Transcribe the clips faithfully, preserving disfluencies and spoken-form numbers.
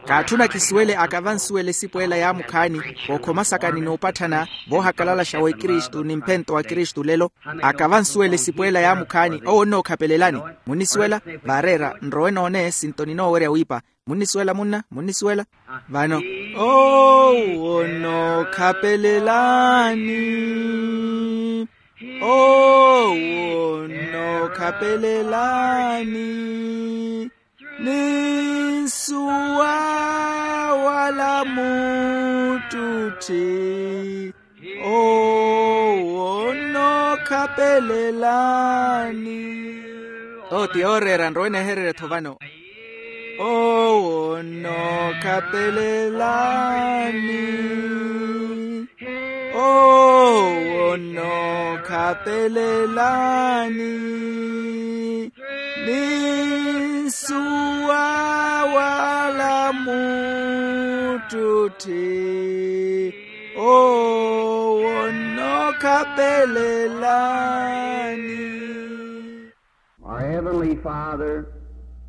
Kaatthuna kisuwele akava nsuwele esipo ela yaamukhaani, vookhoma saka ni nuupatthana voohakalalaxa w'ekristu ni mphento wa kristu lelo. Akava nsuwele esipo ela yaamukhaani owo onnookhapelelani. Munnisuwela? Vaareera nrowe noone sinto ninoowerya wiipa. Munnisuwela munna? Munnisuwela? Vano owo onnookhapelelani. Owo onnookhapelelani. Ni nsuwa wala muttutthi. Owo onnookhapelelani. Owo ti yooreera nrowe neehererya-tho vano. Owo onnookhapelelani. Owo onnookhapelelani. Ni nsuwa wala muttutthi. Owo onnookhapelelani. Our Heavenly Father,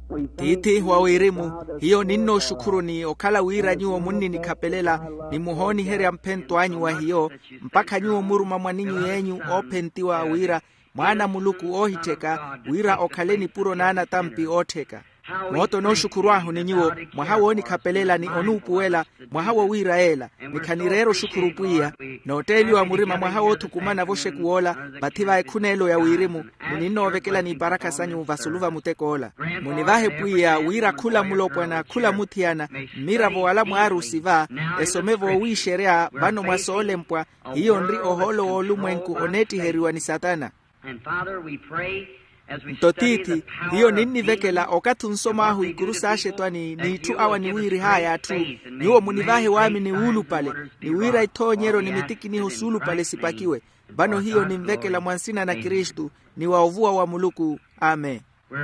we thank tiithi wa wirimu, hiyo ninnooxukhuruni okhala wira nyuwo munninikhapelela, ni muhooniherya mphento anyu wa hiyo, mpakha nyuwo muruma mwaninyu yenyu oophentiwa wira mwaana a muluku oohittheka, wira okhale nipuro n'anatampi oottheka. Moota onooxukhurw'ahu ni nyuwo mwaha woonikhapelelani onuupuwela, mwaha wowiira yeela. Ni khanireera oxukhuru pwiya, nootteeliwa murima mwaha woothukumana voxekuw'ola, vathi va ekhuneelo ya wirimu, ni ninnoovekelani iparakha sanyu vasulu va mutek'ola. Munivahe pwiya wira khula mulopwana khula muthiyana, mmiravo wala mwaarusi va, esome voowiixerya vano mwa soolempwa. Hiyo nri ohoolo w'olumwenku oneettiheriwa ni satana. Nto tiithi, hiyo ninnivekela okathi onsom'ahu ikuru s'axetwani n'itthu awa niwiirih'aya atthu. Nyuwo munivahe waamini wuulupale, ni wira ithoonyeryo ni mitikiniho suulupale sipakiwe. Vano hiyo ninvekela mwa nsina na kristu, ni wa ovuwa wa muluku. Amen.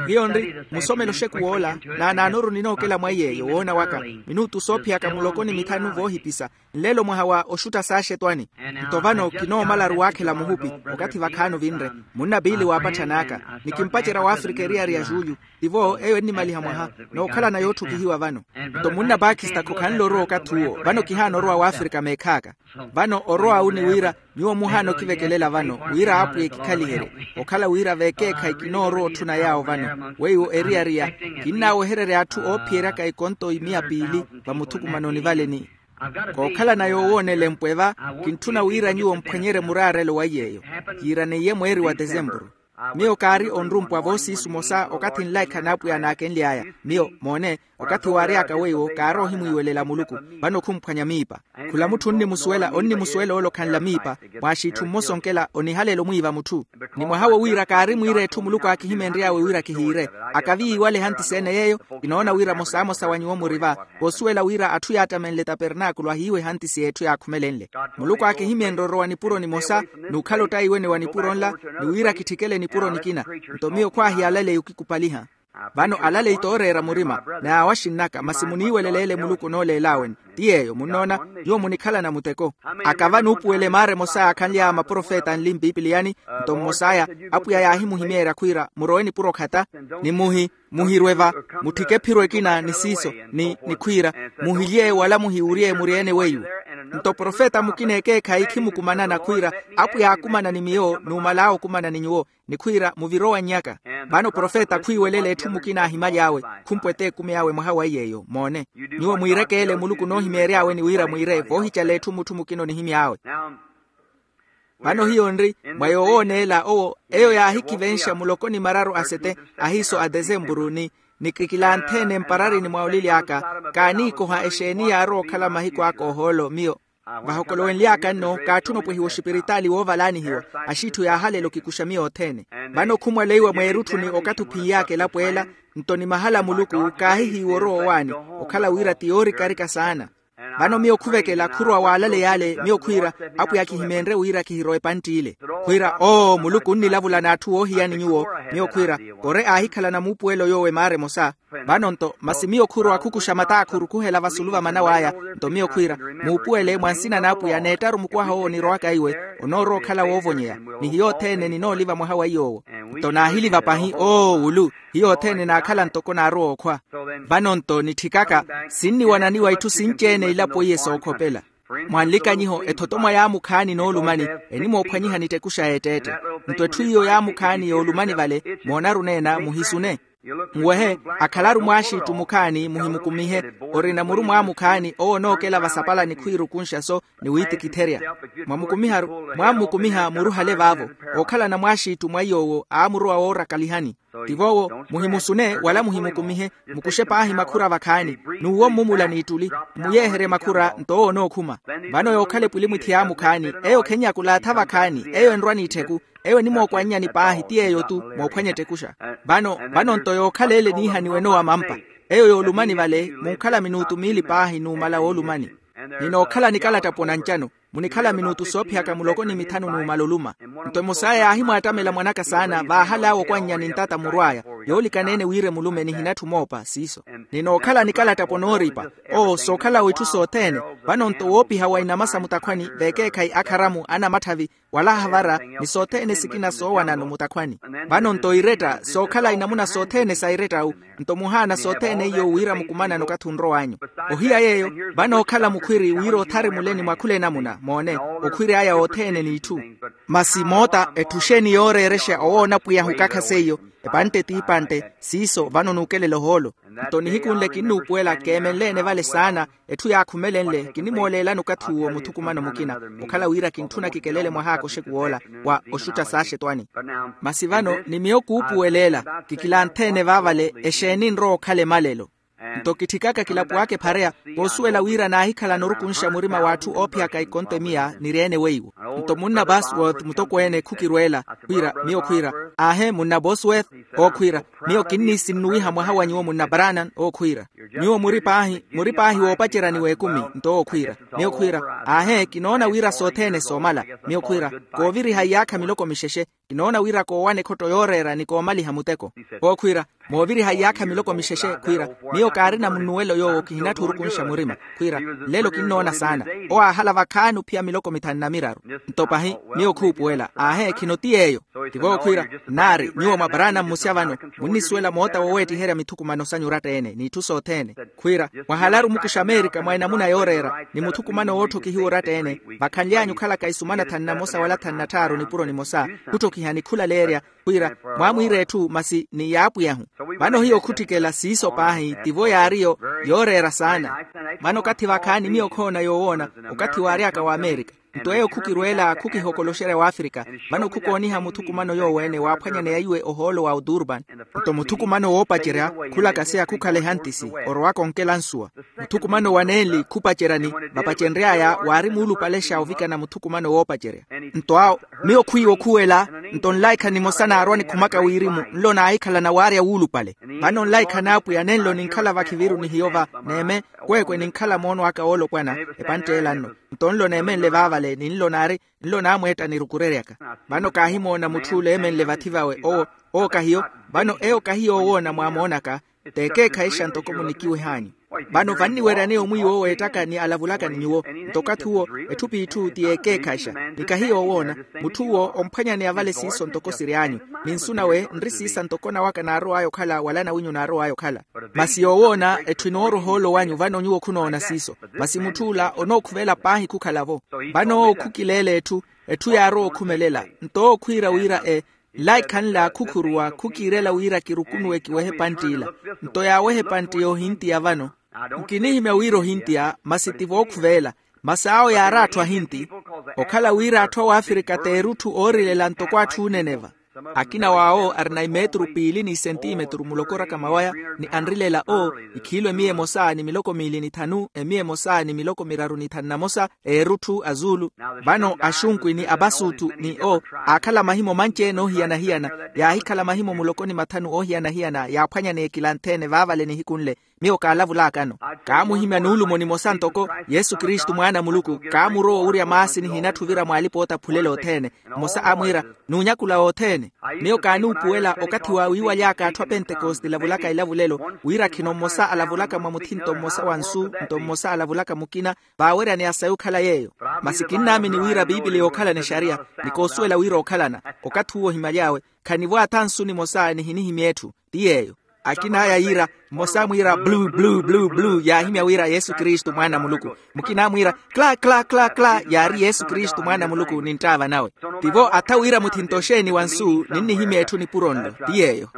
Hiyo nri musomelo oxekuw'ola, naanaanoru ninookela mwa iy'eyo woona waka minutu soophiyaka muloko ni mithanu voohipisa. Nlelo mwaha wa oxutta s'axetwani. Nto vano kinoomalaru waakhela muhupi, okathi vakhaano vinre, munna piili waapatthanaaka, ni kimpacerya w'afrika eriyari ya julho. Tivo eyo ennimaliha mwaha, nookhalana yootthukihiwa vano. Nto munna pakistako khanle orowa okathi uwo, vano kihaana orowa w'afrika meekhaaka. Vano orowa awu ni wira nyuwo muhaana okivekelela vano wira apwiya ekikhaliherye, okhala wira veekeekhayi kinoorowa otthuna yaawo vano weiwo eriyari ya kinnaawehererya atthu oophiyeryaka ekonto imiya piili. Vamuthukumanoni vale ni kookhalana yoowoonela empwe va, kintthuna wira nyuwo mphwanyerye muraarelo wa iy'eyo. Kiiraneiye mweeri wa tesempuru. Miyo kaari onrumpwa voosiisu mosa okathi nlaikha n'apwiya naakenly'aya. Miyo moone, okathi waary'aka weiwo kaari ohimwiiwelela muluku. Vano khumphwanya miipa. Khula mutthu onnimusuwela onnimusuwela ole okhanla miipa, mwaaxiitthu mmosa onkela onihaleela omwiiva mutthu. Ni mwaha wowiira kaari mwiira etthu muluku aakihimeenry'awe wira kihiire. Akavi yiiwale ehantisi ene yeeyo. Kinoona wira mosaamosa wa nyuwo muri va, voosuwela wira atthu yaattamenle tapernaakulu ahiiwe ehantisi y'etthu yaakhumelenle. Muluku aakihimeenre orowa nipuro nimosa, n'ukhala ottaiwene wa nipuro nla, ni wira kitthikele nipuro nikina. Nto miyo khwaahiyalaleyi okikupaliha. Vano alaleyi tooreera murima, n'awaxinn'aka masi muniiweleleele muluku onooleel'aweni. Ti yeeyo munnoona, nyuwo munikhalana muteko. Akava nuupuwela emaara emosa yaakhanly'aya maprofeta anli mpipiliyani. Nto mmos'aya, apwiya yaahimuhimeerya khwiira murowe nipuro khata, ni muhi muhirwe va, mutthike ephiro ekina ni siiso, ni nikhwiira muhilye wala muhiwurye muri-ene weiwo. Nto profeta mukina ekeekhayi khimukumanana khwiira, apwiya aakumana ni miyo n'umal'awe okumana ni nyuwo, ni khwiira muvire owannyaka. Vano profeta khwiiwelela etthu mukina aahimaly'awe, khumpweta ekumi awe mwaha wa iy'eyo moone. Nyuwo mwiirekeele muluku onoohimeery'awe ni wira mwiire voohicala etthu mutthu mukina onihimy'awe. Vano hiyo nri mwa yoowooneela owo, eyo yaahikivenxa muloko ni mararu a sete ahiiso a tesempuru ni nikikilanthe-ene mpararini mwa olili aka. Kaaniikoha exeeni yaarowa okhala mahiku aka ohoolo miyo vahokolowenly'aka nno kaatthuna opwehiwa oxipiritaali woovalaanihiwa. Axiitthu yaahaleela okikuxa miyo othene. Vano khumwaleiwa mweerutthuni okathi ophinly'aka elapo ela. Nto ni mahala a muluku kaahihiiwa orowa owaani, okhala wira ti yoorikarika saana. Vano miyo khuvekela khurowa waalaleya ale miyo khwiira, apwiya khihimeenrye wira khihirowa epantti ile. Khwiira oo muluku onnilavula n'atthu woohiyani nyuwo. Miyo khwiira, kore aahikhalana muupuwelo yoowo emaara emosa. Vano-nto masi miyo khurowa khukuxa mataakhuru khuhela vasulu va manaw'aya. Nto miyo khwiira, muupuwele mwa nsina n'apwiya n'ettaru mukwaha owo onirowaka iwe, onoorowa okhala woovonyeya. Ni hiyo othene ninooliva mwaha wa iy'owo. Nto naahiliva pahi oo wulu. Hiyo othene naakhala ntoko naarowa okhwa. Vano-nto nitthikaka, sinniwananiwa itthu sinci-ene ilapo iye sookhopela. Mwa nlikanyiho ethotomwa yaamukhaani noolumani, enimoophwanyiha nittekusha yeetteette. Nto etthu iyo yaamukhaani yoolumani vale, moonaru neena muhisune. Nwehe, akhalaru mwaaxiittu mukhaani muhimukumihe. Orina muru mwaamukhaani owo onookela vasapalani khwiirukunxa-so, ni wiitikitherya. Mwamukumiharu mwaammukumiha muruhale vaavo. Ookhalana mwaaxiittu mwa iy'owo aamurowa woorakalihani. Tivo owo, muhimusune wala muhimukumihe. Mukuxe paahi makhura vakhaani, n'uwo mmumula n'ittuli. Mmuyeeherye makhura nto owo onookhuma. Vano yookhala epwilimwithi yaamukhaani, eyo khennyakulaatha vakhaani, eyo enrwa n'itthiku. Eyo enimookwannyani paahi ti yeeyo-tu, moophwanya ettekuxa. Vano vano-nto yookhala ele niihaniwe enowa mampa. Eyo yoolumani vale munkhala minuutu miili paahi numala woolumani. Ninookhala nikalattapo na ncano. Munikhala minuutu soophiyaka muloko ni mithanu numala oluma. Nto emosaya yaahimwaattamela mwanaka saana vaahal'awe okwannya ni ntata murw'aya. Yoolikaneene wira emulume nihinatthi omoopa siiso. Ninookhala nikalattapo nooripa. Oo sookhala w'itthu sothene. Vano-nto woopiha wa inama sa mutakhwani veekeekhayi akharamu anamatthavi, wala ahavara, ni sothene sikina soowanano mutakhwani. Vano-nto iretta sookhala inamuna sothene sa irettawu. Nto muhaana sothene iyo wira mukumanano okathi onrow'anyu. Ohiya yeeyo, vano ookhala mukhwiri wira othari muleni mwa khula enamuna moone, okhwiri aya othene n'itthu. Masi moota etthu xeeni yooreerexa owoona pwiyahu kakha seiyo? Epantte t'ipantte. Siiso vano nuukelela ohoolo. Nto nihiku nle kinnuupuwela keemenle-ene vale saana. Etthu yaakhumelenle kinimooleelani okathi uwo muthukumano mukina. Okhala wira kintthuna kikelele mwaha akoxeku woola wa oxutta saaxetwani. Masi vano ni miyo kuupuweleela, kikilanthe-ene vaavale exeeni nrowa okhala emalelo. Nto kitthikaka kilapo aka ephareya, koosuwela wira naahikhalana orukunxa murima w'atthu oophiyaka ikonto emiya niri-ene weiwo. Nto munna bosworth mutokweene khukirweela. Khwiira miyo khwiira, aahe munna bosworth. Ookhwiira, miyo kinniisinnuwiha mwaha wa nyuwo munna branan ookhwiira. Nyuwo muri paahi muri paahi woopacerya ni w'ekumi. Nto ookhwiira, miyo khwiira, aahe kinoona wira sothene soomala. Miyo khwiira, kooviriha iyaakha miloko mixexe. Kinoona wira koowana ekhotto yooreera ni koomaliha muteko. Ookhwiira, mooviriha iyaakha miloko mixexe. Khwiira, miyo kaarina munnuwelo yoowo kihinatthi orukunxa murima. Khwiira, nlelo kinnoona saana. Owo aahala vakhaani ophiya miloko mithanu na miraru. Nto pahi, miyo khuupuwela aahe khino ti yeeyo. Tivo okhwiira, nnaari nyuwo mwa paraana mmusya vano, munnisuwela moota woweettiherya mithukumano sanyu oratta-ene n'itthu sothene. Khwiira, mwahalaru mukuxa amerika mwa enamuna yooreera ni muthukumano wootthokihiwa oratta-ene. Vakhanly'anyu okhalaka isumana thanu na mosa wala thanu na tthaaru nipuro nimosa, khutthokihani khulaleerya. Khwiira, mwaamwiira etthu masi ni yaapwiyahu. Vano hiyo khutthikela siiso paahi tivo yaariyo yooreera saana. Vano okathi vakhaani miyo khoona yoowoona, okathi waary'aka w'amerika. Nto eyo khukirweela khukihokoloxerya w'afrika. Vano khukooniha muthukumano yoowo-ene waaphwanyaneya iwe ohoolo wa oturban. Nto muthukumano woopacerya khulakaseya khukhala ehantisi, orowaka onkela nsuwa. Muthukumano wa nenli khupaceryani, vapacenry'aya waari muulupalexa ovikana muthukumano woopacerya. Nto awo, miyo khwiiwa okhuwela. Nto nlaikha nimosa naarwa nikhumaka wirimu nlo naahikhalana waarya wuulupale. Vano nlaikha n'apwiya nenlo ninkhala vakhiviru ni hiyo va, neeme, kweekwe ninkhala moono aka woolopwana. Epantt'ela nno. Nto nlo neemenle vaavale ni nlo naari, nlo naamweetta nirukureryaka. Vano kaahimoona mutth'ule eemenle vathi vawe owo. Owo kahiyo. Vano eyo kahiyo owoona mwaamoonaka. T'ekeekhayi xa ntoko munikiweh'anyu. Vano vanniweryaneya omwiiwa owo eettaka ni alavulaka ni nyuwo. Nto okathi uwo, etthu p'itthu ti yeekeekhayi xa. Ni kahiyo owoona, mutth'uwo omphwanyaneya vale siiso ntoko siry'anyu. Ni nsu nawe nri siisa ntoko nawaka naarow'aya okhala wala nawinyu naarow'aya okhala. Masi yoowoona etthu enooroha oolo wanyu vano nyuwo khunoona siiso. Masi mutth'ula onookhuvela paahi khukhala-vo. Vano owo khukileela etthu, etthu yaarowa okhumelela. Nto owo khwiira wira e, nlaikha nla khukhuruwa khukiirela wira kirukunuwe kiwehe epantti ila. Nto yaaweha epantti y'ohintiya vano. Nkinihimya wira ohintiya masi ti vookhuveela. Masi awo yaari atthu ahinti. Okhala wira atthu a wafirika t'erutthu oorilela ntoko atthu ooneneva. Akina w'awo arina imetru piili n'isentimetru mulokoraka mawaya, ni anrilela o, ikhiilu emiya emosa ni miloko miili ni thanu emiya emosa ni miloko miraru ni thanu na mosa, eerutthu azuulu. Vano axunkwi ni apasuuttu ni o, aakhala mahimo manci-ene oohiyana-hiyana. Yaahikhala mahimo muloko ni mathanu oohiyana-hiyana yaaphwanyaneya ekilanthe-ene vaavale nihiku nle. Miyo kaalavulakano. Kaamuhimya nuulumo nimosa ntoko yesu kristu mwaana a muluku. Kaamurowa owurya maasi nihinatthu ovira mwaalipa ootaphulela othene. Mmosa amwiira, nuunyakula othene. Miyo kaanuupuwela okathi wa wiiwaly'aka atthu a pentekoste elavulaka elavulelo, wira khino mmosa alavulaka mwa muthinto mmosa wa nsu, nto mmosa alavulaka mukina, vaaweryaneya sayi okhala yeeyo. Masi kinnaamini wira piipili yookhalana exariya, ni koosuwela wira okhalana. Okathi uwo ohimaly'awe, khanivo atha nsu nimosa nihinihimya etthu. Ti yeeyo. Akin'aya yiira, mmosa amwiira blu blu blu blu yaahimya wira yesu kristu mwaana a muluku. Mukina amwiira, kla kla kla kla yaari yesu kristu mwaana a muluku ni nttaava nawe. Tivo atha wira muthinto oxeeni wa nsu ninnihimya etthu nipuro nlo. Ti yeeyo.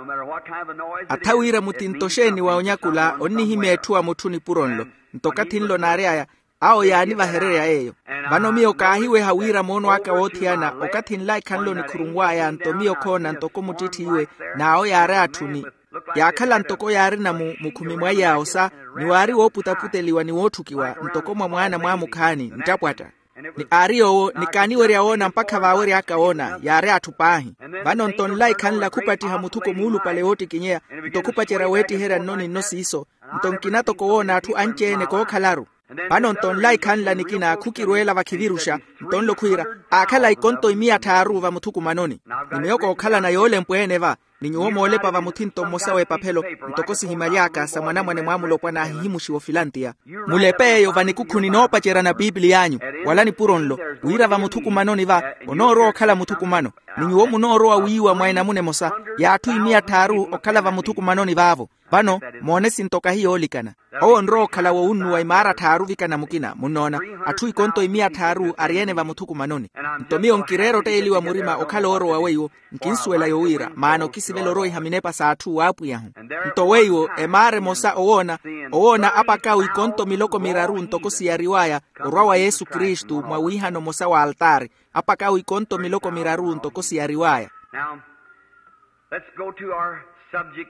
Atha wira muthinto oxeeni wa onyakula onnihimya etthu wa mutthu nipuro nlo. Nto okathi nlo naary'aya, awo yaanivahererya yeeyo. Vano miyo kaahiweha wira moono aka woothiyana okathi nlaikha nlo nikhurunw'aya nto miyo khoona ntoko muttitthi iwe, n'awo yaari atthu ni yaakhala ntoko yaarina mu mukhumi mwa iyaawo sa, ni waari wooputaputeliwa ni wootthukiwa ntoko mwa mwaana mwaamukhaani nttapwatta. Ni aari yoowo ni kaaniwerya woona mpakha vaawery'aka woona yaari atthu paahi. Vano nto nlaikha nla khupattiha muthuko muulupale woottikinyeya, nto khupacerya weettiherya nno ni nno siiso, nto nkina toko woona atthu anci-ene kookhalaru. Vano nto nlaikha nla nikina khukirweela vakhiviruxa, nto nlo khwiira, aakhala ikonto imiya tthaaru vamuthukumanoni. Ni miyo kookhalana yoolempwa-ene va, ni nyuwo moolepa vamuthinto mmosa w'epaphelo, ntoko sihimaly'aka sa mwanamwane mwaamulopwana ahihimuxiwa ofilantiya. Mulepe eyo vanikukhu ninoopaceryana piipili y'anyu, wala nipuro nlo, wira vamuthukumanoni va, onoorowa okhala muthukumano. Ni nyuwo munoorowa wiiwa mwa enamuna emosa, y'atthu imiya tthaaru okhala vamuthukumanoni vaavo. Vano moone sinto kahi yoolikana. Owo onrowa okhala woowunnuwa imaara tthaaru ovikana mukina munnoona, atthu ikonto imiya tthaaru ari-ene vamuthukumanoni. Nto miyo nkireera otteeliwa murima okhala oorowa weiwo. Nkinsuwela yowiira maana okisivela oroiha minepa s'atthu w'apwiyahu. Nto weiwo emaara emosa owoona, owoona apak'awe ikonto miloko miraru ntoko siyariw'aya, orwa wa yesu kristu mwa wiihana omosa w'altaari. Apak'awe ikonto miloko miraru ntoko siyariw'aya.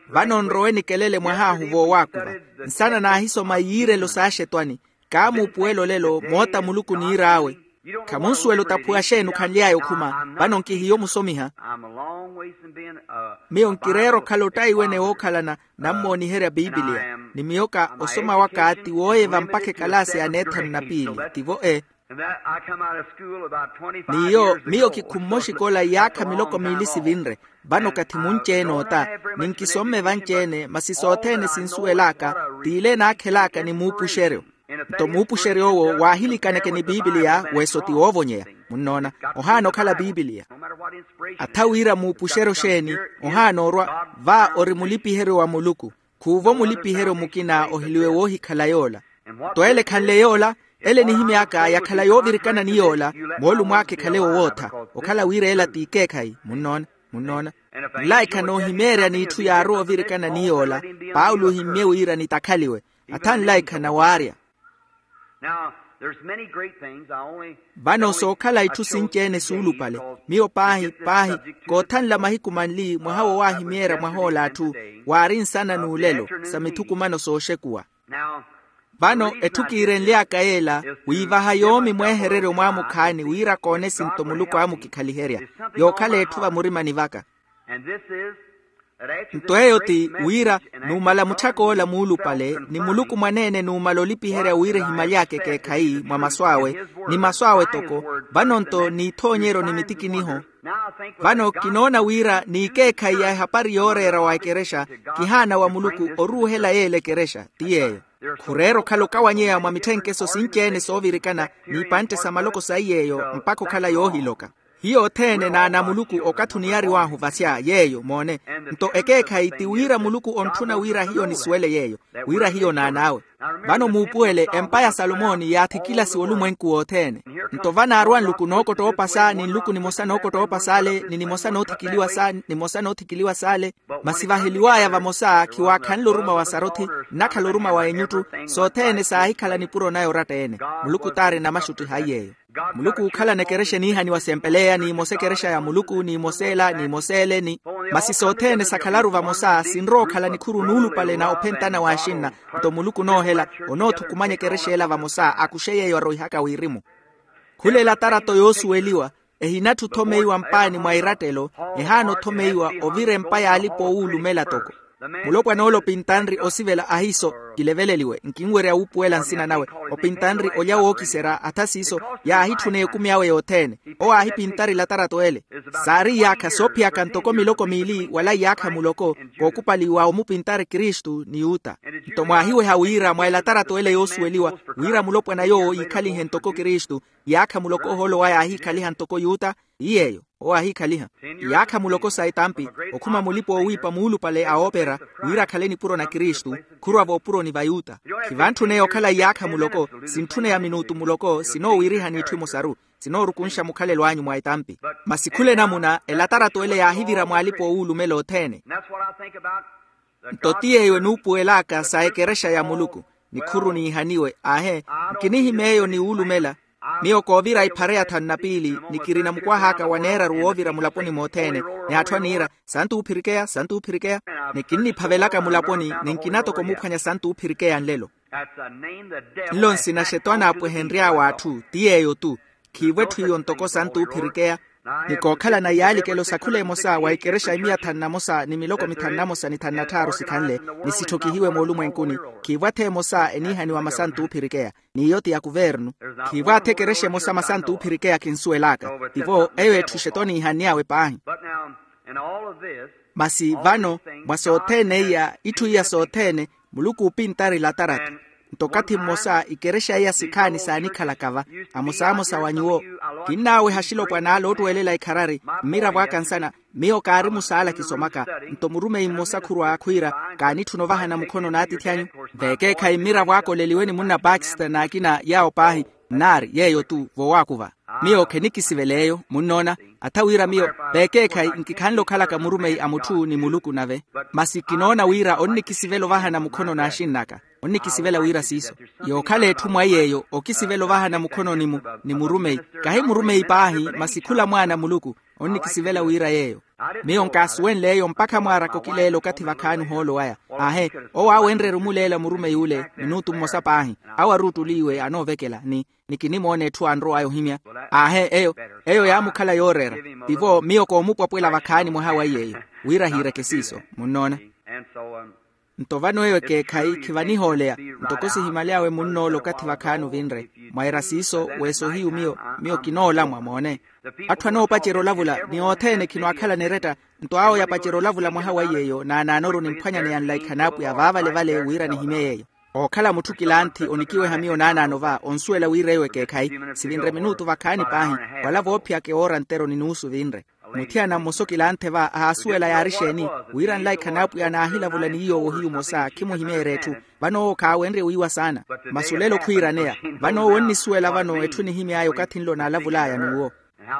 Vano nrowe nikelele mwahaahu voowaakuva. Nsana naahisoma iyiirelo s'axetwani. Kaamuupuwela olelo moota muluku niir'awe. Khamunsuwela otaphuwa xeeni okhanly'aya okhuma. Vano nkihiyo musomiha. Miyo nkireera okhala ottaiwene wookhalana, nammooniherya piipiliya. Ni miyoka osoma waka ti wooyeva mpakha ekalaasi ya neethanu na piili. Tivo e. N'iyo miyo kikhumme oxikola iyaakha miloko miili sivinre. Vano okathi munci-ene ota, ni nkisomme vanci-ene masi sothene sinsuwel'aka, t'ile enaakhel'aka ni muupuxeryo. Nto muupuxery'owo waahilikaneke ni piipiliya. Weso ti woovonyeya. Munnoona, ohaana okhala piipiliya. Atha wira muupuxeryo xeeni, ohaana orwa. Va ori mulipiheryo wa muluku. Khuuvo mulipiheryo mukina ohiliwe woohikhala yoola. Nto ele ekhanle yoola, ele enihimy'aka yakhala yoovirikana ni yoola. Moolumo aka ekhale wowootha, okhala wira ela t'ikeekhayi. Munnoona? Munnoona? Nlaikha noohimeerya n'itthu yaarowa ovirikana ni yoola. Paulo ohimmye wira nitakhaliwe. Atha nlaikha nawaarya. Vano sookhala itthu sinci-ene suulupale. Miyo paahi paahi, koothanla mahiku manli mwaha wo waahimeerya mwah'ola atthu, waari nsana n'ulelo sa mithukumano sooxekuwa. Vano etthu kiirenly'aka yeela, wiivaha yoomi mweehereryo mwaamukhaani wira koone esinto muluku aamukikhaliherya, yookhala etthu vamurimani vaka. Nto eyo ti wira, numala mutthak'ola muulupale ni muluku mwaneene numala olipiherya wira ehimaly'aka ekeekhayi mwa masu awe, ni masu awe toko. Vano nto n'ithoonyeryo ni mitikiniho. Vano kinoona wira n'ikeekhayi ya ehapari yooreera wa ekerexa, kihaana wa muluku oruuhela yeela ekerexa ti yeeyo. Khureera okhala okawanyeya mwa mitthenkeso sinci-ene soovirikana, n'ipantte sa maloko saiy'eyo mpakha okhala yoohiloka. Hiyo othene n'ana a muluku okathi oniyariw'ahu vasya yeeyo moone. Nto ekeekhayi ti wira muluku ontthuna wira hiyo nisuwele yeeyo, wira hiyo n'an'awe. Vano muupuwele empa ya salomoni yaathikilasiwa olumwenku wothene. Nto vanaarwa nluku nookotta oopasa ni nluku nimosa nookotta oopasa ale ni nimosa noothikiliwa sa nimosa noothikiliwa s'ale. Masi vaheliw'aya vamosa khiwaakhanle oruma wa sarothi, nnakhala oruma wa enyuttu. Sothene saahikhala nipuro naya oratta-ene. Muluku t'arina maxutti haiy'eyo. Muluku ookhalana ekerexa eniihaniwa sempeleya n'imosa ekerexa ya muluku n'imosa ela n'imosa ele ni masi sothene sakhalaru vamosa sinrowa okhala nikhuru nuulupale na ophentana w'axinna. Nto muluku onoohela, onoothukumanya ekerexa ela vamosa akuxe yeeyo aroihaka wirimu. Khula elatarato yoosuweliwa, ehinatthu othomeiwa mpaani mwa irattelo, ehaana othomeiwa ovira empa y'alipa oowuulumela toko. Mulopwan'ole opintanri osivela ahiiso, kileveleliwe nkinwerya wuupuwela nsina nawe. Opintanri olya wookiserya atha siiso, yaahitthuna ekumi awe yothene. Owo aahipintari elatarato ele. Saari iyaakha soophiyaka ntoko miloko miili wala iyaakha muloko, kookupaliwa omupintari kristu ni yuta. Nto mwaahiweha wira mwa elatarato ele yoosuweliwa, wira mulopwana yoowo yiikhalihe ntoko kristu, iyaakha muloko ohoolo waya aahiikhaliha ntoko yuta. Ti yeeyo. Owo aahiikhaliha iyaakha muloko sa etampi, okhuma mulipa-oowiipa muulupale a oopera, wira akhale nipuro na kristu, khurwa voopuroni va yuta. Khivantthune okhala iyaakha muloko, sintthuneya minutu muloko sinoowiirihani itthu emosaru, sinoorukunxa mukhalelo anyu mwa etampi. Masi khula enamuna elatarato ele yaahivira mwaalipa oowuulumela othene. Nto ti yeeyo enuupuwelaka sa ekerexa ya muluku. Nikhuru niihaniwe aahe, nkinihimya eyo ni wuulumela. Miyo koovira iphara ya thanu na piili, ni kirina mukwah'aka wa neeraru woovira mulaponi mothene, ni atthu aniira, santu uphirikeya santu uphirikeya. Ni kinniphavelaka mulaponi, ni nkina toko muphwanya santu uphirikeya nlelo. Nlo nsina xetwani apwehenry'awe atthu ti yeeyo-tu. Khiivo etthu iyo ntoko santu uphirikeya. Ni kookhalana iyaalikelo sa khula emosa wa ikerexa imiya thanu na mosa ni miloko mithanu na mosa ni thanu na tthaaru sikhanle, ni sitthokihiwe moolumwenkuni. Khiivo atha emosa eniihaniwa masantu uphirikeya, n'iyo ti ya kuvernu. Khiivo atha ekerexa emosa masantu uphirikeya kinsuwel'aka. Tivo eyo etthu exetwa oniihann'awe paahi. Masi vano, mwa sothene iya itthu iya sothene, muluku uupintari latarato. Nto okathi mmosa ikerexa iya sikhaani saanikhalaka va, amosamosa wa nyuwo. Kinnaaweha axilopwana ale oottuwelela ikharari, mmiravo aka nsana, miyo kaari musaala kisomaka. Nto murumeyi mmosa khurwa khwiira, kaanitthuna ovahana mukhono n'atiithi anyu? Veekeekhayi mmiravo aka oleliwe ni munna baxter n'akina yaawo paahi. Nnaari yeeyo-tu vowaakuva. Miyo khenikisivela eyo munnoona. Atha wira miyo, veekeekhayi nkikhanle okhalaka murumeyi a mutthu ni muluku nave. Masi kinoona wira onnikisivela ovahana mukhono n'axinn'aka. Onnikisivela wira siiso. Yookhala etthu mwa yeeyo okisivela ovahana mukhononi-mu, ni murumeyi. Kahi murumeyi paahi masi khula mwaana a muluku. Onnikisivela wira yeeyo. Miyo nkaasuwenle eyo mpakha mwaaraka okileela okathi vakhaani ohoolo waya. Aahe, owo aawenrye-ru muleela murumeyi ule minutu mmosa paahi. Awo aruuttuliiwe anoovekela ni, ni kinimoona etthu anrow'aya ohimya. Aahe eyo, eyo yaamukhala yooreera. Tivo miyo koomupwapwela vakhaani mwaha wa iy'eyo, wira ahiireke siiso. Munnoona? Nto vano eyo ekeekhayi khivanihooleya. Ntoko sihimaly'awe munn'ole okathi vakhaani ovinre. Mwaira siiso, weeso hiyu miyo, miyo kinoolamwa moone. Atthu anoopacerya olavula ni othene khinookhalana eretta. Nto awo yapacerya olavula mwaha wa iy'eyo naanaanoru nimphwanyaneya nlaikha n'apwiya vaavalevale wira nihimye yeeyo. Ookhala mutthu kilanthi onikiweha miyo naanaano va onsuwela wira eyo ekeekhayi. Sivinre minutu vakhaani paahi, wala voophiyaka ewoora nteroni nuusu vinre. Muthiyana mmosa okilanthe va ahaasuwela yaari exeeni, wira nlaikha n'apwiya naahilavula ni yoowo hiyu mmosa khimuhimeerya etthu. Vano owo khaawenrye wiiwa saana. Masi olelo khwiiraneya. Vano owo onnisuwela vano etthu enihimy'aya okathi nlo naalavul'aya n'uwo.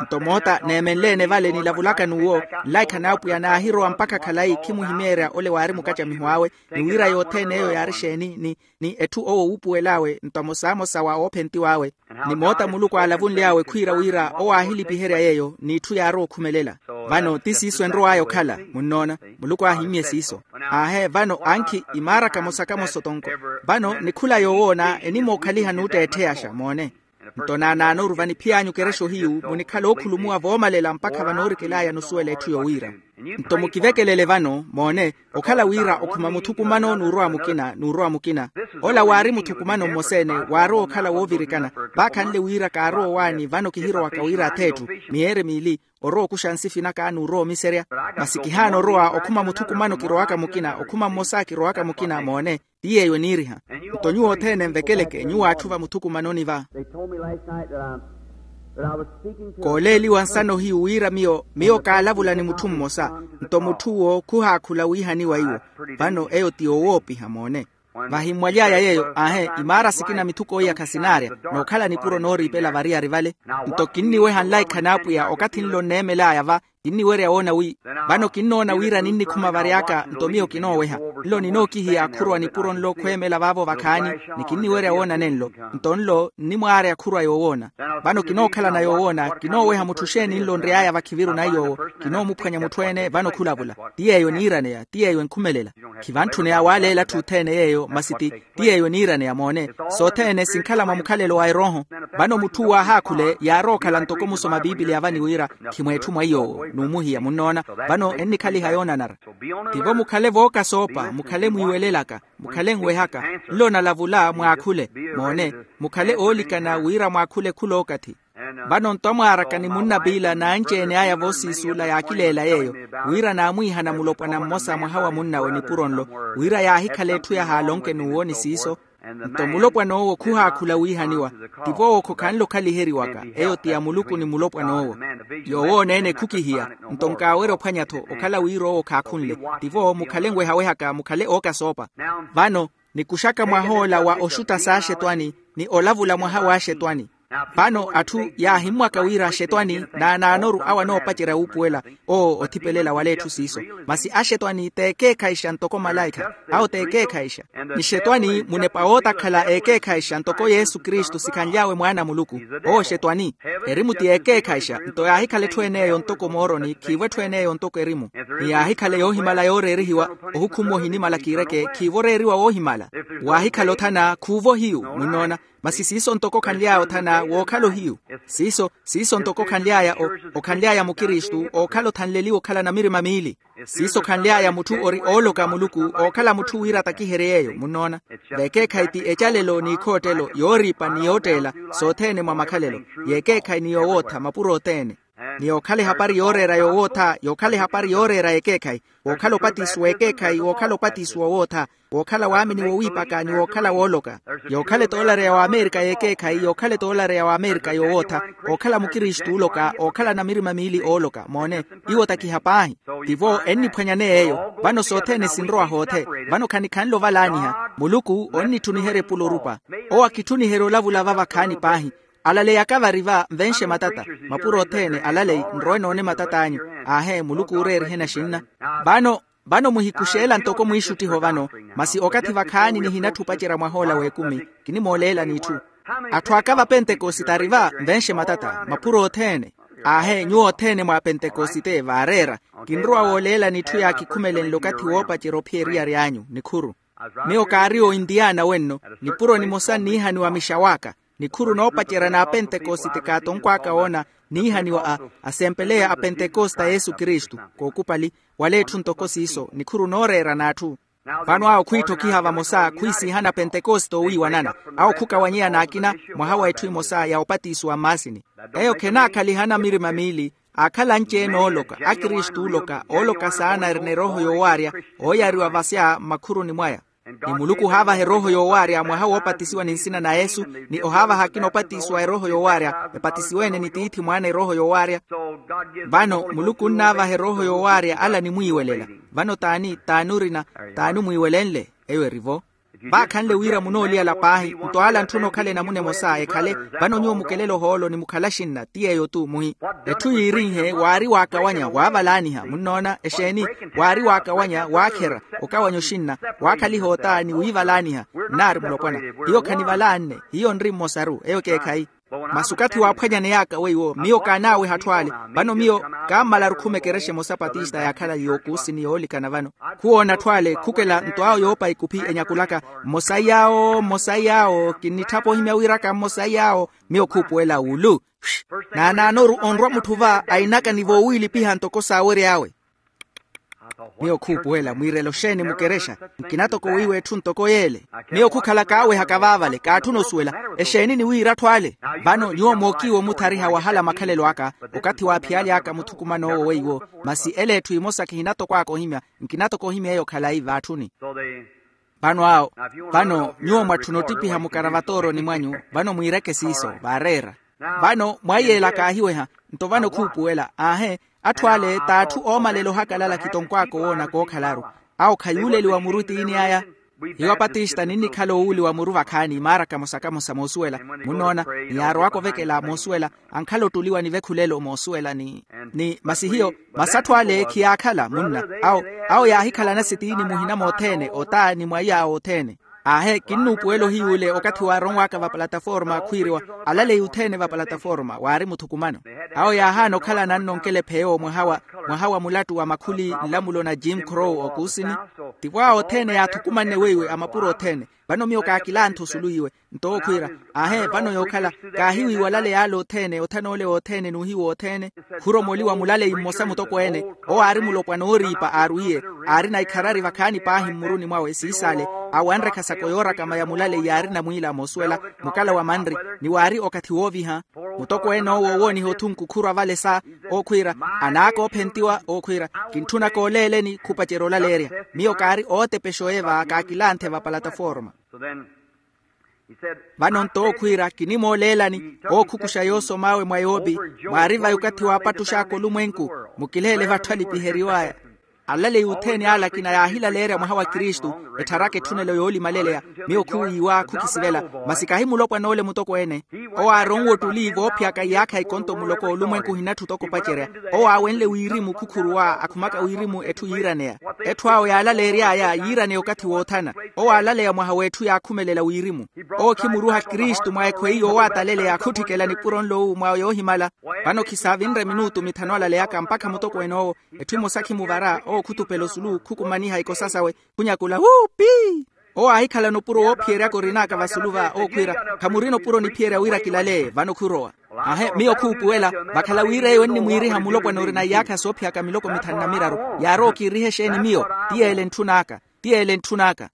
Nto moota neemenle-ene vale nilavulaka n'uwo, nlaikha n'apwiya naahirowa mpakha khalayi khimuhimeerya ole waari mukacamiho awe. Ni wira yothene eyo yaari exeeni ni, ni etthu owo wuupuwel'awe nto amosamosa wa oophentiw'awe. Ni moota muluku aalavunly'awe khwiira wira owo aahilipiherya yeeyo n'itthu yaarowa okhumelela. Vano ti siiso enrow'aya okhala. Munnoona? Muluku aahimmye siiso. Aahe vano ankhi imaara kamosa kamosa otonko. Vano ni khula yoowoona enimookhaliha n'utteettheyaxa moone. Nto naanaanoru vaniphiy'anyu kerexo hiyu munikhala ookhulumuwa voomalela mpakha vanoorikel'aya nusuwela etthu yowiira. Nto mukivekelele vano moone, okhala wira okhuma muthukumano n'urowa mukina n'urowa mukina. Ola waari muthukumano mmosa-ene waarowa okhala woovirikana. Vaakhanle wira kaarowa owaani vano kihirowaka wira ath'etthu miyeere miili, orowa okuxa nsifi naka n'urowa omiserya. Masi kihaana orowa okhuma muthukumano kirowaka mukina okhuma mmosa kirowaka mukina moone. Ti yeeyo eniiriha. Nto nyuwo othene nvekeleke nyuwo atthu va muthukumanoni va. Kooleeliwa nsana ohiyu wira miyo miyo kaalavula ni mutthu mmosa. Nto mutthu uwo khuhaakhula wiihaniwa iwo. Vano eyo ti yowoopiha moone. Vahimmwaly'aya yeeyo aahe imaara sikina mithuko iya khasinaarya. Nookhala nipuro nooriipela variyari vale. Nto kinniweha nlaikha n'apwiya okathi nlo nneemel'aya va. Kinniwerya woona wi vano kinnoona wira ninnikhuma vary'aka nto miyo kinooweha. Nlo ninookihiya khurwa nipuro nlo khweemela vaavo vakhaani. Ni kinniwerya woona nenlo. Nto nlo nnimwaarya khurwa yoowoona. Vano kinookhalana yoowoona kinooweha mutthu xeeni nlo nry'aya vakhiviru na yoowo. Kinoomuphwanya mutthu-ene vano khulavula. Ti yeeyo eniiraneya ti yeeyo enkhumelela. Khivantthune awaaleela atthu othene yeeyo masi ti ti yeeyo eniiraneya moone. Sothene sinkhala mwa mukhalelo wa erooho. Vano mutthu uwo aahakhule yaarowa okhala ntoko musoma piipiliya vani wira khimweetthu mwa iy'owo. n'umuhiya munnoona. Vano ennikhaliha yoonanara. Tivo mukhale vookasoopa mukhale mwiiwelelaka, mukhale nwehaka, nlo nalavula mwaakhule. Moone, mukhale oolikana wira mwaakhule khulookathi. Vano nto amwaaraka ni munnapiila n'anci-ene aya voosiisuula yaakileela yeeyo, wira naamwiihana mulopwana mmosa mwaha wa munnawe nipuro nlo, wira yaahikhala etthu yahaala onke n'uwo ni siiso. Nto mulopwan'owo khuhaakhula wiihaniwa. Tivo owo khokhanle okhaliheriwaka, eyo ti ya muluku ni mulopwan'owo. Yoowoona-ene khukihiya. Nto nkaawerya ophwanya-tho okhala wira owo khaakhunle. Tivo mukhale nwehawehaka mukhale ookasoopa. Vano nikuxaka mwah'ola wa oxutta s'axetwani, ni olavula mwaha w'axetwani. Vano atthu yaahimmwaka wira axetwani naanaanoru awo anoopacerya wuupuwela, owo othipelela wala etthu siiso. Masi axetwani t'ekeekhayixa ntoko malaikha. Awo t'ekeekhayixa. Ni xetwani munepa wootakhala ekeekhayixa ntoko yesu kristu sikhanly'awe mwaana a muluku. Owo xetwani. Erimu ti ekeekhayixa nto yaahikhala etthu en'eyo ntoko mooroni khiivo etthu en'eyo ntoko erimu. Ni yaahikhala yoohimala yooreerihiwa, ohukhummu ohinimala kiireke khiivo oreeriwa woohimala. Waahikhala othana khuuvo hiyu. Munnoona. Masi siiso ntoko okhanly'aya othana wookhala ohiyu. Siiso siiso ntoko okhanly'aya okhanly'aya mukristu ookhala othanleliwe okhala na mirima miili. Siiso okhanly'aya mutthu ori ooloka a muluku, ookhala mutthu wira atakiherye yeeyo munnoona. Veekeekhayi ti ecalelo n'ikhoottelo yooriipa ni yootteela, sothene mwa makhalelo. Yeekeekhayi ni yoowootha mapuro othene. Ni yookhala ehapari yooreera yoowootha yookhala ehapari yooreera yeekeekhayi. Wookhala opatisiwa ekeekhayi wookhala opatisiwa owootha. Wookhala waamini wowiipaka ni wookhala wooloka. Yookhala etoolari ya w'amerika yeekeekhayi yookhala etoolari ya w'amerika yoowootha. Ookhala mukristu ooloka ookhala na mirima miili ooloka moone. Iwo otakiha paahi. Tivo enniphwanyaneya eyo. Vano sothene sinrowa hoothe. Vano khanikhanle ovalaaniha. Muluku onnitthuniherya epulo orupa. Owo akitthuniherya olavula va vakhaani paahi. Alaleyaka vari va nvenxe matata. Mapuro othene alalei nrowe noone matat'anyu. Aahe muluku ooreeriheni axinna. Vano vano muhikuxeela ntoko mwiixuttiho vano. Masi okathi vakhaani nihinatthi opacerya mwah'ola w'ekumi. Kinimooleela n'itthu. Atthu aka vapentekosite ari va nvenxe matata mapuro othene. Aahe nyuwo othene mwa pentekosite vaareera. Kinrowa wooleela n'itthu yaakikhumelenle okathi woopacerya ophiya eriyari anyu nikhuru. Miyo kaari o intiyana wenno. Nipuro nimosa nniihaniwa mixaw'aka. Nikhuru noopacerya n'apentekosite kaatonkw'aka woona niihaniwa a asempeleya a pentekosite a yesu kristu. Kookupali wala etthu ntoko siiso nikhuru nooreera n'atthu. Vano awo khwiitthokiha vamosa khwiisiihana pentekosite oowiiwanana. Awo khukawanyeya n'akina mwaha wa etthu emosa ya opatisiwa mmaasini. Eyo khenaakhaliha na mirima miili. Aakhala anci-ene ooloka akristu ooloka ooloka saana erina erooho yoowaarya ooyariwa vasya mmakhuruni mwaya. Ni muluku ohaavaha erooho yoowaarya mwaha woopatisiwa ni nsina na yesu. Ni ohaavaha akina opatisiwa erooho yoowaarya epatisiwe-ene ni tiithi mwaana erooho yoowaarya. Vano muluku onnaavaha erooho yoowaarya ala animwiiwelela. Vano t'ani t'ani orina? T'ani omwiiwelenle? Eyo eri-vo. Vaakhanle wira munooliyala paahi nto ala antthuna okhala enamuna emosa ekhale. Vano nyuwo mukelela ohoolo ni mukhala axinna ti yeeyo-tu muhi. Etthu yiirinhe waari waakawanya waavalaaniha munnoona exeeni? Waari waakawanya waakhera okawanya oxinna waakhaliha ota ni wiivalaaniha. Nnaari mulopwana hiyo khanivalaanne. Hiyo nri mmosaru eyo ekeekhayi. Masi okathi waaphwanyaney'aka weiwo miyo kaanaaweha atthu ale. Vano miyo kaammalaru khuma ekerexa emosa patista yaakhala yookuusi ni yoolikana vano. Khuwoona atthu ale khukela nto awo yoopa ikuphi enyakulaka mmosayi awo mmosayi awo kinnitthapa ohimya wiraka mmosayi awo. Miyo khuupuwela wulu. Naanaanoru onrwa mutthu va ainaka ni voowiilipiha ntoko saawery'awe. Miyo khuupuwela mwiirela oxeeni mukerexa? Nkina toko weiwo etthu ntoko yeele. Miyo khukhala kaawehaka vaavale kaatthuna osuwela. Exeeni ni wiira atthu ale? Vano nyuwo mookiiwa omuthariha wahala makhalelo aka okathi waaphiyaaly'aka muthukuman'owo weiwo. Masi ele etthu emosa kihina toko aka ohimya. Nkina toko ohimya eyo khalayi vaatthuni. Vano awo vano nyuwo mwatthuna ottipiha mukaravatooroni mwanyu. Vano mwiireke siiso vaareera. Vano mwaiy'ela kaahiweha. Nto vano khuupuwela aahe. Atthu ale t'atthu oomalela ohakalala khitonkw'aka owoona kookhalaru. Awo khayuuleliwa muru etiini aya. Hiyo apatista ninnikhala owuuliwa muru vakhaani maara kamosa kamosa moosuwela. Munnoona? Ni yaarowaka ovekela moosuwela. Ankhala ottuliwa ni vekhulelo moosuwela ni ni masi hiyo masi atthu ale khiyaakhala munna. Awo awo yaahikhalana sitiini muhina mothene ota ni mwaiy'awo othene. Aahe kinnuupuwela ohiy'ule okathi waaronw'aka va plataforma khwiiriwa alaleyi othene va plataforma waari muthukumano. Awo yaahaana okhalana nno nkelephe ewo mwaha wa mwaha wa mulattu wa makhuli nlamulo na jim crow okuusini. Tivo awo othene yaathukumanne weiwe a mapuro othene. Vano miyo kaakilantha osulu iwe. Nto ookhwiira, aahe vano yookhala, kaahiwiiwa alaleya ale othene othan'ole wothene n'uhiwa othene. Khuromoliwa mulaleyi mmosa mutokweene, owo aari mulopwana ooriipa aarwiye, aarina ikharari vakhaani paahi mmuruni mwawe siisaale, awanre khasako yoorakama ya mulaleyi yaarina mwiila moosuwela, mukala wa manri, ni waari okathi wooviha. Mutokweene owo owooniha othunku khurwa vale sa, ookhwiira, anaaka oophentiwa ookhwiira, kintthunaka oleeleni khupacerya olaleerya. Miyo kaari ootepexa oye va kaakilanthe va palataforma. Vano nto ookhwiira kinimooleelani, ookhukuxa yoosom'awe mwa yoopi, mwaari vayi okathi waapattux'aka olumwenku, mukileele vatthu alipiheriw'aya. Alaleyi othene ale akina yaahilaleerya mwaha wa kristu, ettharaka etthunelo yoolimaleleya. Miyo khuwiiwa khukisivela, masi kahi mulopwan'ole mutokweene. Owo aaronwe ottuli voophiyaka iyaakha ikonto muloko olumwenku ohinatthu toko opacerya. Owo aawenle wirimu khukhuruwa akhumaka wirimu etthu yiiraneya. Etthu awo yaalaleery'aya yiiraneya okathi woothana. Owo aalaleya mwaha w'etthu yaakhumelela wirimu. Owo khimuruha kristu mwa ekhweyi yoowataleleya khutthikela nipuro nlowu mwa yoohimala. Vano khisaavinre minutu mithanu alaleyaka mpakha mutokweene owo, etthu emosa khimuvara owo khutupela osulu khukumaniha ikosa sawe, khunyakula wuupi. Owo aahikhalana opuro woophiyeryaka orin'aka vasulu va ookhwiira, khamurina opuro niphiyerya wira kilale vano khurowa. Aahe miyo khuupuwela, vakhala wira eyo ennimwiiriha mulopwana orina iyaakha soophiyaka miloko mithanu na miraru. Yaarowa okiiriha exeeni miyo? Ti yeele ntthun'aka. Ti yeele ntthun'aka.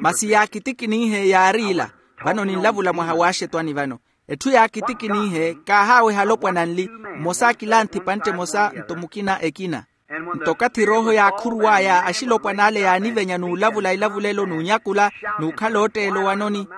Masi yaakitikin'ihe yaari ila. Vano ninlavula mwaha w'axetwani vano. Etthu yaakitikin'ihe kaahaaweha alopwana nli, mmosa akilanthi pantte emosa nto mukina ekina. Nto okathi erooho yaakhuruw'aya axilopwan'ale yaanivenya n'ulavula ilavulelo n'unyakula, n'ukhala ootteela owanoni.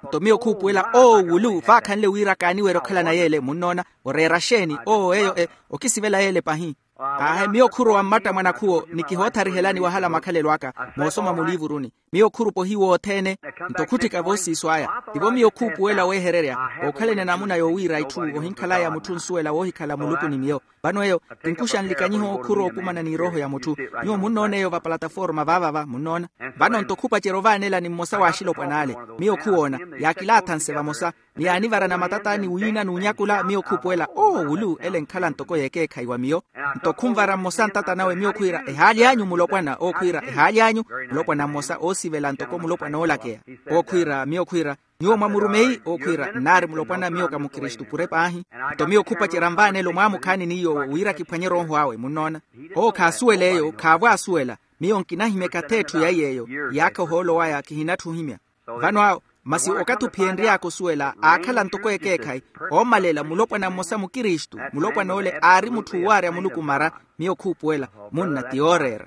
Nto miyo khuupuwela oowulu vaakhanle wira kaaniwerya okhalana yeele munnoona. Oreera xeeni owo eyo okisivela yeele pahi. Aahe miyo khurowa mmatta mwanakhuwo ni kihootharihelani wahala makhalelo aka, moosoma muliivuruni. Miyo khurupa ohiwa othene. Nto khutthika voosiiso aya. Tivo miyo khuupuwela weehererya, ookhalani anamuna yoowiira itthu ohinkhalaya mutthu nsuwela woohikhala muluku ni miyo. Vano eyo kinkuxa nlikanyiho khurowa okumana n'irooho ya mutthu. Nyuwo munnoona eyo vapalataforma vaavava munnoona. Vano nto khupacerya ovaanelani mmosa w'axilopwan'ale. Miyo khuwoona, yaakilaathanse vamosa, ni yaanivarana matata ni wiina n'unyakula miyo khuupuwela oowulu ele enkhala ntoko y'ekeekhayi wa miyo. Nto khunvara mmosa ntata nawe miyo khwiira ehaali anyu mulopwana ookhwiira ehaali anyu. Mulopwana mmosa oosivela ntoko mulopwana oolakeya. Ookhwiira miyo khwiira, nyuwo mwa murumeyi ookhwiira nnaari mulopwana miyo ka mukristu pure paahi. Nto miyo khupacerya nvaanelo mwaamukhaani ni yoowo wira kiphwanye erooho awe munnoona. Owo khaasuwela eyo khaavo asuwela. Miyo nkinahimyaka ath'etthu ya iy'eyo. Iyaakha ohoolo waya kihinatthu ohimya. Vano awo masi okathi ophiyenry'aka osuwela aakhala ntoko ekeekhayi. Oomalela mulopwana mmosa mukristu mulopwan'ole aari mutthu owaarya muluku mara. Miyo khuupuwela munna ti yooreera.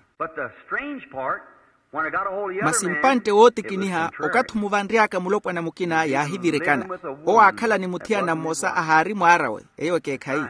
Masi mpantte wootikiniha okathi omuvanry'aka mulopwana mukina yaahivirikana. Owo aakhala ni muthiyana mmosa ahaari mwaar'awe. Eyo ekeekhayi.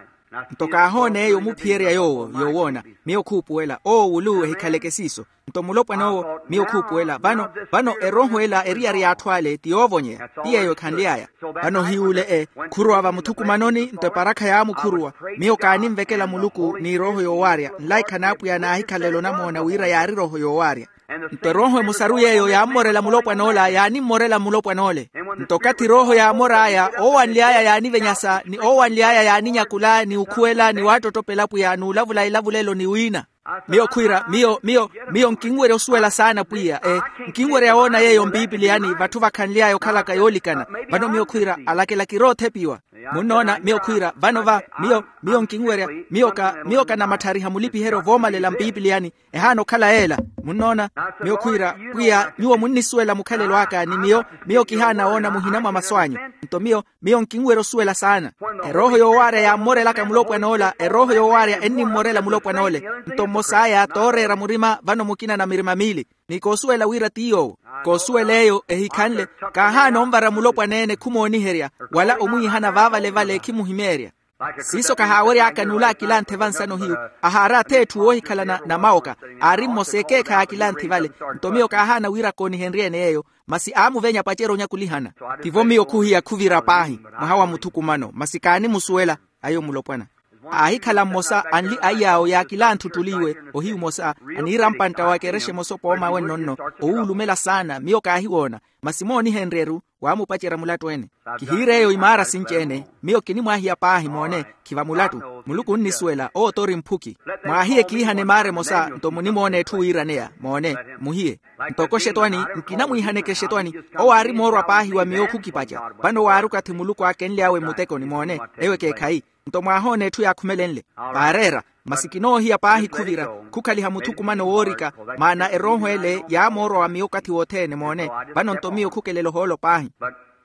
Nto kaahoona eyo omuphiyerya yoowo yoowoona. Miyo khuupuwela oowulu ehikhaleke siiso. Nto mulopwana owo miyo khuupuwela vano vano erooho ela eriyari y'atthu ale ti yoovonyeya ti yeeyo ekhanly'aya. Vano hiyuule e khurowa vamuthukumanoni nto eparakha yaamukhuruwa. Miyo kaaninvekela muluku n'irooho yoowaarya nlaikha n'apwiya naahikhalela onamoona wira yaari erooho yoowaarya. Nto erooho emosaru yeeyo yaammorela mulopwan'ola yaanimmorela mulopwan'ole. Nto okathi erooho yaamor'aya oowanly'aya yaanivenyasa ni oowanly'aya yaaninyakula ni ukhuwela ni waattottopela apwiya n'ulavula elavulelo ni wiina. Miyo khwiira miyo miyo miyo nkinwerya osuwela saana pwiya e nkinwerya woona yeeyo mpipiliyani vatthu vakhanly'aya okhalaka yoolikana. Vano miyo khwiira alakela kiroothepiwa. Munnoona miyo khwiira vano va miyo miyo nkinwerya miyo ka miyo kanamatthariha mulipiheryo voomalela mpipiliyani. Ehaana okhala yeela. Munnoona miyo khwiira pwiya nyuwo munnisuwela mukhalelo aka ni miyo miyo kihaana woona muhina mwa masu anyu. Nto miyo miyo nkinwerya osuwela saana. Erooho yoowaarya yaammorelaka mulopwan'ola erooho yoowaarya ennimmorela mulopwan'ole. Nto mmos'aya tooreera murima vano mukina na mirima miili. Ni koosuwela wira ti yoowo koosuwela eyo ehikhanle. Kaahaana onvara mulopwana-ene khumooniherya wala omwiihana vaavale vale khimuhimeerya. Siiso kahaawery'aka n'ule akilanthe vansano hiyu ahaari ath'etthu woohikhalana na mawoka. Aari mmosa ekeekhayi akilanthe vale. Nto miyo kaahaana wira koonihenrye-ene yeeyo masi aamuvenya pacerya onyakulihana. Tivo miyo khuhiya khuvira paahi mwaha wa muthukumano masi kaanimusuwela. Ayo mulopwana aahikhala mmosa anli aiy'awo yaakilanthe ottuli iwe ohiyu mmosa aniira mpantta wa ekerexa emosa opooma awe nno-nno owuulumela saana miyo kaahiwoona. Masi moonihenrye-ru waamupacerya mulattu-ene. Kihiir'eyo imaara sinci-ene. Miyo kinimwaahiya paahi moone. Khiva mulattu. Muluku onnisuwela owo t'ori mphuki. Mwaahiye kiihane maara emosa nto munimoona etthu wiiraneya moone. Muhiye. Ntoko xetwani nkinamwiihaneke xetwani. Owo aari moorwa paahi wa miyo khukipaca. Vano waari okathi muluku aakenly'awe mmutekoni moone. Eyo ekeekhayi. Nto mwaahoona etthu yaakhumelenle. Vaareera. Masi kinoohiya paahi khuvira. Khukhaliha muthukumano woorika. Maana erooho ele yaamoorwa wa miyo okathi wothene moone. Vano nto miyo khukelela ohoolo paahi.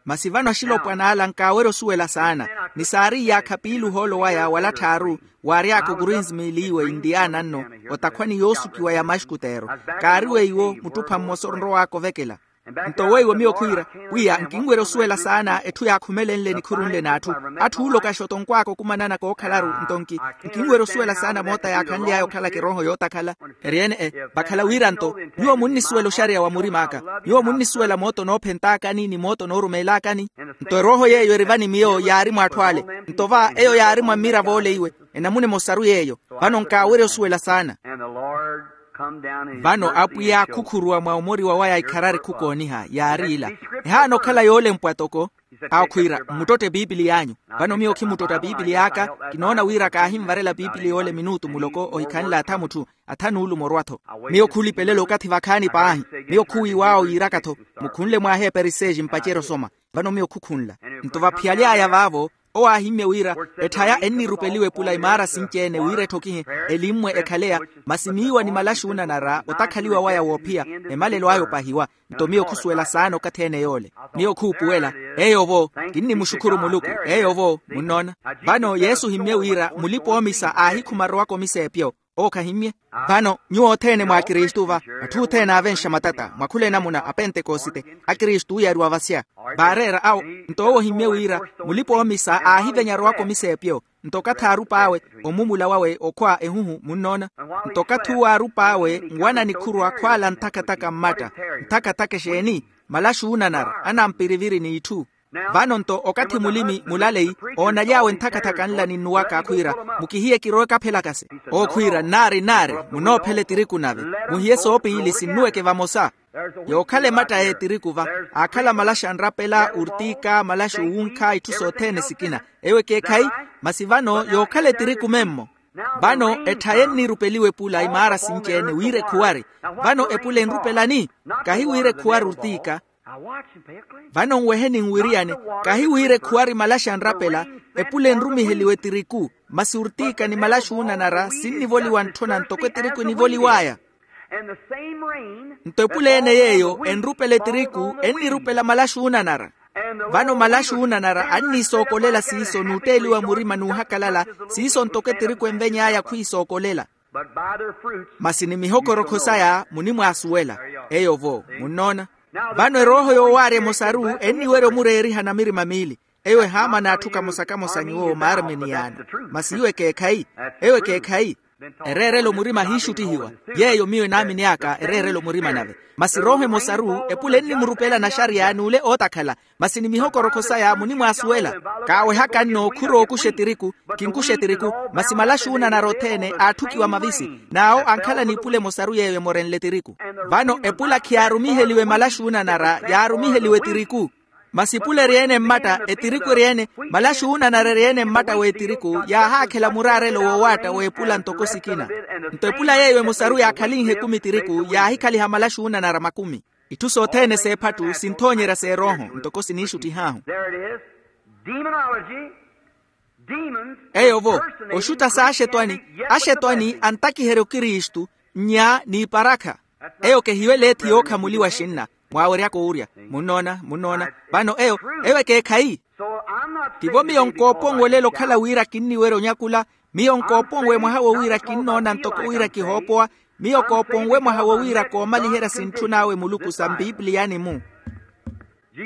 Masi vano axilopwan'ala nkaawerya osuwela saana. Ni saari iyaakha piili ohoolo waya wala tthaaru. Waary'aka okurinsimiili iwe intiyaana nno. Otakhwani yoosukiwa ya maxkuteero. Kaari weiwo muttupha mmosa onrow'aka ovekela. Nto weiwo miyo khwiira pwiya nkinwerya osuwela saana etthu yaakhumelenle nikhurunle n'atthu. Atthu ooloka xotto nkw'aka okumananaka ookhalaru nto nki. Nkinwerya osuwela saana moota yaakhanly'aya okhalaka erooho yootakhala. Eri-ene e vakhala wira nto nyuwo munnisuwela oxariya wa murim'aka. Nyuwo munnisuwela mooto noophentakani ni mooto noorumeelakani. Nto erooho yeeyo eri va ni miyo yaari mw'atthu ale. Nto va eyo yaari mwa mmiravo ole iwe. Enamuna emosaru yeeyo. Vano nkaawerya osuwela saana. Vano apwiya khukhuruwa mwa omoriwa waya ikharari khukooniha yaari ila. Ehaana okhala yoolempwa toko. Awo khwiira mmuttotte pipiliy'anyu. Vano miyo khimuttotta pipiliy'aka. Kinoona wira kaahinvarela pipiliya ole minutu muloko ohikhanle atha mutthu. Atha nuulumo orwa-tho. Miyo khulipelela okathi vakhaani paahi. Miyo khuwiiw'awo yiiraka-tho. Mukhunle mwaaheepa eriseexi mpacerya osoma. Vano miyo khukhunla. Nto vaphiyaly'aya vaavo owo aahimmye wira etthaya ennirupeliwa epula imaara sinci-ene wira etthokihe elimmwe ekhaleya. Masi miiwa ni malaxi oonanara otakhaliwa waya woophiya. Emalelo aya opahiwa. Nto miyo khusuwela saana okathi-ene yoole. Miyo khuupuwela. Eyo-vo kinnimuxukhuru muluku. Eyo-vo munnoona. Vano yesu ohimmye wira mulipa-oomisa aahikhuma arowaka omisa epyo. Owo khahimmye. Vano nyuwo othene mwa akristu va atthu othene aavenxa matata mwakhula enamuna apentekosite. Akristu oyariwa vasya. Vaareera awo. Nto owo ohimmye wira mulipa-oomisa aahivenya arowaka omisa epyo. Nto okathi aarup'awe omumula wawe okhwa ehuhu munnoona. Nto okathi uwo aarup'awe nwana nikhuru akhwaala nthakathaka mmatta. Nthakathaka exeeni? Malaxi oonanara anampiriviri n'itthu. Vano nto okathi mulimi mulaleyi oonaly'awe nthakathaka nla ninnuwaka akhwiira mukihiye kirowe kaphelakase. Owo khwiira nnaari nnaari munoophela etiriku nave. Muhiye soopiili sinnuweke vamosa. Yookhala ematta y'etiriku va aakhala malaxi anrapela ortika malaxi owunkha itthu sothene sikina. Eyo ekeekhayi. Masi vano yookhala etiriku memmo. Vano etthaya ennirupeliwa epula imaara sinci-ene wira ekhuwari. Vano epula enrupelani? Kahi wira ekhuwari ortika. Vano nwehe ninwiriyane. Kahi wira ekhuwari malaxi anrapela. Epula enrumiheliwa etiriku. Masi ortika ni malaxi oonanara sinnivoliwa ntthona ntoko etiriku enivoliw'aya. Nto epula ene yeeyo enrupela etiriku ennirupela malaxi oonanara. Vano malaxi oonanara anniisookolela siiso n'utteeliwa murima n'uhakalala. Siiso ntoko etiriku enveny'aya khwiisookolela. Masi ni mihokorokho saya munimwaasuwela. Eyo-vo munnoona. Vano erooho yoowaarya emosaru enniwerya omureeriha na mirima miili. Eyo ehaamana atthu kamosa-kamosa nyuwo maarminiyaano. Masi eyo ekeekhayi. Eyo ekeekhayi. Ereerela omurima ahiixuttihiwa. Yeeyo miyo enaamini aka ereerela omurima nave. Masi erooho emosaru epula ennimurupela naxariya n'ule ootakhala. Masi ni mihokorokho saya munimwaasuwela. Kaawehaka nno khurookuxa etiriku. Kinkuxa etiriku. Masi malaxi oonanara othene aatthukiwa mavisi. N'awo ankhala n'ipula emosaru yeeyo emorenle etiriku. Vano epula khiyaarumiheliwe malaxi oonanara yaarumiheliwe etiriku. Masi epula eri-ene mmatta etiriku eri-ene. Malaxi oonanara eri-ene mmatta w'etiriku yaahaakhela muraarelo woowaatta w'epula ntoko sikina. Nto epula yeeyo emosaru yaakhalinhe ekumi etiriku yaahikhaliha malaxi oonanara makumi. Itthu sothene s'ephattu sinthoonyerya s'erooho ntoko siniixuttih'ahu. Eyo-vo oxutta s'axetwani. Axetwani antakiherya okristu nnya n'iparakha. Eyo kehiyo eleethi yookhamuliwa xinna. Mwaaweryaka owurya. Munnoona munnoona. Vano eyo eyo ekeekhayi. Tivo miyo nkooponwelela okhala wira kinniwerya onyakula. Miyo nkooponwe mwaha wo wira kinnoona ntoko wira kihoopowa. Miyo kooponwe mwaha wo wira koomaliherya sintthun'awe muluku sa mpipiliyani-mu.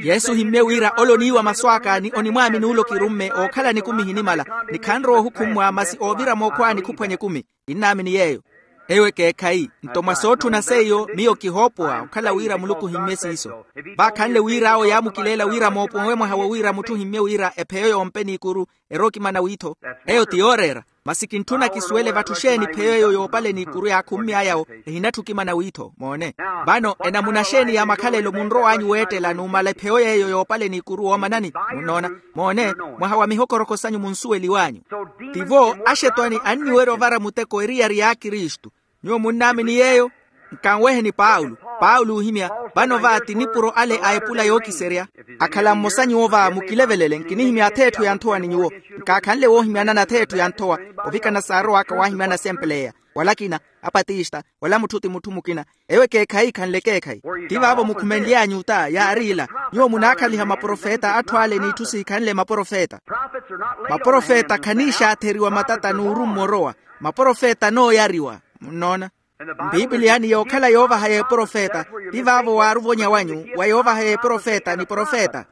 Yesu ohimmye wira ole oniiwa masu aka ni onimwaamini ole okirumme ookhala nikumi ehinimala. Ni khanrowa ohukhummwa masi oovira mookhwaani khuphwanya ekumi. Kinnaamini yeeyo. Eyo ekeekhayi nto mwa sootthuna seiyo miyo kihoopowa okhala wira muluku ohimmye siiso. Vaakhanle wira awo yaamukileela wira mooponwe mwaha wo wira mutthu ohimmye wira epheyo yoompe n'ikuru. Eri okimana wiitho. Eyo ti yooreera. Masi kintthuna kisuwele vatthu xeeni pheyo eyo yoopaleni ikuru yaakhummy'aya-wo, ehinatthi okimana wiitho moone. Vano enamuna xeeni ya makhalelo munrow'anyu weettela numala epheyo yeeyo yoopaleni ikuru woomanani? Munnoona? Moone, mwaha wa mihokorokho sanyu munsuweliw'anyu. Tivo axetwani anniwerya ovara muteko eriyari ya kristu. Nyuwo munnaamini yeeyo? Nkanweheni paulo. Paulo oohimya, vano va ti nipuro ale a epula yookiserya. Akhala mmosa nyuwo va mukilevelele nkinihimya atheetthu ya nthowa ni nyuwo. Nkaakhanle woohimyanana atheetthu ya nthowa, ovikana saarow'aka waahimyana asempeleya, wala akina, apatista, wala mutthu ti mutthu mukina. Eyo ekeekhayi ikhanle ekeekhayi. Ti vaavo mukhumenly'anyu ta yaari ila. Nyuwo munaakhaliha maprofeta atthu ale n'itthu siikhanle maprofeta. Maprofeta khaniixaatheriwa matata n'urummwa orowa. Maprofeta anooyariwa. Munnoona? Mpipiliyani yookhala yoovaha y'eprofeta. Ti vaavo waaruvonya wanyu wa yoovaha y'eprofeta ni profeta.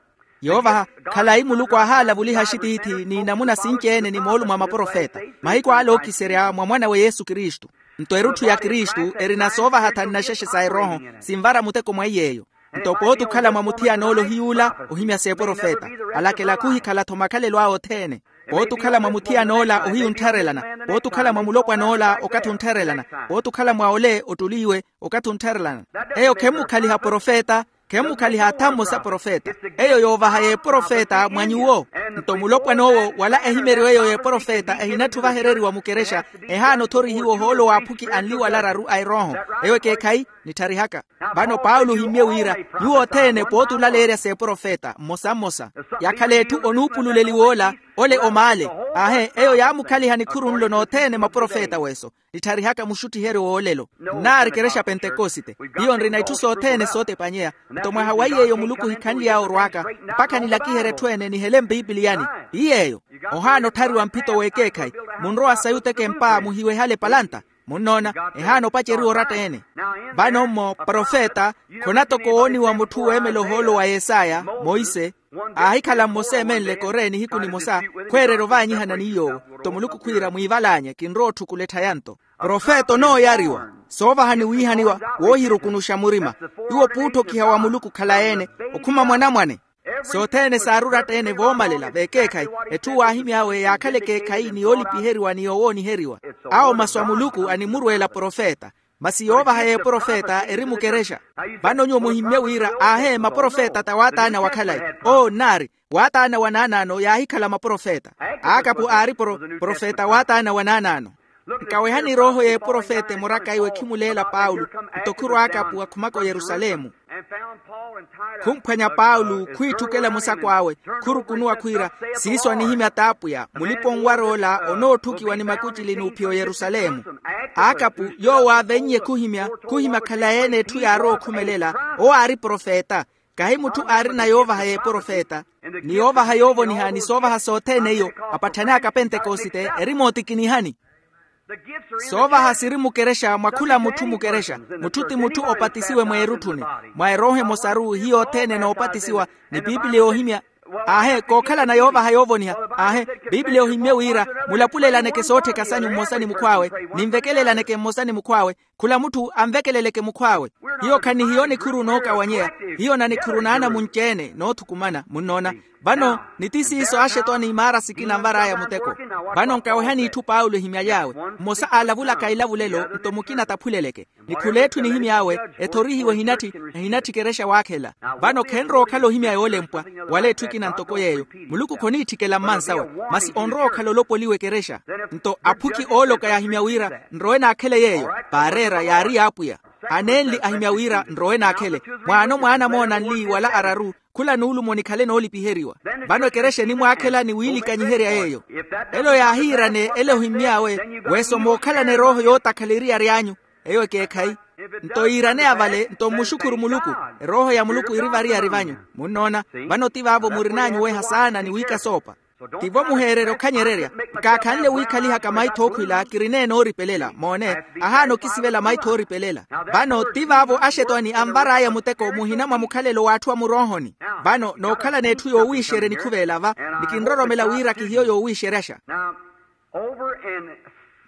Yoovaha, khalayi muluku ahaalavuliha axitiithi n'inamuna sinci-ene ni moolumo a maprofeta. Mahiku ale ookiserya mwa mwan'awe yesu kristu. Nto erutthu ya kristu erina soovaha thannaxexe sa erooho. Sinvara muteko mwa iy'eyo. Nto pooti okhala mwa muthiyan'ole ohiy'ula ohimya s'eprofeta. Alakela khuhikhala-tho makhalelo awe othene. Pooti okhala mwa muthiyan'ola ohiyu onttharelana. Pooti okhala mwa mulopwan'ola okathi onttharelana. Pooti okhala mwa ole ottuliwe okathi onttharelana. Eyo khemmukhaliha profeta. Khemmukhaliha atha mmosa profeta. Eyo yoovaha y'eprofeta mwa nyuwo. Nto mulopwan'owo wala ehimeriwa eyo y'eprofeta ehinatthi ovahereriwa mukerexa. Ehaana othorihiwa ohoolo w'aphukhi anli wala araru a erooho. Eyo ekeekhayi. Nittharihaka. Vano paulo ohimmye wira, nyuwo othene pooti olaleerya s'eprofeta mmosa mmosa. Yakhala etthu onuupululeliwa ola, ole omaale. Aahe eyo yaamukhaliha nikhuru nlo nothene maprofeta w'eso. Nittharihaka muxuttiheryo w'olelo. Nnaari kerexa pentekosite. Hiyo nrina itthu sothene sootepanyeya. Nto mwaha wa iy'eyo muluku ohikhanly'awe orw'aka, mpakha nilakiherye etthu ene nihele mpipiliyani. Ti yeeyo. Ohaana otthariwa mphito w'ekeekhayi. Munrowa sayi oteka empa muhiwehale palanta. Munnoona? Ehaana opaceriwa oratta-ene. Vano-mmo profeta khonatoka owooniwa mutthu weemela ohoolo wa yesaya, monse. Aahikhala mmosa emenle kore nihiku nimosa, khweererya ovaanyihana ni yoowo. Nto muluku khwiira mwiivalaanye kinrowa otthukula etthayanto. Profeta onooyariwa. Soovaha ni wiihaniwa woohirukunuxa murima. Iwo puutthokiha wa muluku khalayi-ene, okhuma mwanamwane. Sothene saari oratta-ene voomalela vekeekhayi. Etthu waahimy'awe yaakhala ekeekhayi ni yoolipiheriwa ni yowooniheriwa. Awo masu a muluku animurweela profeta. Masi yoovaha y'eprofeta eri mukerexa. Vano nyuwo muhimmye wira aahe maprofeta ta waataana wa khalayi. Oo nnaari. Waataana wa naanaano yaahikhala maprofeta. Akapu aari profeta waataana wa naanaano. Nkawehani erooho y'eprofeta emoraka iwe khimuleela paulo. Nto khurwa akapu akhumaka oyerusalemu. Khumphwanya paulo khwiitthukela musako awe. Khurukunuwa khwiira, siiso anihimya t'apwiya mulipa-onwar'ola onootthukiwa ni makucili n'uphiya oyerusalemu. Akapu yoowo aavennye khuhimya khuhimya khalayi-ene etthu yaarowa okhumelela. Owo aari profeta. Kahi mutthu aarina yoovaha y'eprofeta. Ni yoovaha yoovoniha ni soovaha sothene iyo, apatthani aka pentekosite eri mootikinihani. Soovaha siri mukerexa mwa khula mutthu mukerexa. Mutthu ti mutthu opatisiwe mweerutthuni. Mwa erooho emosaru hiyo othene enoopatisiwa. Ni piipiliya yoohimya. Aahe kookhalana yoovaha yoovoniha. Aahe piipiliya yoohimmye wira, mulapulelaneke soottheka sanyu mmosa ni mukhw'awe. Ninvekelelaneke mmosa ni mukhw'awe. Khula mutthu anvekeleleke mukhw'awe. Hiyo khanihiyo nikhuru nookawanyeya. Hiyo nanikhuru naanamunci-ene noothukumana munnoona. Vano niti siiso axetwani imaara sikina anvar'aya muteko. Vano nkawehani itthu paulo ehimyaly'awe. Mmosa aalavulaka ilavulelo nto mukina taphuleleke. Ni khul'etthu enihimy'awe ethorihiwe ehinatthi ehinatthi ekerexa waakhela. Vano khenrowa okhala ohimya yoolempwa wala etthu ekina ntoko yeeyo. Muluku khoniitthikela mmansawe. Masi onrowa okhala olopoliwa ekerexa. Nto aphukhi ooloka yaahimya wira nrowe naakhele yeeyo. Vaareera yaari y'apwiya. Anenli ahimya wira nrowe naakhele. Mwaano mwaana moona anli wala araru. Khula nuulumo nikhale noolipiheriwa. Vano ekerexa enimwaakhela ni wiilikanyiherya yeeyo. Elo yaahiirane ele ohimmy'awe. Weso mookhalana erooho yootakhala eriyari anyu. Eyo ekeekhayi. Nto yiiraneya vale nto mmuxukhuru muluku. Erooho ya muluku iri variyari vanyu. Munnoona? Vano ti vaavo murin'anyu weha saana ni wiikasoopa. Tivo muheererya okhanyererya. Nkaakhanle wiikhalihaka maitho ookhwila kirineene ooripelela moone. Ahaana okisivela maitho ooripelela. Vano ti vaavo axetwani anvar'aya muteko muhina mwa mukhalelo w'atthu a muroohoni. Vano nookhalana etthu yoowiixerya enikhuveela va. Ni kinroromela wira kihiyo yoowiixeryaxa.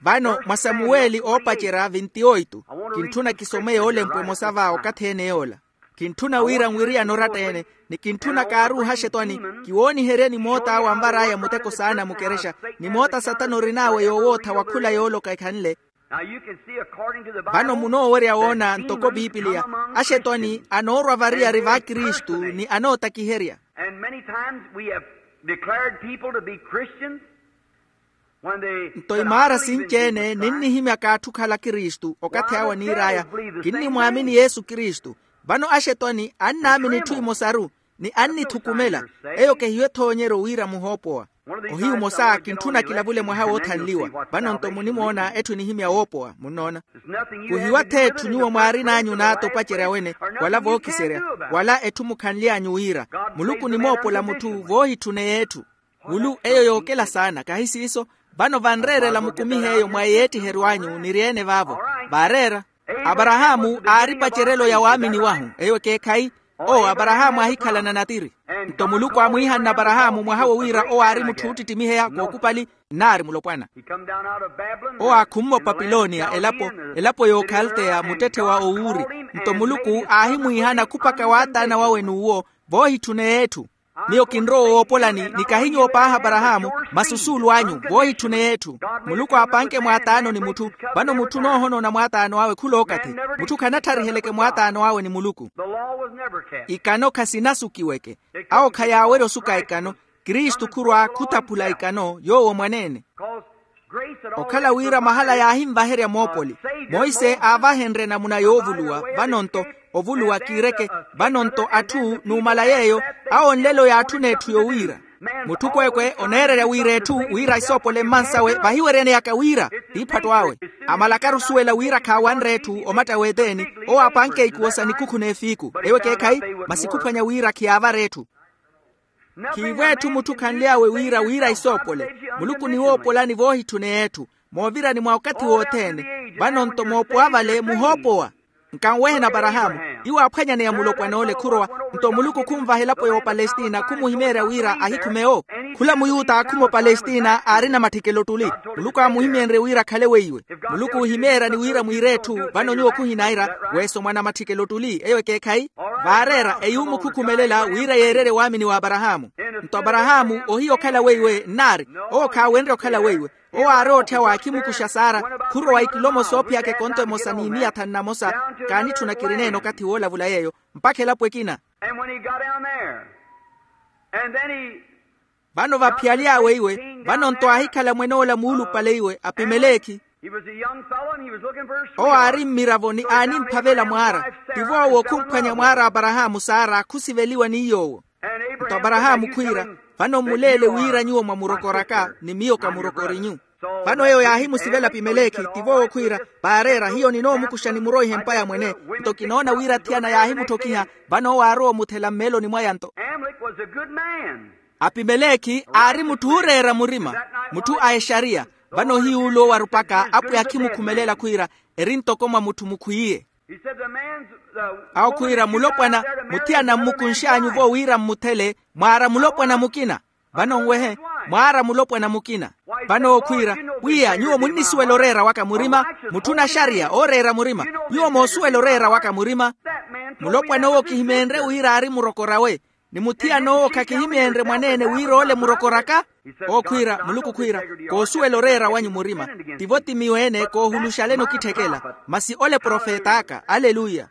Vano mwa samuweli oopacerya vinti-oitu. Kintthuna kisome yoolempwa emosa va okathi ene yoola. Kintthuna wira nwiriyane oratta-ene, ni kintthuna kaaruuha axetwani, kiwooniheryeni moota awo anvar'aya muteko saana mukerexa, ni moota satana orin'awe yoowootha wa khula yooloka ekhanle. Vano munoowerya woona ntoko pipiliya, axetwani anoorwa variyari va kristu ni anootakiherya. And many times we have declared people to be Christians. Nto imaara sinci-ene ninnihimyaka atthu okhala kristu okathi awe aniir'aya, kinnimwaamini yesu kristu. Vano axetwani annaamini itthu imosaru, ni annithukumela. Eyo kehiyo ethoonyeryo wira muhoopowa. Ohiyu omosa kintthuna kilavule mwaha woothanliwa. Vano nto munimoona etthu enihimya woopowa munnoona. Kuhiwa-tho etthu nyuwo mwaarin'anyu n'ata opacerya wene, wala vookiserya, wala etthu mukhanly'anyu wira, muluku onimoopola mutthu voohitthune y'etthu. Mulu eyo yookela saana kahi siiso. Vano vanreerela mukumihe eyo mwa eyeettiheryo anyu niri-ene vaavo. Vaareera. Aparahaamu aari pacerelo ya waamini wahu eyo ekeekhayi. Owo aparahaamu aahikhalana natiri. Nto muluku aamwiihanna aparahaamu mwaha wo wira owo aari mutthu oottittimiheyaka okupali, nnaari mulopwana. Owo aakhumma opapilonia elapo, elapo y'okhalteya muttetthe wa owuuri. Nto muluku aahimwiihana khupaka waataana wawe n'uwo, voohitthune y'etthu. Miyo kinrowa owoopolani ni kahi nyuwo paahi aparahaamu, masi osuulu anyu voohitthune y'etthu. Muluku aapanke mwaataano ni mutthu. Vano mutthu onoohonoona mwaataano awe khul'okathi. Mutthu khanatthariheleke mwaataano awe ni muluku. Ikano khasinasukiweke. Awo khayaawerya osuka ikano. Kristu khurwa khuthaphula ikano yoowo mwaneene. Okhala wira mahala yaahinvaherya moopoli. Monse aavahenrye namuna yoovuluwa. Vano-nto ovuluwa kiireke. Vano-nto atthu numala yeeyo, awo nlelo yaatthuna etthu yowiira. Mutthu kweekwe oneererya wira etthu wira isoopole mmansawe vahiweryaneyaka wira. Tiiphatto awe. Amalakaru osuwela wira khaawanre etthu omatta w'eteeni. Owo aapanke ikuwo sa nikukhu n'efiiku eyo ekeekhayi. Masi khuphwanya wira khiyaavara etthu. Khiivo etthu mutthu khanly'awe wira wira isoopole. Muluku oniwoopolani voohitthune y'etthu. Moovirani mwa okathi wothene. Vano-nto moopowa vale muhoopowa. Nkanweheni aparahaamu. Iwo aaphwanyaneya mulopwan'ole khurowa. Nto muluku khunvaha elapo y'opalestina khumuhimeerya wira ahikhume owo. Khula muyuta aakhuma opalestina aarina matthikelo ottuli. Muluku aamuhimeenrye wira akhale weiwe. Muluku oohimeeryani wira mwiire etthu vano nyuwo khuhinaira. Weesomwa na matthikelo ottuli eyo ekeekhayi. Vaareera eyuumukhukhumelela wira yeererye waamini w'aparahaamu. Nto aparahaamu ohiya okhala weiwe nnaari. Owo khaawenrye okhala weiwe. Owo aari ootthya waakhimukuxa saara. Khurowa ikilomo soophiyaka ekonto emosa n'imiya thanu na mosa. Kaanitthuna kirineene okathi woolavula yeeyo mpakha elapo ekina. And when he got down there, and then he vano vaphiyaly'awe iwe. Vano-nto aahikhala mwen'ola muulupale iwe apimelekhi. He was a young fellow and he was looking for his sweetheart. Owo aari mmiravo ni aanimphavela mwaara. Tivo owo khumphwanya mwaara aparahaamu saara khusiveliwa ni yoowo. Nto aparahaamu khwiira, vano mmuleele wira nyuwo mwamurokoraka ni miyo kamurokorinyu. Vano eyo yaahimusivela apimelekhi tivo owo khwiira, vaareera hiyo ninoomukuxa nimuroihe mpa ya mwene. Nto kinoona wira athiyana yaahimutthokiha. Vano owo aarowa omuthela mmeeloni mwaya nto. Amalek was a good man. Apimelekhi aari mutthu ooreera murima, mutthu a exariya. Vano hiy'ule owarupaka apwiya akhimukhumelela khwiira, eri ntoko mwa mutthu mukhwiiye. Awo khwiira mulopwana, muthiyana mmukunx'anyu-vo wira mmuthele, mwaara mulopwana mukina. Vano nwehe, mwaara mulopwana mukina. Vano owo khwiira, pwiya nyuwo munnisuwela oreera waka murima. Mutthu naxariya ooreera murima. Nyuwo moosuwela oreera waka murima. Mulopwana owo kihimeenrye wira aari murokorawe. Ni muthiyana owo khakihimeenrye mwaneene wira ole murokoraka. Owo khwiira muluku khwiira, koosuwela oreera wanyu murima. Tivo ti miyo-ene koohuluxaleni okitthekela. Masi ole profet'aka aleluya.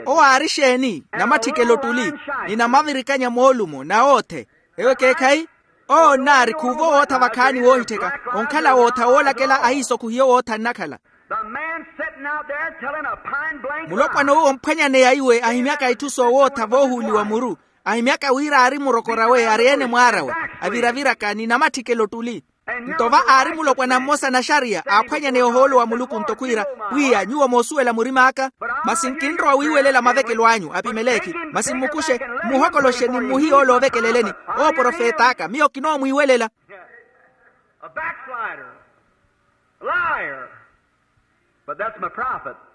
Owo aari exeeni? Namatthikelo ottuli, ni namavirikanya moolumo na oothe. Ewo ekeekhayi. Owo nnaari khuuva owootha vakhaani woohittheka, onkhala wootha woolakela ahiiso khuhiyo wootha nnakhala. Mulopwana owo omphwanyaneya iwe ahimyaka itthu soowootha voohuuliwa muru. Ahimyaka wira aari murokorawe ari-ene mwaarawe, aviraviraka ni namatthikelo ottuli. Nto va aari mulopwana mmosa naxariya aaphwanyaneya ohoolo wa muluku nto khwiira, pwiya nyuwo moosuwela murim'aka. Masi nkinrowa wiiwelela mavekelo anyu apimelekhi. Masi mmukuxe, mmuhokoloxe ni mmuhiye ole ovekeleleni. Owo profet'aka miyo kinoomwiiwelela.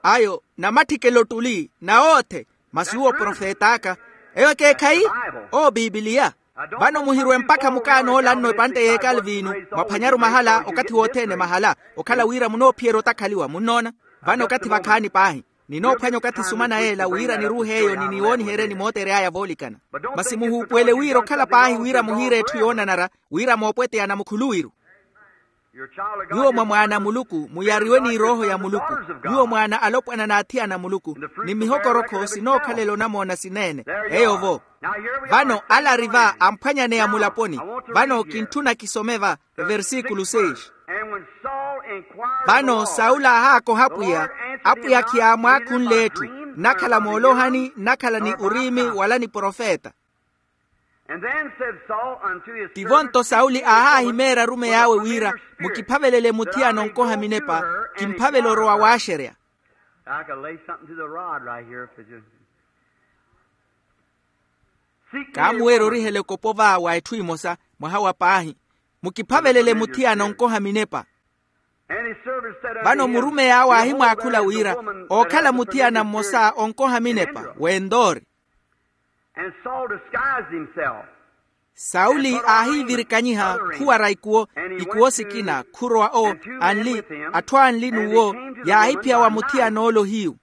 Ayo namatthikelo ottuli na oothe. Masi uwo profet'aka. Eyo ekeekhayi. Owo pipiliya. Vano muhirwe mpakha mukaanoola nno epantte y'ekalviinu. Mwaphwanyaru mahala okathi wothene mahala, okhala wira munoophiyerya otakhaliwa munnoona. Vano okathi vakhaani paahi. Ninoophwanya okathi sumana yeela wira niruuhe eyo ni niwooniheryeni mootery'aya voolikana. Masi muhuupuwele wira okhala paahi wira muhiire etthu yoonanara, wira moopweteyana mukhuluwiru. Nyuwo mwa mwaana a muluku muyariwe n'irooho ya muluku. Nyuwo mwaana alopwana n'athiyana a muluku, ni mihokorokho sinookhalela onamoona sineene. Eyo-vo. Vano ala ari va amphwanyaneya mulaponi. Vano kintthuna kisome va, eversikulu seis. Vano sauli aahaakoha apwiya, apwiya khiyaamwaakhunle etthu, nnakhala moolohani nnakhala ni uriimi wala ni profeta. Tivo nto sauli aahaahimeerya arumeyi awe wira, mukiphavelele muthiyana onkoha minepa, kimphavela orowa waaxerya. Kaamuweerya orihela ekopo va wa etthu emosa, mwaha wa paahi. Mukiphavelele muthiyana onkoha minepa. Vano murumeyi awe aahimwaakhula wira, ookhala muthiyana mmosa onkoha minepa w'endoori. Sauli aahiivirikanyiha, khuwara ikuwo, ikuwo sikina khurowa owo, anli, atthu anli n'uwo, yaahiphiya wa muthiyan'ole ohiyu.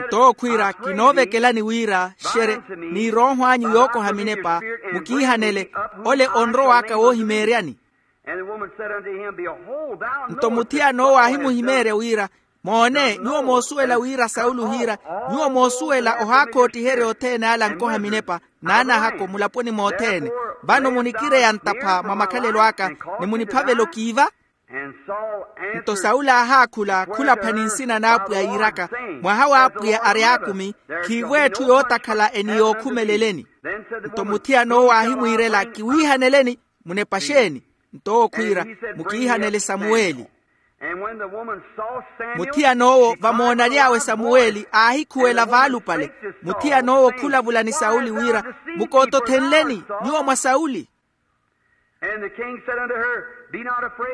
Nto owo khwiira, kinoovekelani wira xerye, n'irooho anyu yookoha minepa, mukiihanele, ole onrow'aka woohimeeryani. Nto muthiyan'owo aahimuhimeerya wira, moone, nyuwo moosuwela wira sauli ohiira, nyuwo moosuwela ohaakhoottiherya othene ala ankoha minepa, n'anahako mulaponi mothene. Vano munikireya ntapha mwa makhalelo aka, ni muniphavela okiiva. Nto sauli aahaakhula, khulaphani nsina n'apwiya yiiraka, mwaha w'apwiya ari aakumi, khiivo etthu yootakhala eniyookhumele-leni. Nto muthiyan'owo aahimwiirela, kiwiihaneleni, munepa xeeni? Nto owo khwiira, mukiihanele samuweli. Muthiyan'owo vamoonaly'awe samuweli aahikhuwela vaalupale. Muthiyan'owo khulavula ni sauli wira, mukootothenleni, nyuwo mwa sauli.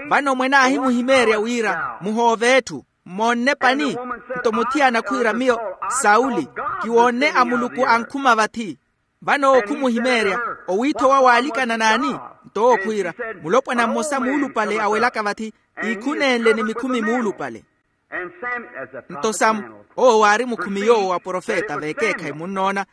Vano mwene aahimuhimeerya wira, muhoove etthu, mmoonne pani? Nto muthiyana khwiira miyo, sauli, kiwoonne a muluku ankhuma vathi. Vano owo khumuhimeerya, owiithowa waalikana n'ani? Nto owo khwiira, mulopwana mmosa muulupale awelaka vathi, iikhunenle ni mikhumi muulupale. Nto samu, owo waari mukhumi yoowo wa profeta vekeekhayi munnoona,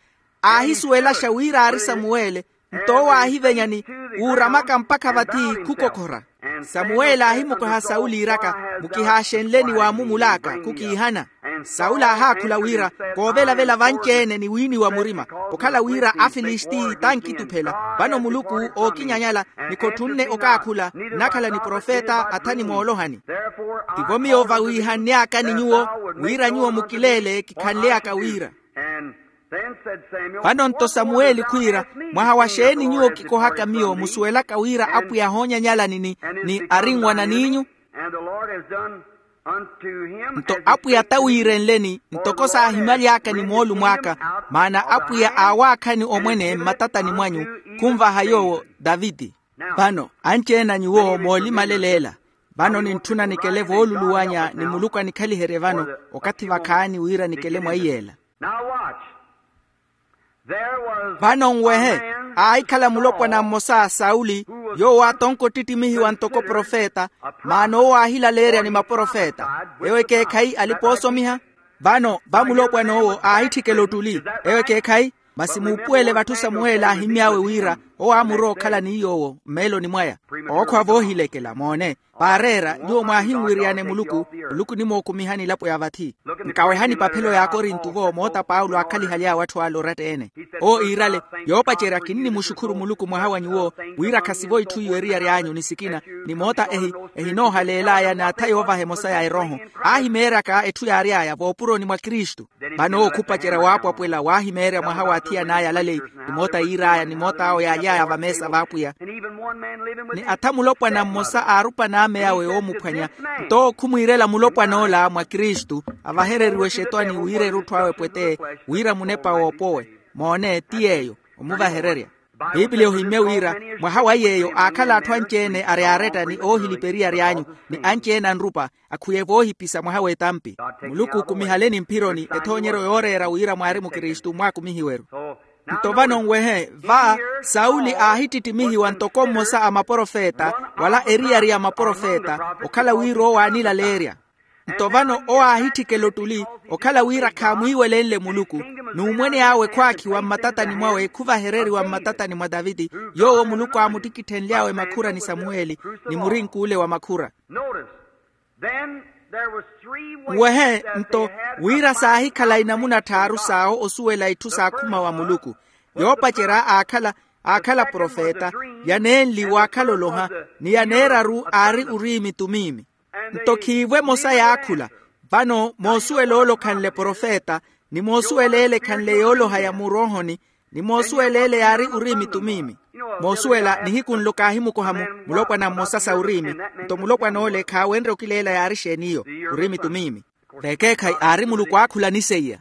aahisuwelaxa wira aari samuweli. Nto owo aahivenya ni, uuramaka mpakha vathi khukokhora. Samuweli aahimukoha sauli iiraka, mukihaaxenleni waamumul'aka khukiihana. Sauli aahaakhula wira, koovelavela vanci-ene ni wiiniwa murima, okhala wira afilisti tankituphela. Vano muluku ookinyanyala, ni khotthunne okaakhula nnakhala ni profeta athani moolohani. Tivo miyo vawiihanny'aka ni nyuwo, wira nyuwo mukileele kikhanly'aka wira. Vano nto samuweli khwiira, mwaha wa xeeni nyuwo kikohaka miyo musuwelaka wira apwiya ahoonyanyalani ni arinwanan'inyu? Nto apwiya tawiirenleni ntoko saahimaly'aka ni moolumo aka, maana apwiya aawaakhani omwene mmatatani mwanyu, khunvaha yoowo taviti. Vano anci-ene a nyuwo moolimaleleela. Vano nintthuna nikele vooluluwanya ni muluku anikhaliherye vano, okathi vakhaani wira nikele mwa iyeela. Vano nwehe, aahikhala mulopwana mmosa a sauli, yoowo aatonka ottittimihiwa ntoko profeta. Maana owo aahilaleerya ni maprofeta. Ewo ekeekhayi alipa oosomiha. Vano vamulopwana owo aahitthikela ottuli. Ewo ekeekhayi. Masi muupuwele vatthu samuweli aahimy'awe wira, owo aamurowa okhala ni yoowo mmeeloni mwaya. Ookhwa voohilekela moone. Paareera nyuwo mwaahinwiriyane muluku, muluku onimookumihani elapo ya vathi. Nkawehani paphelo ya akorinto-vo moota paulo aakhalihaly'awe atthu ale oratta-ene. Owo iirale, yoopacerya kinnimuxukhuru muluku mwaha wa nyuwo, wira khasivo itthu iwe eriyari anyu ni sikina, ni moota ehi, ehinoohaleel'aya n'atha yoovaha emosa ya erooho. Aahimeeryaka etthu yaary'aya voopuroni mwa kristu. Vano owo khupacerya waapwapwela waahimeerya mwaha wa athiyan'aya alaleyi, ni moota yiir'aya ni moot'awe yaaly'aya vameesa v'apwiya. Ni atha mulopwana mmosa aarupana ame awe oomuphwanya. Nto owo khumwiirela mulopwan'ola mwa kristu, avahereriwe xetwani wira erutthu awe epweteye, wira munepa woopowe. Moone ti yeeyo, omuvahererya. Pipiliya ohimmye wira, mwaha wa yeeyo aakhala atthu anci-ene ari aaretta ni oohilipa eriyari anyu, ni anci-ene anrupa, akhuye voohipisa mwaha w'etampi. Muluku okumihaleni mphironi ethoonyeryo yooreera wira mwaari mukristu mwaakumihiwe-ru. Nto vano nwehe, va sauli aahittittimihiwa ntoko mmosa a maprofeta, wala eriyari ya maprofeta, okhala wira owo aanilaleerya. Nto vano owo aahitthikela ottuli, okhala wira khaamwiiwelenle muluku, n'umwene awe khwaakhiwa mmatatani mwawe khuvahereriwa mmatatani mwa taviti, yoowo muluku aamuttikitthenly'awe makhura ni samuweli, ni murink'ule wa makhura. Nwehe nto, wira saahikhala inamuna tthaaru s'awo osuwela itthu s'akhuma wa muluku. Yoopacerya aakhala aakhala profeta, yaneenli waakhala oloha, ni yaneeraru aari uriimi tumiimi. Nto khiivo emosa yaakhula. Vano moosuwela ole okhanle profeta, ni moosuwela ele ekhanle yooloha ya muroohoni, ni moosuwela ele yaari uriimi tumiimi. Moosuwela nihiku nlo kaahimukoha-mu, mulopwana mmosa sa uriimi. Nto mulopwana ole khaawenrye okileela yaari exeen'iyo, uriimi tumiimi. Vekeekhayi aari muluku aakhula ni seiya.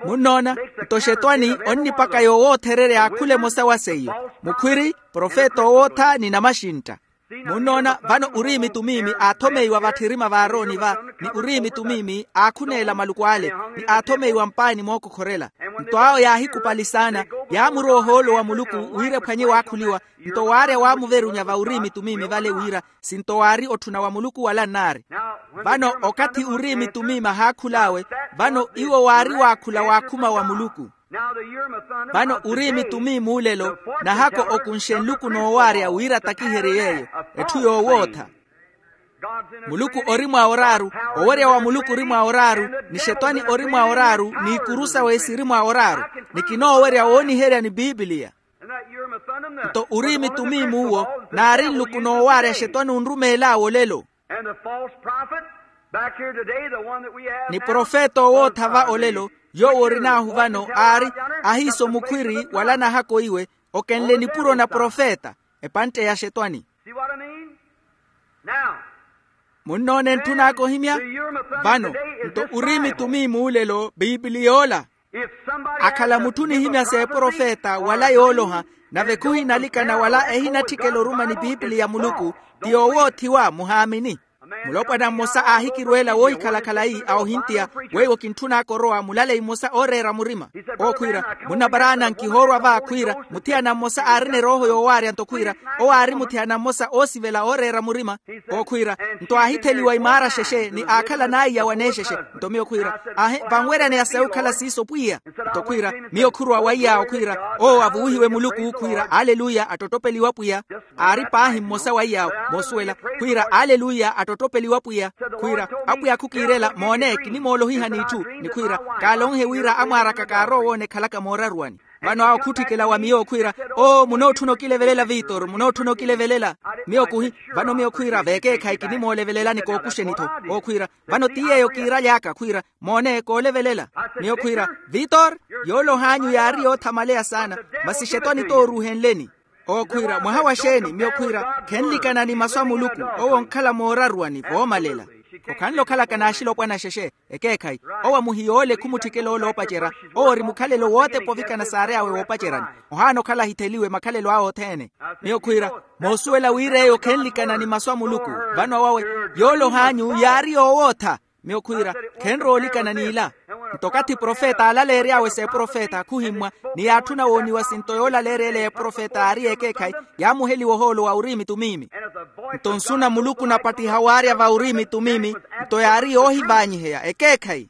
Munnoona? Nto xetwani onnipaka yoowoothererya akhula emosa wa seiyo, mukhwiri, profeta owootha ni namaxintta. Munnoona? Vano uriimi tumiimi aathomeiwa vatthirima v'aaroni va, ni uriimi tumiimi aakhuneela maluku ale, ni aathomeiwa mpaani mookokhorela. Nto awo yaahikupali saana, yaamurowa ohoolo wa muluku wira ephwanye waakhuliwa. Nto waarya waamuverunya va uriimi tumiimi vale wira, sinto waari otthuna wa muluku wala nnaari. Vano okathi uriimi tumiimi ahaakhul'awe, vano iwo waari waakhula waakhuma wa muluku. Vano uriimi tumiimi ulelo, nahako okunxe nluku noowaarya wira atakiherye yeeyo, etthu yoowootha. Muluku ori mwaoraaru, owerya wa muluku ori mwaoraaru, ni xetwani ori mwaoraaru, n'ikuru sawe siri mwaoraaru. Ni kinoowerya wooniherya ni pipiliya. Nto uriimi tumiimi uwo, naari nluku noowaarya xetwani onrumeel'awe olelo. Ni profeta owootha va olelo, yoowo orin'ahu vano aari, ahiiso mukhwiri wala nahako iwe, okenle nipuro na profeta, epantte ya xetwani. Munnoona entthun'aka ohimya? Vano, nto uriimi tumiimi ulelo pipiliya ola. Akhala mutthu onihimya s'eprofeta wala yooloha, nave khuhinalikana wala ehinatthikela oruma ni pipiliya ya muluku, ti yoowoothiwa muhaamini. Mulopwana mmosa aahikirweela woohikhala khalayi a ohintiya, weiwo kintthun'aka orowa mulaleyi mmosa ooreera murima. Owo khwiira, munnaparaana nkihoorwa va khwiira, muthiyana mmosa aarina erooho yoowaarya nto khwiira, owo aari muthiyana mmosa oosivela ooreera murima. Owo khwiira, nto aahitheliwa imaara xexe ni aakhala n'aiya waneexexe. Nto miyo khwiira, ahe vanweryaneya sayi okhala siiso pwiya. Nto khwiira, miyo khurowa wa iy'awo khwiira, owo avuwihiwe muluku khwiira aleluya attottopeliwa pwiya. Aari paahi mmosa wa iy'awo moosuwela, khwiira aleluya attottopeliwa pwiya. Khwiira, apwiya khukiirela moone kinimoolohiha n'itthu. Ni khwiira, kaalonhe wira amwaar'aka kaarowa owoona ekhalaka mooraruwani. Vano awo khutthikela wa miyo okhwiira, oo munootthuna okilevelela vitor munootthuna okilevelela. Miyo kuhi. Vano miyo khwiira veekeekhayi kinimoolevelelani kookuxeni-tho. Okhwiira, vano ti yeeyo kiiraly'aka khwiira, moone koolevelela. Miyo khwiira, vitor, yoolohanyu yaari yoothamaleya saana, masi xetwani t'oruuhenleni. Okhwiira mwaha wa xeeni? Miyo khwiira, khenlikana ni masu a muluku, owo onkhala mooraruwani voomalela. Okhanle okhalaka n'axilopwana xexe. Ekeekhayi, owo amuhiya ole khumutthikela ole oopacerya. Owo ori mukhalelo wootepa ovikana saary'awe woopaceryani. Ohaana okhala ahitheliwe makhalelo awe othene. Miyo khwiira, moosuwela wira eyo khenlikana ni masu a muluku. Vano awawe, yoolohanyu yaari yoowootha. Miyo khwiira, khenrowa olikana n'ila. Nto okathi profeta aalaleery'awe s'eprofeta khuhimmwa, ni yaatthuna wooniwa sinto yoolaleerya ele y'eprofeta yaari y'ekeekhayi, yaamuheliwa ohoolo wa uriimi tumiimi. Nto nsu na muluku napattiha waarya va uriimi tumiimi, nto yaari yoohivaanyiheya ekeekhayi.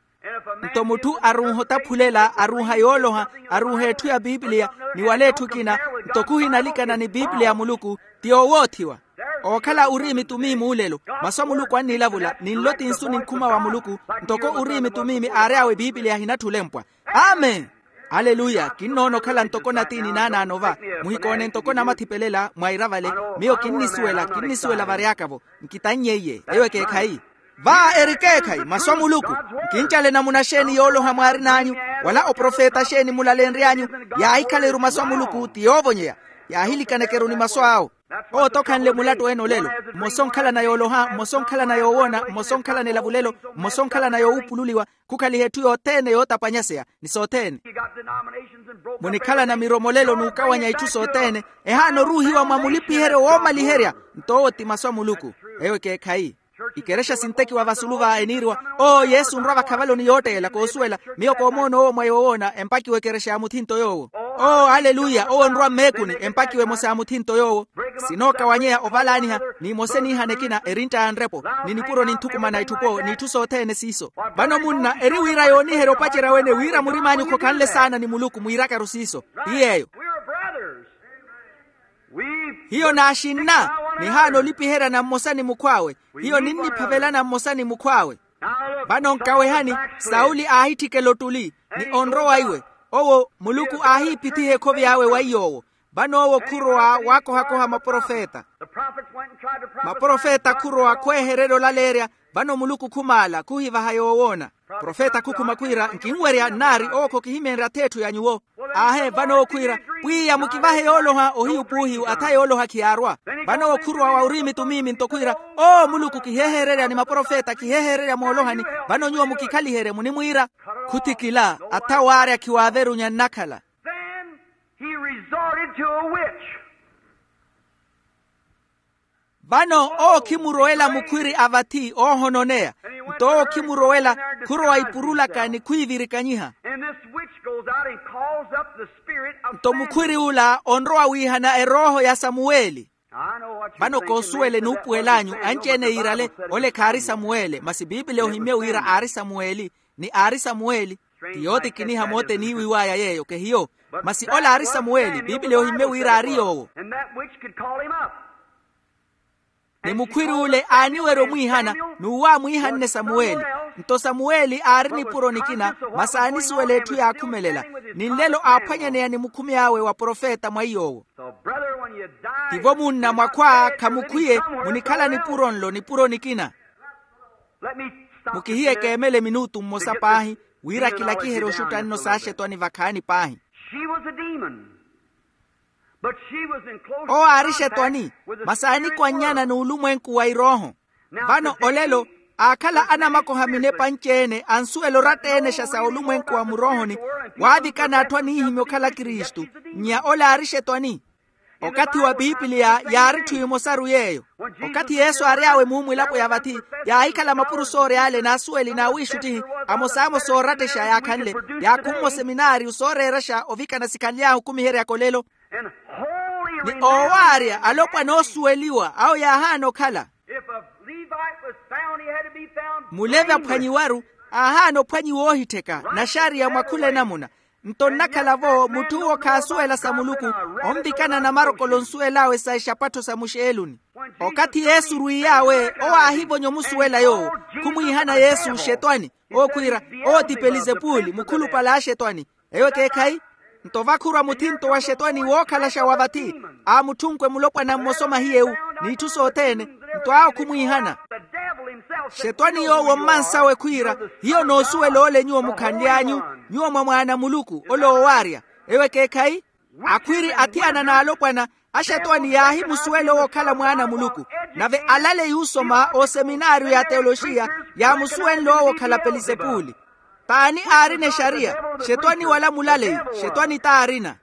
Nto mutthu arunha otaphulela arunha yooloha, arunha etthu ya pipiliya, ni wala etthu ekina, nto khuhinalikana ni pipiliya ya muluku, ti yoowoothiwa. Ookhala uriimi tumiimi ulelo, masu a muluku annilavula ninlo ti nsu ni nkhuma wa muluku. Ntoko uriimi tumiimi aary'awe pipiliya ahinatthi olempwa. Amen. Aleluya. Kinnoona okhala ntoko natiini naanaano va, muhikoone ntoko namathipelela mwaira vale. Miyo kinnisuwela kinnisuwela vary'aka-vo. Nkitannye iye eyo ekeekhayi. Va eri ekeekhayi masu a muluku. Nkincale namuna xeeni yooloha mwaarin'anyu, wala oprofeta xeeni mulalenry'anyu? Yaahikhala-ru masu a muluku ti yoovonyeya. Yaahilikaneke-ru ni masu awo. Owo t'okhanle mulattu ene olelo. Mmosa onkhalana yooloha mmosa onkhalana yoowoona mmosa onkhalana elavulelo, mmosa onkhalana yoowuupululiwa. Khukhaliha etthu yothene yootapwanyaseya ni sothene. Munikhalana miromolelo n'ukawanya itthu sothene. Ehaana oruuhiwa mwa mulipiheryo woomaliherya. Nto owo ti masu a muluku. Eyo ekeekhayi. Ikerexa sintekiwa vasulu va eniiriwa, oo yesu onrwa vakhavaloni yootteela koosuwela. Miyo koomoona owo mwa yoowoona empakiwa ekerexa ya muthinto yoowo. Oo aleluya owo onrwa mmeekuni empakiwa emosa ya muthinto yoowo. Sinookawanyeya ovalaaniha n'imosa eniihana ekina erintta ya nrepo, ni nipuro ninthukumana itthu-po n'itthu sothene siiso. Vano munna eri wira yooniherya opacerya wene wira murim'anyu khokhanle saana ni muluku mwiirakaru siiso. Ti yeeyo. Hiyo naaxinna, nihaana olipiheryana mmosa ni mukhw'awe. Hiyo ninniphavelana mmosa ni mukhw'awe. Vano nkawehani, sauli aahitthikela ottuli, ni onrowa iwe. Owo muluku aahiipithiha ekhovi awe wa iy'owo. Vano owo khurowa waakohakoha maprofeta. Maprofeta khurowa khwehererya olaleerya. Vano muluku khumaala khuhivaha yoowoona. Profeta khukhuma khwiira nkinwerya nnaari owo khokihimyenrya ath'etthu ya nyuwo. Aahe vano owo khwiira, pwiya mukivahe yooloha ohiyu puuhiyu atha yooloha khiyaarwa. Vano owo khurowa wa uriimi tumiimi nto khwiira, oo muluku kiheehereryani maprofeta kiheehererya moolohani. Vano nyuwo mukikhaliherye munimwiira. Khuthikila atha waarya khiwaaverunya nnakhala. Then he resorted to a witch. Vano owo khimurowela mukhwiri a vathi oohononeya. Nto owo khimurowela, khurowa ipurulaka ni khwiivirikanyiha. And this witch goes out and calls up the spirit of Samuel. Nto mukhwiri ula onrowa wiihana erooho ya samuweli. Vano koosuwela enuupuwel'anyu anci-ene yiirale, ole khaari samuweli masi piipili ohimmye wira aari samuweli. Ni aari samuweli. Ti yootikiniha moota eniiwiw'aya yeeyo kehiyo. Masi ole aari samuweli piipili ohimmye wira aari yoowo. Ni mukhwiri ule aaniwerya omwiihana, n'uwo aamwiihanne samuweli. Nto samuweli aari nipuro nikina masi aanisuwela etthu yaakhumelela. Ni nlelo aaphwanyaneya ni mukhumi awe wa profeta mwa iy'owo. Tivo munna mwakhwa khamukhwiye, munikhala nipuro nlo nipuro nikina. Mukihiye keemele minutu mmosa paahi, wira kilakiherye oxutta nno s'axetwani vakhaani paahi. Owo aari xetwani, masi aanikwannyana n'ulumwenku wa irooho. Vano olelo, aakhala anamakoha minepa anci-ene ansuwela oratta-ene xa sa olumwenku wa muroohoni, waavikana atthu aniihimya okhala kristu. Nnya ole aari xetwani. Okathi wa piipiliya yaari etthu emosaru yeeyo. Okathi yesu aary'awe muumwilapo ya vathi, yaahikhala mapuro soory'ale n'asuweli n'awiixuttihi, amosamosa oorattexa yaakhanle, yaakhumme oseminaariyu sooreeraxa ovikana sikhanly'ahu okumiheryaka olelo. Ni oowaarya alopwana oosuweliwa awo yaahaana okhala. Mulevi aphwanyiwaru, aahaana ophwanyiwa oohittheka naxariya mwa khula enamuna. Nto nnakhala-vo mutth'uwo khaasuwela sa muluku, onvikana namarokolo onsuwel'awe sa exapattho sa muxeeluni. Okathi yesu orwiiy'awe owo aahivonya omusuwela yoowo, khumwiihana yesu xetwani. Owo khwiira, owo ti pelizepuli mukhulupale a axetwani. Eyo ekeekhayi. Nto vakhuruwa muthinto wa xetwani wookhalaxa wa vathi, aamutthunku emulopwana mmosa omahiye-u, n'itthu sothene. Nto awo khumwiihana. Xetwani yoowo mmansawe khwiira, hiyo noosuwela ole nyuwo mukhanly'anyu, nyuwo mwa mwaana a muluku ole oowaarya. Eyo ekeekhayi. Akhwiri athiyana n'alopwana, axetwani yaahimusuwela owo okhala mwaana a muluku. Nave alaleyi osoma oseminaariyo ya teoloxiya, yaamusuwenle owo okhala pelizepuli. T'ani aarina exariya? Xetwani wala mulaleyi. Xetwani t'aarina.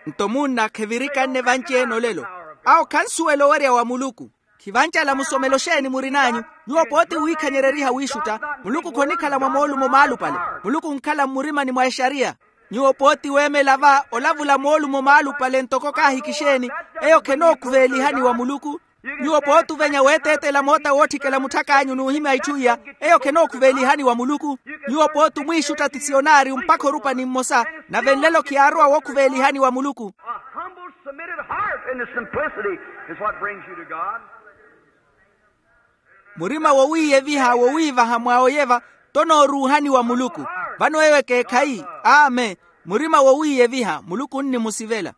Nto munna khevirikanne vanci-ene olelo. Awo khansuwela owerya wa muluku. Khivancala musomelo xeeni murin'anyu? Nyuwo pooti wiikhanyereriha wiixutta. Muluku khonikhala mwa moolumo maalupale. Muluku onkhala mmurimani mwa exariya. Nyuwo pooti weemela va olavula moolumo maalupale ntoko kaahikixa-eni. Eyo khenookhuveelihani wa muluku. Nyuwo pooti ovenya weeteetela moota wootthikela mutthak'anyu n'uhimya itthu iya. Eyo khenookhuveelihani wa muluku. Nyuwo pooti omwiixutta ti siyonaari mpakha orupani mmosa. Nave nlelo khiyaarowa wookhuveelihani wa muluku. Murima wowiiyeviha wowiivaha mwa oyeva tonooruuhani wa muluku. Vano eyo ekeekhayi. Amen. Murima wowiiyeviha muluku onnimusivela.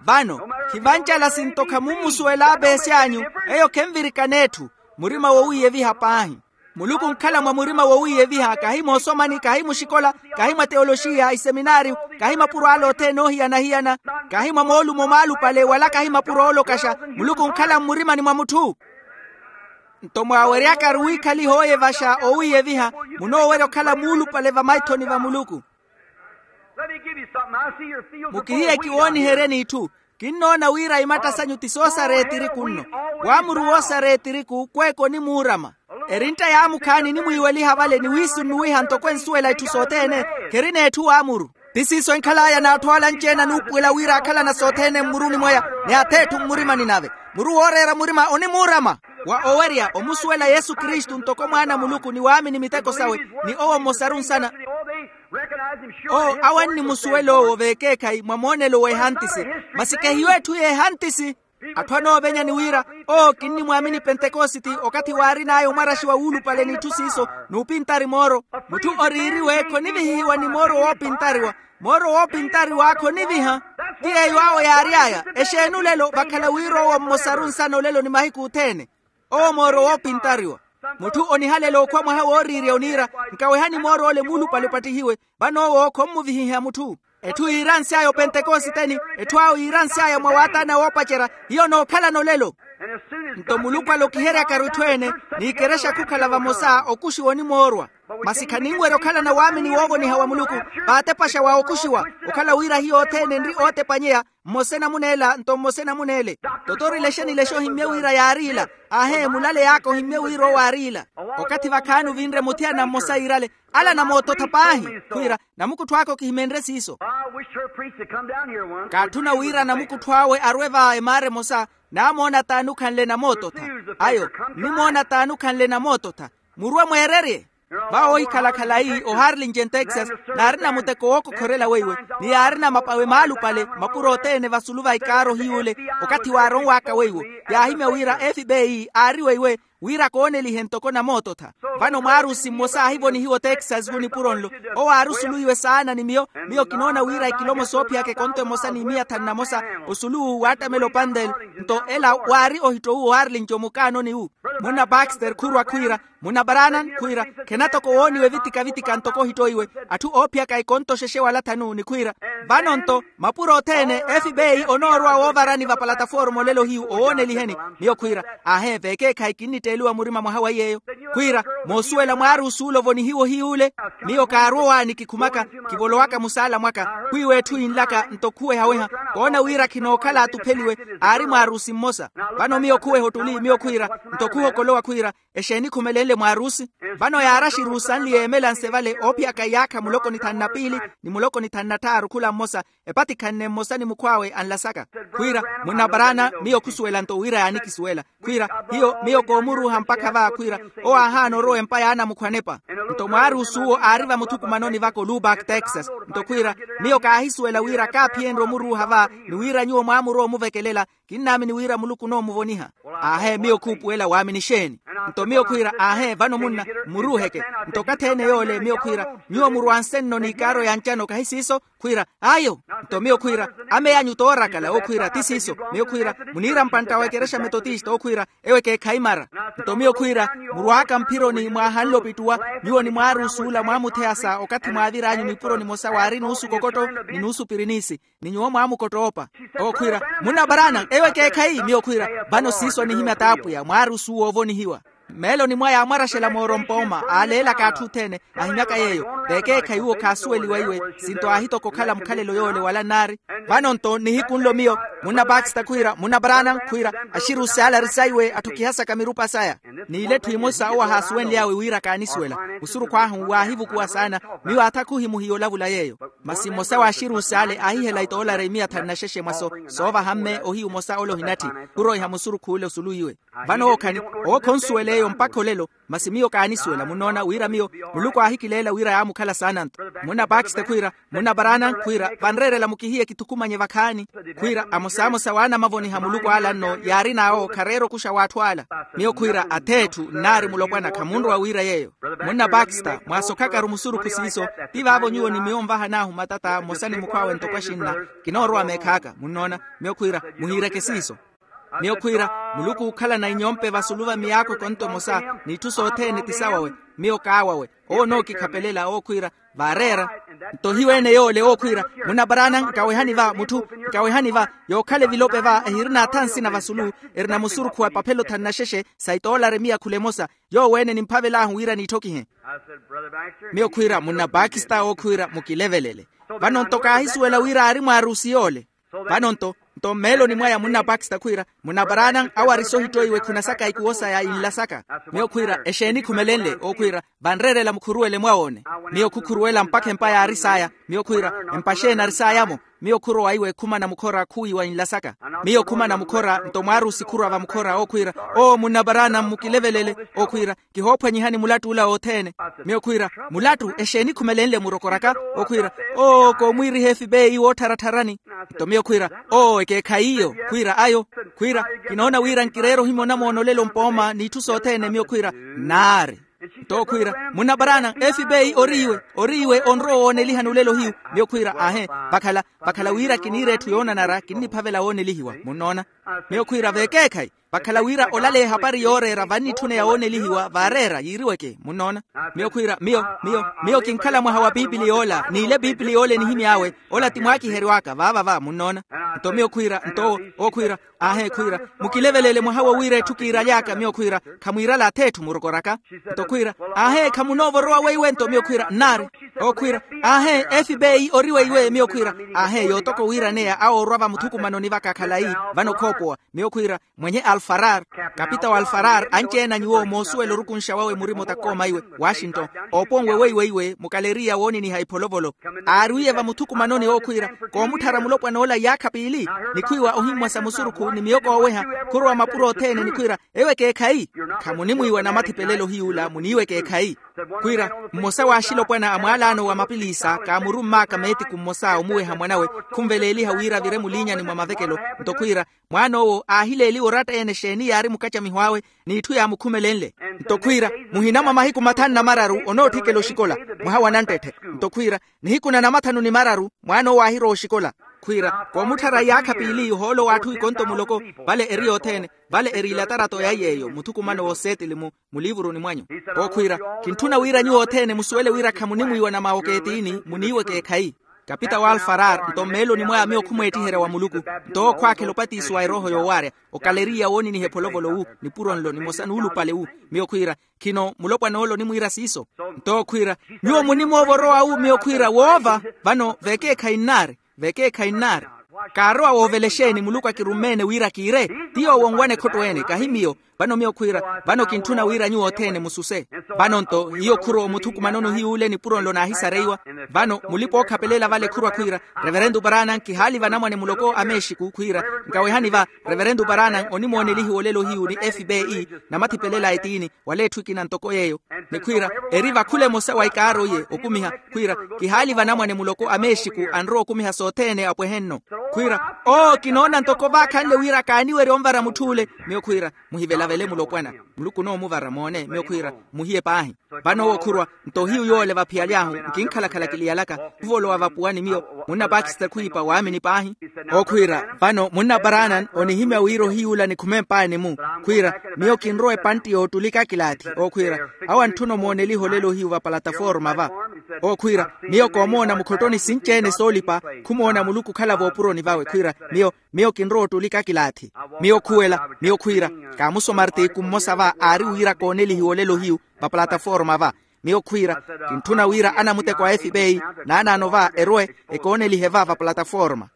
Vano, khivancala sinto khamummusuwela apeesi anyu. Eyo khenvirikana etthu. Murima wowiiyeviha paahi. Muluku onkhala mwa murima wowiiyeviha kahi moosomani kahi muxikola, kahi mwa teoloxiya iseminaariyo, kahi mapuro ale othene oohiyana-hiyana, kahi mwa moolumo maalupale wala kahi mapuro oolokaxa. Muluku onkhala mmurimani mwa mutthu. Nto mwaaweryakaru wiikhaliha ooyevaxa owiiyeviha, munoowerya okhala muulupale vamaithoni va muluku. Mukihiye kiwooniheryeni itthu. Kinnoona wira imatta sanyu ti soosara etiriku nno. Waamuru woosara etiriku kweeka onimuurama. Erintta yaamukhaani enimwiiweliha vale ni wiisunnuwiha ntoko ensuwela itthu sothene. Kherina etthu waamuru. Ti siiso enkhal'aya n'atthu ale anci-ene anuupuwela wira akhalana sothene mmuruni mwaya, ni ath'etthu mmurimani nave. Muru wooreera murima onimuurama wa owerya omusuwela yesu kristu ntoko mwaana a muluku ni waamini miteko sawe, ni owo mmosaru nsana. Oo awo annimusuwela owo veekeekhayi mwa moonelo w'ehantisi, masi kehiyo etthu y'ehantisi. Atthu anoovenya ni wira, oo kinnimwaamini pentekositi, okathi waarin'aya omwaraxi wa wuulupale n'itthu siiso, n'upintari mooro. Mutthu oriiriwe khonivihihiwa ni mooro woopintariwa. Mooro woopintariwa khoniviha. Ti yeeyo awo yaary'aya. Exeeni olelo vakhala wira owo mmosaru nsana olelo ni mahiku othene. Owo mooro woopintariwa. Mutthu onihalela okhwa mwaha wooriirya oniira, nkawehani moor'ole muulupale opattihiwe. Vano owo khommuvihiha mutthu. Etthu yiiransy'aya opentekositeni, etthu awo yiiransy'aya mwa waataana woopacerya. Hiyo nookhalana olelo. Nto muluku alokiheryakaru itthu ene, n'ikerexa khukhala vamosa okuxiwa onimoorwa. Masi khaninwerya okhalana waamini woovoniha wa muluku, vaatepaxa wa okuxiwa. Okhala wira hiyo othene enri ootepanyeya, mmosa enamuneela nto mmosa enamuneele. Totori lexe ni lexe ohimmye wira yaari ila. Aahe mulale yaaka ohimmye wira owo aari ila. Okathi vakhaani ovinre muthiyana mmosa yiirale, ala namoototha paahi. Khwiira, namukuttho aka okihimenrye siiso. Kaatthuna wira namukuttho awe arwe va emaara emosa. Naamoona t'ani okhanle namoototha. Ayo, nnimoona t'ani okhanle namoototha. Murwe mweererye. Vawo ohikhala khalayi oharlingen texas, naarina muteko wookokhorela weiwe, ni yaarina mapawe maalupale mapuro othene vasulu va ikaaro hiy'ule. Okathi waaronw'aka weiwo, yaahimya wira fbi aari weiwe, wira koonelihe ntoko namoototha. Vano mwaarusi mmosa aahivonihiwa otexas vu nipuro nlo. Owo aari osulu iwe saana ni miyo. Miyo kinoona wira ekilomo soophiyaka ekonto emosa ni miya thanu na mosa. Osulu uwu waattamela opandel. Nto ela waari ohitto uwo harlinci omukaanoni wu. Munna baxter khurwa khwiira, munna baranan khwiira, khena toko wooniwe vitika-vitika ntoko ohitto iwe. Atthu oophiyaka ekonto xexe wala thanu ni khwiira. Vano nto mapuro othene fbi onoorwa woovarani va palataforma olelo hiyu owooneliheni. Miyo khwiira, aahe veekeekhayi kinnitteeliwa murima mwaha wa iy'eyo. Khwiira, moosuwela mwaarusi ole ovonihiwa ohiy'ule. Miyo kaarwa owaani kikhumaka, kivolowaka musaala mwaka. Khwiiwa etthu yinlaka nto khuweha-weha, koona wira khinookhala atupheliwe. Aari mwaarusi mmosa. Vano miyo khuweha ottuli miyo khwiira, nto khuhokolowa khwiira, exeeni khumelenle mwaarusi? Vano yaaraxiru sanli yeemela nse vale oophiyaka iyaakha muloko ni thanu na piili, ni muloko ni thanu na tthaaru khula mmosa, epatikhanne mmosa ni mukhw'awe anlasaka. Khwiira, munna baraana, miyo khusuwela nto wira yaanikisuwela. Khwiira, hiyo miyo koomuruuha mpakha va khwiira, owo aahaana orowa empa ya anamukhwanepa. Nto mwaarusi uwo aari vamuthukumanoni vaka olubak texas. Nto khwiira, miyo kaahisuwela wira kaaphiyenrye omuruuha va, ni wira nyuwo mwaamurowa omuvekelela. Kinnaamini wira muluku onoomuvoniha. Aahe miyo khuupuwela waamini exeeni? Nto miyo khwiira aahe vano munna, mmuruuheke. Nto okathi ene yoole miyo khwiira, nyuwo murwanse nno n'ikaaro ya ncano kahi siiso? Khwiira, ayo. Nto miyo khwiira, ame yanyu toorakala owo khwiira ti siiso. Miyo khwiira, muniira mpantta wa ekerexa metotista owo khwiira, ewo ekeekhayi mara. Nto miyo khwiira, murwaaka mphironi mwaahanle opittuwa, nyuwo ni mwaarusi ola mwaamutheya sa okathi mwaavir'anyu nipuro nimosa waari nuusu kokotto, ni nuusu pirinisi. Ni nyuwo mwaamukottoopa. Owo khwiira, munna baraana ewo ekeekhayi miyo khwiira. Vano siiso anihimya t'apwiya mwaarusi owo oovonihiwa. Mmeeloni mwaya aamwaraxela moorompa ooma aaleelaka atthu othene, ahimyaka yeeyo. Veekeekhayi uwo khaasuweliwa iwe, sinto aahitoka okhala mukhalelo yoole wala nnaari. Vano nto nihiku nlo miyo, munna baxter khwiira munna baraana khwiira, axirusi ale ari saiwe atthu khihasaka mirupa saya. N'ile etthu emosa owo ahaasuwenly'awe wira kaanisuwela. Musurukhu ahu waahivukuwa saana. Miyo aatha khuhimuhiya olavula yeeyo. Masi mmosa w'axirusi ale aahihela itoolari imiya thanu na xexe mwaso, soovaha mme ohiyu omosa ole ohinatthi. Khuroiha musurukhu ole osulu iwe. Vano owo khani, owo khonsuwela eyo mpakha olelo. Masi miyo kaanisuwela munnoona wira miyo, muluku aahikileela wira yaamukhala saana nto. Munna baxter khwiira, munna baraana khwiira, vanreerela mukihiye kithukumanye vakhaani. Khwiira amosamosa w'anamavoniha muluku ala nno yaarin'awo khareera okuxa w'atthu ala. Miyo khwiira ath'etthu nnaari mulopwana khamunrowa wira yeeyo. Munna baxter mwaasokhakaru musurukhu siiso. Ti vaavo nyuwo ni miyo onvahan'ahu matata mmosa ni mukhw'awe ntoko axinna. Kinoorowa meekh'aka munnoona. Miyo khwiira, muhiireke siiso. Miyo khwiira, muluku ookhalana inyompe vasulu va miyaakho ekonto emosa, n'itthu sothene ti sawawe. Miyo kaawawe. Owo onookikhapelela owo khwiira, vaareera. Nto hiweene yoole owo khwiira, munna baraana nkawehani va mutthu, nkawehani va. Yookhala evilope va ehirina atha nsina vasulu, erina musurukhu wa epaphelo thanu na xexe, sa itoolari miya khula emosa. Yoowo ene nimphavel'ahu wira niitthokihe. Miyo khwiira munna pakista owo khwiira mukilevelele. Vano nto kaahisuwela wira aari mwaarusi yoole. Vano nto, Nto mmeeloni mwaya munna pakista khwiira, munna paraana awo arisohitto iwe khunasaka ikuwo saya inla saka. Miyo khwiira exeeni khumelenle okhwiira, vanreerela mukhuruwele mwawoone. Miyo khukhuruwela mpakha empa yaari saya. Miyo khwiira, empa xeeni ari saya-mo? Miyo khurowa iwe khumana mukhora khuwiiwa inla saka. Miyo khumana mukhora nto mwaarusi khurwa vamukhora okhwiira, oo munna paraana mmukilevelele. Okhwiira, kihoophwanyihani mulattu ula othene. Miyo khwiira, mulattu exeeni khumelenle murokoraka? Okhwiira, oo koomwiiriha efipeyi woottharatharani. Nto miyo khwiira, oo ekeekhayi iyo khwiira ayo. Khwiira, kinoona wira nkireera ohimya onamoonolela ompooma n'itthu sothene miyo khwiira, nnaari. Nto okhwiira, munna paraana efipeyi ori iwe, ori iwe onrowa owoonelihani olelo hiyu. Miyo khwiira, aahe, vakhala, vakhala wira kiniira etthu yoonanara kinniphavela woonelihiwa munnoona. Miyo khwiira vekeekhayi, vakhala wira olaleya ehapari yooreera vannitthuneya woonelihiwa vaareera yiiriweke munnoona. Miyo khwiira miyo miyo miyo kinkhala mwaha wa piipili yoola n'ile piipili yoola enihimy'awe. Ola ti mwaakiheryo aka vaava va munnoona. Nto miyo khwiira nto owo okhwiira, aahe khwiira, mukilevelele mwaha wo wira etthu kiiraly'aka miyo khwiira, khamwiirala ath'etthu murokoraka. Nto khwiira, aahe khamunoova orowa weiwe nto miyo khwiira nnaari. Okhwiira, aahe efipeyi ori weiwe miyo khwiira, aahe yootoko wiiraneya awoorwa vamuthukumanoni vaka khalayi. Vano khoopowa. Miyo khwiira, mwenye alfarar, kapita wa alfarar anci-ene a nyuwo moosuwela orukunxa wawe murima otakooma iwe, washington, ooponwe weiweiwe mukaleriya wooniniha ipholovolo. Aarwiye vamuthukumanoni okhwiira, koomutthara mulopwan'ola iyaakha piili. Nikhwiiwa ohimmwasa musurukhu ni miyoko ooweha, khurowa mapuro othene nikhwiira, eyo ekeekhayi. Khamunimwiiwa namathipelelo hiy'ula muniiwa ekeekhayi. Khwiira, mmosa w'axilopwana a mwaalano wa mapiliisa kaamurumm'aka meetiku mmosa omuweha mwanawe, khunveleeliha wira avire muliinyani mwa mavekelo. Nto khwiira, mwaan'owo aahileeliwa oratta-ene exeeni yaari mukacamiho awe, n'itthu yaamukhumelenle. Nto khwiira, muhina mwa mahiku mathanu na mararu onootthikela oxikola, mwaha wa nanttette. Nto khwiira, nihiku na namathanu ni mararu mwaan'owo aahirowa oxikola. Khwiira, koomutthara iyaakha piili ohoolo w'atthu ikonto muloko, vale eri yothene, vale eri ilatarato ya yeeyo muthukumano w'oseetili mu muliivuruni mwanyu. Okhwiira, kintthuna wira nyuwo othene musuwele wira khamunimwiiwa na mawokeetini muniiwa ekeekhayi. Kapita wa alfarar nto mmeeloni mwaya miyo khumweettiherya wa muluku, nto owo khwaakhela opatiso wa erooho yoowaarya, okaleriya wooniniha epholovolo wu, nipuro nlo nimosa nuulupale wu. Miyo khwiira, khino mulopwan'ole onimwiira siiso. Nto okhwiira, nyuwo munimoova orowa wu miyo khwiira woova. Vano vekeekhayi nnaari. Vekeekhayi nnaari. Kaarowa woovela exeeni muluku akirummeene wira kiire? Ti yoowo onwana ekhotto ene kahi miyo. Vano miyo khwiira, vano kintthuna wira nyuwo othene mususe. Vano nto hiyo khurowa omuthukumanoni ohiy'ule nipuro nlo naahisareiwa. Vano mulipa ookhapelela vale khurwa khwiira, reverento paranan kihaali vanamwane muloko a mexiku khwiira, nkawehani va, reverento paranan onimoonelihiwa olelo hiyu ni fbe, namathipelela a etiini, wala etthu ekina ntoko yeeyo. Ni khwiira, eri vakhula emosa wa ikaaro iye okumiha. Khwiira, kihaali vanamwane muloko a mexiku anrowa okumiha sothene apwehe nno. Khwiira, oo kinoona ntoko vaakhanle wira kaaniwerya onvara mutth'ule. Miyo khwiira, muhivelavele mulopwana. Muluku onoomuvara moone miyo khwiira, muhiye paahi. Vano owo khurwa, nto hiyu yoole vaphiyaly'ahu nkinkhalakhala kiliyalaka. Khuvolowa vapuwani miyo, munna pakista khwiipa waamini paahi. Okhwiira, vano munna paranan onihimya wira ohiy'ula nikhume mpaani-mu. Khwiira, miyo kinrowa epantti yoottulika akilaathi. Okhwiira, awo antthuna omooneliha olelo hiyu vapalataforma va. Okhwiira, miyo koomoona mukhottoni sinci-ene soolipa. Khumoona muluku okhala voopuroni vawe khwiira, miyo miyo kinrowa ottulika akilaathi. Miyo khuwela, miyo khwiira, kaamusomartiku mmosa va aari wira koonelihiwa olelo hiyu vapalataforma va. Miyo khwiira, kintthuna wira anamuteko a fbe, naanaano va erwe, ekoonelihe va vapalataforma.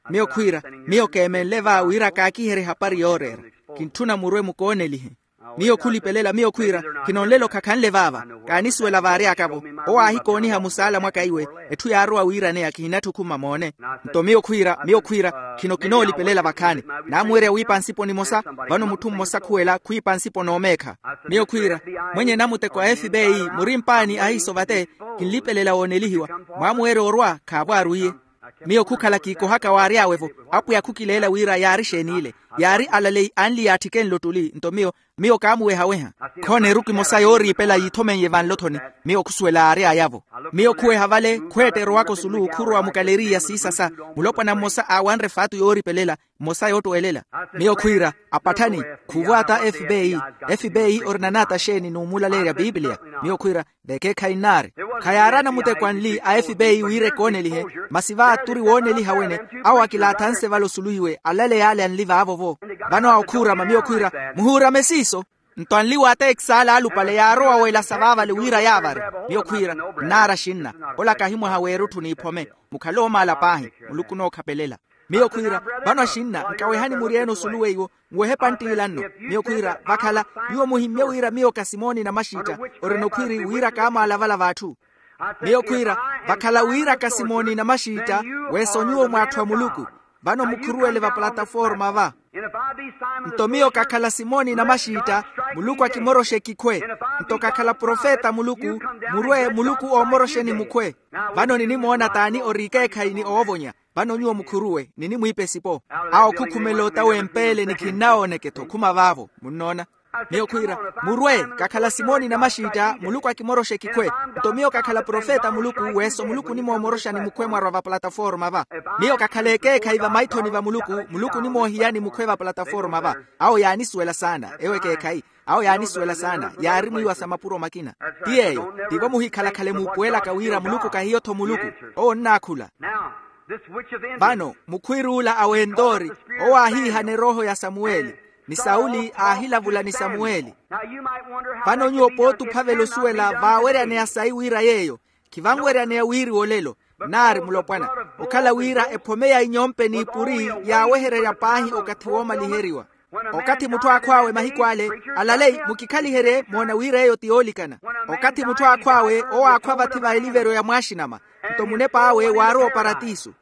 Miyo khwiira, miyo keemenle va wira kaakiherye ehapari yooreera. Kintthuna murwe mukoonelihe. Miyo khulipelela miyo khwiira, khino nlelo khakhanle vaava. Kaanisuwela vaary'aka-vo. Owo aahikooniha musaala mwaka iwe, etthu yaarowa wiiraneya kihinatthu okhuma moone. Nto miyo khwiira miyo khwiira, khino kinoolipelela vakhaani. Naamuwerya wiipa nsipo nimosa. Vano mutthu mmosa khuwela khwiipa nsipo n'omeekha. Miyo khwiira, mwenye namuteko a fbe, muri mpaani ahiiso vate. Kinlipelela woonelihiwa. Mwaamuwerya orwa khaavo arwiye. Miyo khukhala kiikohaka waary'awe-vo. Apwiya khukileela wira yaari exeen'ile. Yaari alaleyi anli yaatthike nlo ottuli nto miyo, miyo kaamuweha-weha. Khoona eruku emosa yooriipela yiithomeiye vanlothoni. Miyo khusuwela aary'aya-vo. Miyo khuweha vale khweetta erowaka osulu khurowa mukaleriya siisasa. Mulopwana mmosa aawanre efaatu yooripelela, mmosa yoottwelela. Miyo khwiira, apatthani, khuvwaata fbe. Fbe ori nanaata exeeni n'umulaleerya piipiliya? Miyo khwiira, vekeekhayi nnaari. Khayaari anamuteko anli a fbe wira ekoonelihe. Masi vaaturi wooneliha wene, awo akilaathanse vale osulu iwe alaleya ale anli vaavo-vo. Vano awo khuurama miyo khwiira, muhuurame siiso. Nto anli wa atekisi ale alupale yaarowa weelasa vaavale wira yaavari. Miyo khwiira, nnaari axinna. Ola kahi mwaha w'erutthu n'iphome. Mukhale oomaala paahi. Muluku onookhapelela. Miyo khwiira, vano axinna nkawehani muri ene osulu weiwo, nwehe panttila nno. Miyo khwiira vakhala, nyuwo muhimmye wira miyo ka simoni namaxitta. Orina okhwiri wira kaamwaalavala v'atthu. Miyo khwiira, vakhala wira ka simoni namaxitta, weesa onyuwo mwaatthu a muluku. Vano mukhuruwele va plataforma va. Nto miyo kakhala simoni namaxitta, muluku akimoroxe kikhwe. Nto kakhala profeta a muluku, murwe muluku oomoroxeni mukhwe. Vano ninimoona t'ani ori ekeekhayi ni oovonya. Vano nyuwo mukhuruwe ninimwiipa esipo. Awo khukhumela ota wempeele ni khinnawooneke-tho khuma vaavo munnoona. Miyo khwiira, murwe, kakhala simoni namaxitta muluku akimoroxa ekikhwe. Nto miyo kakhala profeta a muluku, weeso muluku onimoomoroxani mukhwe mwarwa va plataforma va. Miyo kakhala ekeekhayi vamaithoni va muluku, muluku onimoohiyani mukhwe va plataforma va. Awo yaanisuwela saana ewo ekeekhayi. Awo yaanisuwela saana yaari mwiiwa sa mapuro makina. Ti yeeyo tivo muhikhalakhale muupuwelaka wira muluku kahiyo-tho muluku. Owo onnaakhula. Vano mukhwiiruula a wentori, owo aahiihana erooho ya samuweli, ni sauli aahilavula ni samuweli. Vano nyuwo pooti ophavela osuwela vaaweryaneya sayi wira yeeyo. Khivanweryaneya wiiriwa olelo, naari mulopwana, okhala wira ephome ya inyompe n'ipuri yaawehererya paahi okathi woomaliheriwa. Okathi mutthu aakhw'awe mahiku ale, alalei mukikhaliherye moona wira eyo ti yoolikana. Okathi mutthu aakhw'awe owo aakhwa vathi va eliveryo ya mwaaxinama, nto munep'awe waarowa oparatiso.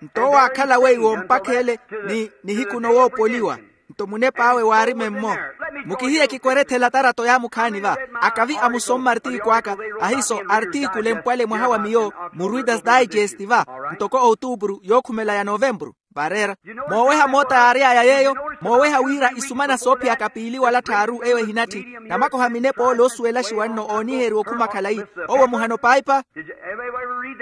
Nto owo aakhala weiwo mpakha ele, ni nihiku nowoopoliwa. Nto munep'awe waari memmo. Mukihiye kikwerethela tarato yaamukhaani va. Akavi amusomma artiku aka, ahiiso artiku lempwale mwaha wa miyo, mu readers digest va, ntoko outupuru yookhumela ya novempuru. Vareera, mooweha moota yaary'aya yeeyo, mooweha wira isumana soophiyaka piili wala tthaaru eyo ehinatthi, namakoha minepa ole oosuwelaxiwa nno ooniheriwa okhuma khalayi. Owo muhano paipa.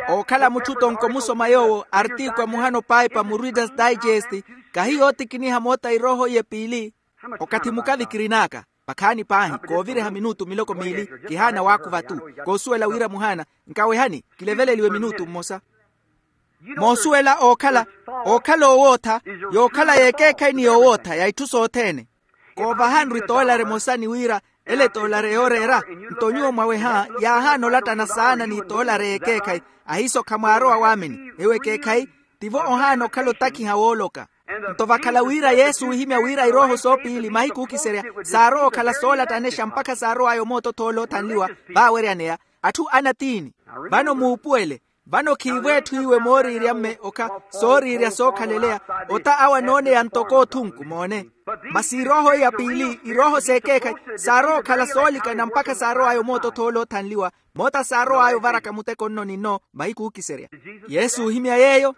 Ookhala mutthu tonko musoma yoowo artiku a muhano paipa mu readers digest. Kahi yootikiniha moota irooho iye piili. Okathi mukavikirinaaka, pakhaani paahi kooviriha minutu miloko miili, kihaana waakuva tu. Koosuwela wira muhaana. Nkawehani kileveleliwe minutu mmosa. Moosuwela ookhala, ookhala oowootha, yookhala y'ekeekhayi ni yoowootha ya itthu sothene. Koovahanru etoolari emosa ni wira, ele etoolari yooreera. Nto nyuwo mwaweha yaahaana olattana saana n'itoolari y'ekeekhayi. Ahiiso khamwaarowa waamini ewo ekeekhayi. Tivo ohaana okhala otakhiha wooloka. Nto vakhala wira yesu oohimya wira irooho soopiili mahiku ookiserya, saarowa okhala soolattanexa mpakha saarow'aya omootothoola oothanliwa, vaaweryaneya atthu anatiini. Vano muupuwele. Vano khiivo etthu iwe mooriirya mme okha, sooriirya sookhaleleya. Ota awo anooneya ntoko othunku moone. Masi irooho iya piili irooho s'ekeekhayi, saarowa okhala soolikana mpakha saarow'aya omootothoola oothanliwa. Moota saarow'aya ovaraka muteko nno ni nno mahiku ookiserya. Yesu oohimya yeeyo.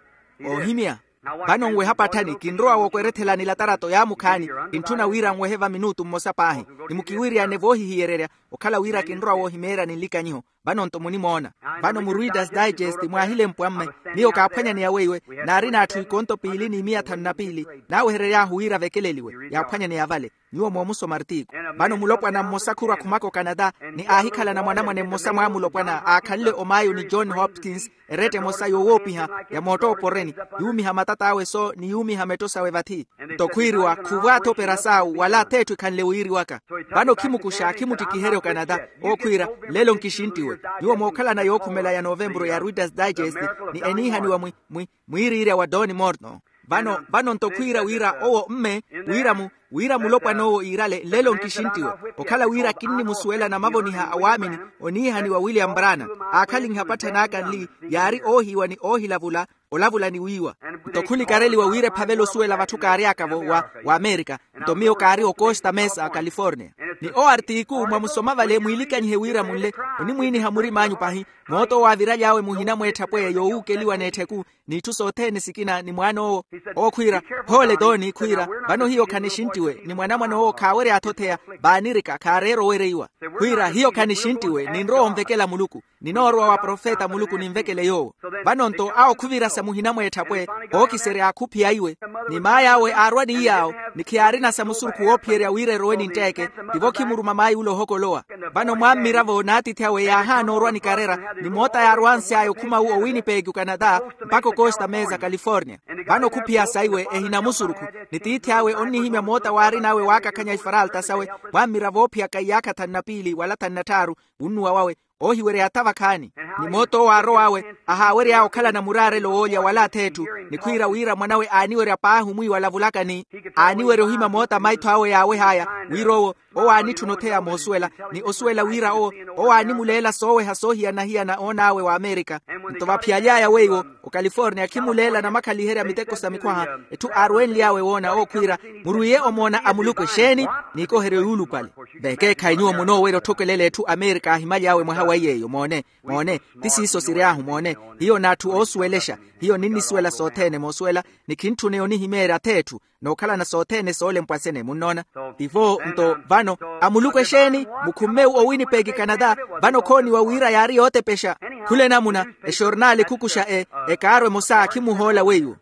Oohimya. Vano nweha patthani kinrowa wokwerethelani latarato yaamukhaani. Kintthuna wira nwehe va minutu mmosa paahi. Ni mukiwiiriyane voohihiyererya, okhala wira kinrowa woohimeeryani nlikanyiho. Vano nto munimoona. Vano mu readers digest mwaahilempwa mme, miyo kaaphwanyaneya weiwe. Naarina atthu ikonto piili ni miya thanu na piili. Naaweherery'ahu wira avekeleliwe yaaphwanyaneya vale. Nyuwo moomusoma artiku. Vano mulopwana mmosa khurwa khumaka okanata, ni aahikhalana mwanamwane mmosa mwaamulopwana aakhanle omayo ni john hopkins. Eretta emosa yoowoopiha ya moottooporeni, yuumiha matat'awe so ni yuumiha metto sawe vathi. Nto khwiiriwa khuvw'atho operasawu wala t'etthu ekhanle wiiriwaka. Vano khimukuxa khimuttikiherya okanata. Owo khwiira, nlelo nkixinttiwe. Nyuwo mookhalana yookhumela ya novempuro ya readers digest, ni eniihaniwa mwi mwi mwiiriirya wa don morton. Vano vano nto khwiira wira owo mme, wira mu wira mulopwan'owo iirale nlelo nkixinttiwe. Okhala wira kinnimusuwela namavoniha a waamini oniihaniwa william brana, aakhalinha patthanaaka nli yaari oohiiwa ni oohilavula, olavula ni wiiwa. Nto khulikareliwa wira ephavela osuwela vatthu kaary'aka-vo wa amerika. Nto miyo kaari okosta mesa a california. Ni owo artiku mwamusoma vale mwiilikanyihe wira munle, onimwiiniha murim'anyu pahi. Moota owo aaviraly'awe muhina mw'etthapwe yoowuukeliwa n'etthiku, n'itthu sothene sikina ni mwaan'owo. Owo khwiira, phoole tooni khwiira, vano hiyo khanixinttiwe ni mwanamwan'owo khaawerya athotheya. Vaanirika khaareera owereiwa. Khwiira hiyo khanixinttiwe ninrowa onvekela muluku. Ninoorowa wa profeta muluku ninvekele yoowo. Vano nto awo khuvirasa muhina mw'etthapwe, ookiserya akhuphiya iwe. Ni maay'awe aarwa ni iy'awo, ni khiyaarinasa musurukhu woophiyerya wira erowe nintteeke. Tivo khimuruma maayi ule ohokolowa. Vano mwammiravo n'atiithi awe yaahaana orwa ni karera, ni moota yaarwansy'aya okhuma wu owinipeki okanata, mpakha okosta mesa california. Vano khuphiya saiwe ehina musurukhu, ni tiithi awe onnihimya moota waarin'awe waakakhanya ifaralta sawe. Mwammiravo oophiyaka iyaakha thanu na piili wala thanu na tthaaru, wunnuwa wawe. Oohiwerya yaatha vakhaani. Ni moota owo aarow'awe, ahaawery'aya okhalana muraarelo woolya wala ath'etthu, ni khwiira wira mwanawe aaniwerya paahi omwiiwa alavulaka ni aaniwerya ohima moota maitho awe yaaweh'aya, wira owo owo aanitthuna otheya moosuwela, ni osuwela wira owo owo aanimuleela sooweha soohiyana-hiyana oon'awe w'amerika. Nto vaphiyaly'aya weiwo okaliforniya khimuleela namakhaliherya miteko sa mikhwaha. Etthu aarwenly'awe woona owo khwiira, murwiiye omoona a muluku exeeni? Niikoheryo yuulupale. Vekeekhayi nyuwo munoowerya otthokelela etthu amerika aahimaly'awe mwaha wa iy'eyo moone. Moone, ti siiso siry'ahu moone. Hiyo n'atthu oosuwelexa. Hiyo ninnisuwela sothene moosuwela, ni khintthuneya onihimeerya ath'etthu, n'okhalana sothene soolempwa sene munnoona. Tivo nto vano, a muluku exeeni? Mukhumme owinipeki canada. Vano khooniwa wira yaari yootepexa khula enamuna, exornaali khukuxa e ekaaru emosa akhimuhoola weiwo.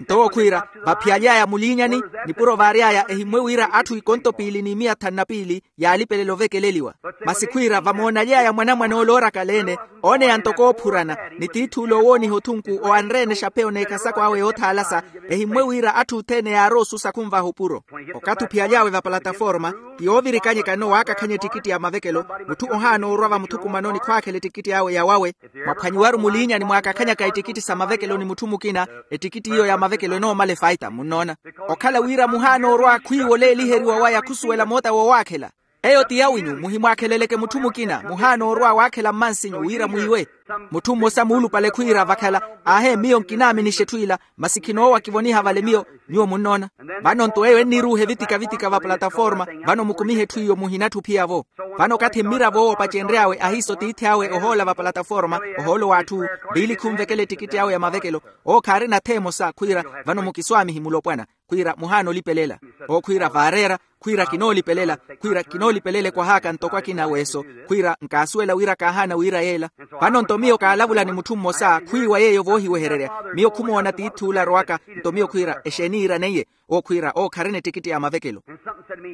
Nto owo khwiira, vaphiyaly'aya muliinyani, nipuro vaary'aya ehimmwe wira atthu ikonto piili ni miya thanu na piili yaalipelela ovekeleliwa. Masi khwiira vamoonaly'aya mwanamwane ole oorakala-ene, ooneya ntoko oophurana, ni tiith'ule owooniha othunku owanre-ene exapeyo n'ekhasako awe yoothaalasa, ehimmwe wira atthu othene yaarowa osusa khunvaha opuro. Okathi ophiyaly'awe vapalataforma, ti yoovirikanyekano waakakhanya ettikitti ya mavekelo, mutthu ohaana orwa vamuthukumanoni khwaakhela ettikitti awe ya wawe. Mwaphwanyiwaru muliinyani mwaakakhanyaka ettikitti sa mavekelo ni mutthu mukina, ettikitti iyo ya mavekelo enoomala efaita munnoona. Okhala wira muhaana orwa khwiiwa oleeliheriwa waya khusuwela moota woowaakhela. Eyo ti yawinyu muhimwaakheleleke mutthu mukina muhaana orwa waakhela mmansinyu wira mwiiwe. Mutthu mmosa muulupale khwiira vakhala, aahe miyo nkinaaminixa etthu ila, masi khinoowa kivoniha vale miyo. Nyuwo munnoona. Vano nto eyo enniruuha evitikavitika vapalataforma. Vano mukumihe etthu iyo muhinatthi ophiya-vo. Vano okathi mmiravo owo opacenry'awe ahiiso tiithi awe ohoola vapalataforma, ohoolo w'atthu, mpiili khunvekela ettikitti awe ya mavekelo, owo khaarina ath'emosa khwiira, vano mukiswaamihi mulopwana, khwiira muhaana olipelela. Owo khwiira vaareera, khwiira kinoolipelela, khwiira kinoolipelela ekwahaaka ntoko akina weeso, khwiira nkaasuwela wira kaahaana wiira yeela. Vano nto miyo kaalavula ni mutthu mmosa khwiiwa yeeyo voohiwehererya. Miyo khumoona tiith'ule arowaka. Nto miyo khwiira exeeni iiraneiye? Owo khwiira owo kharina ettikitti ya mavekelo.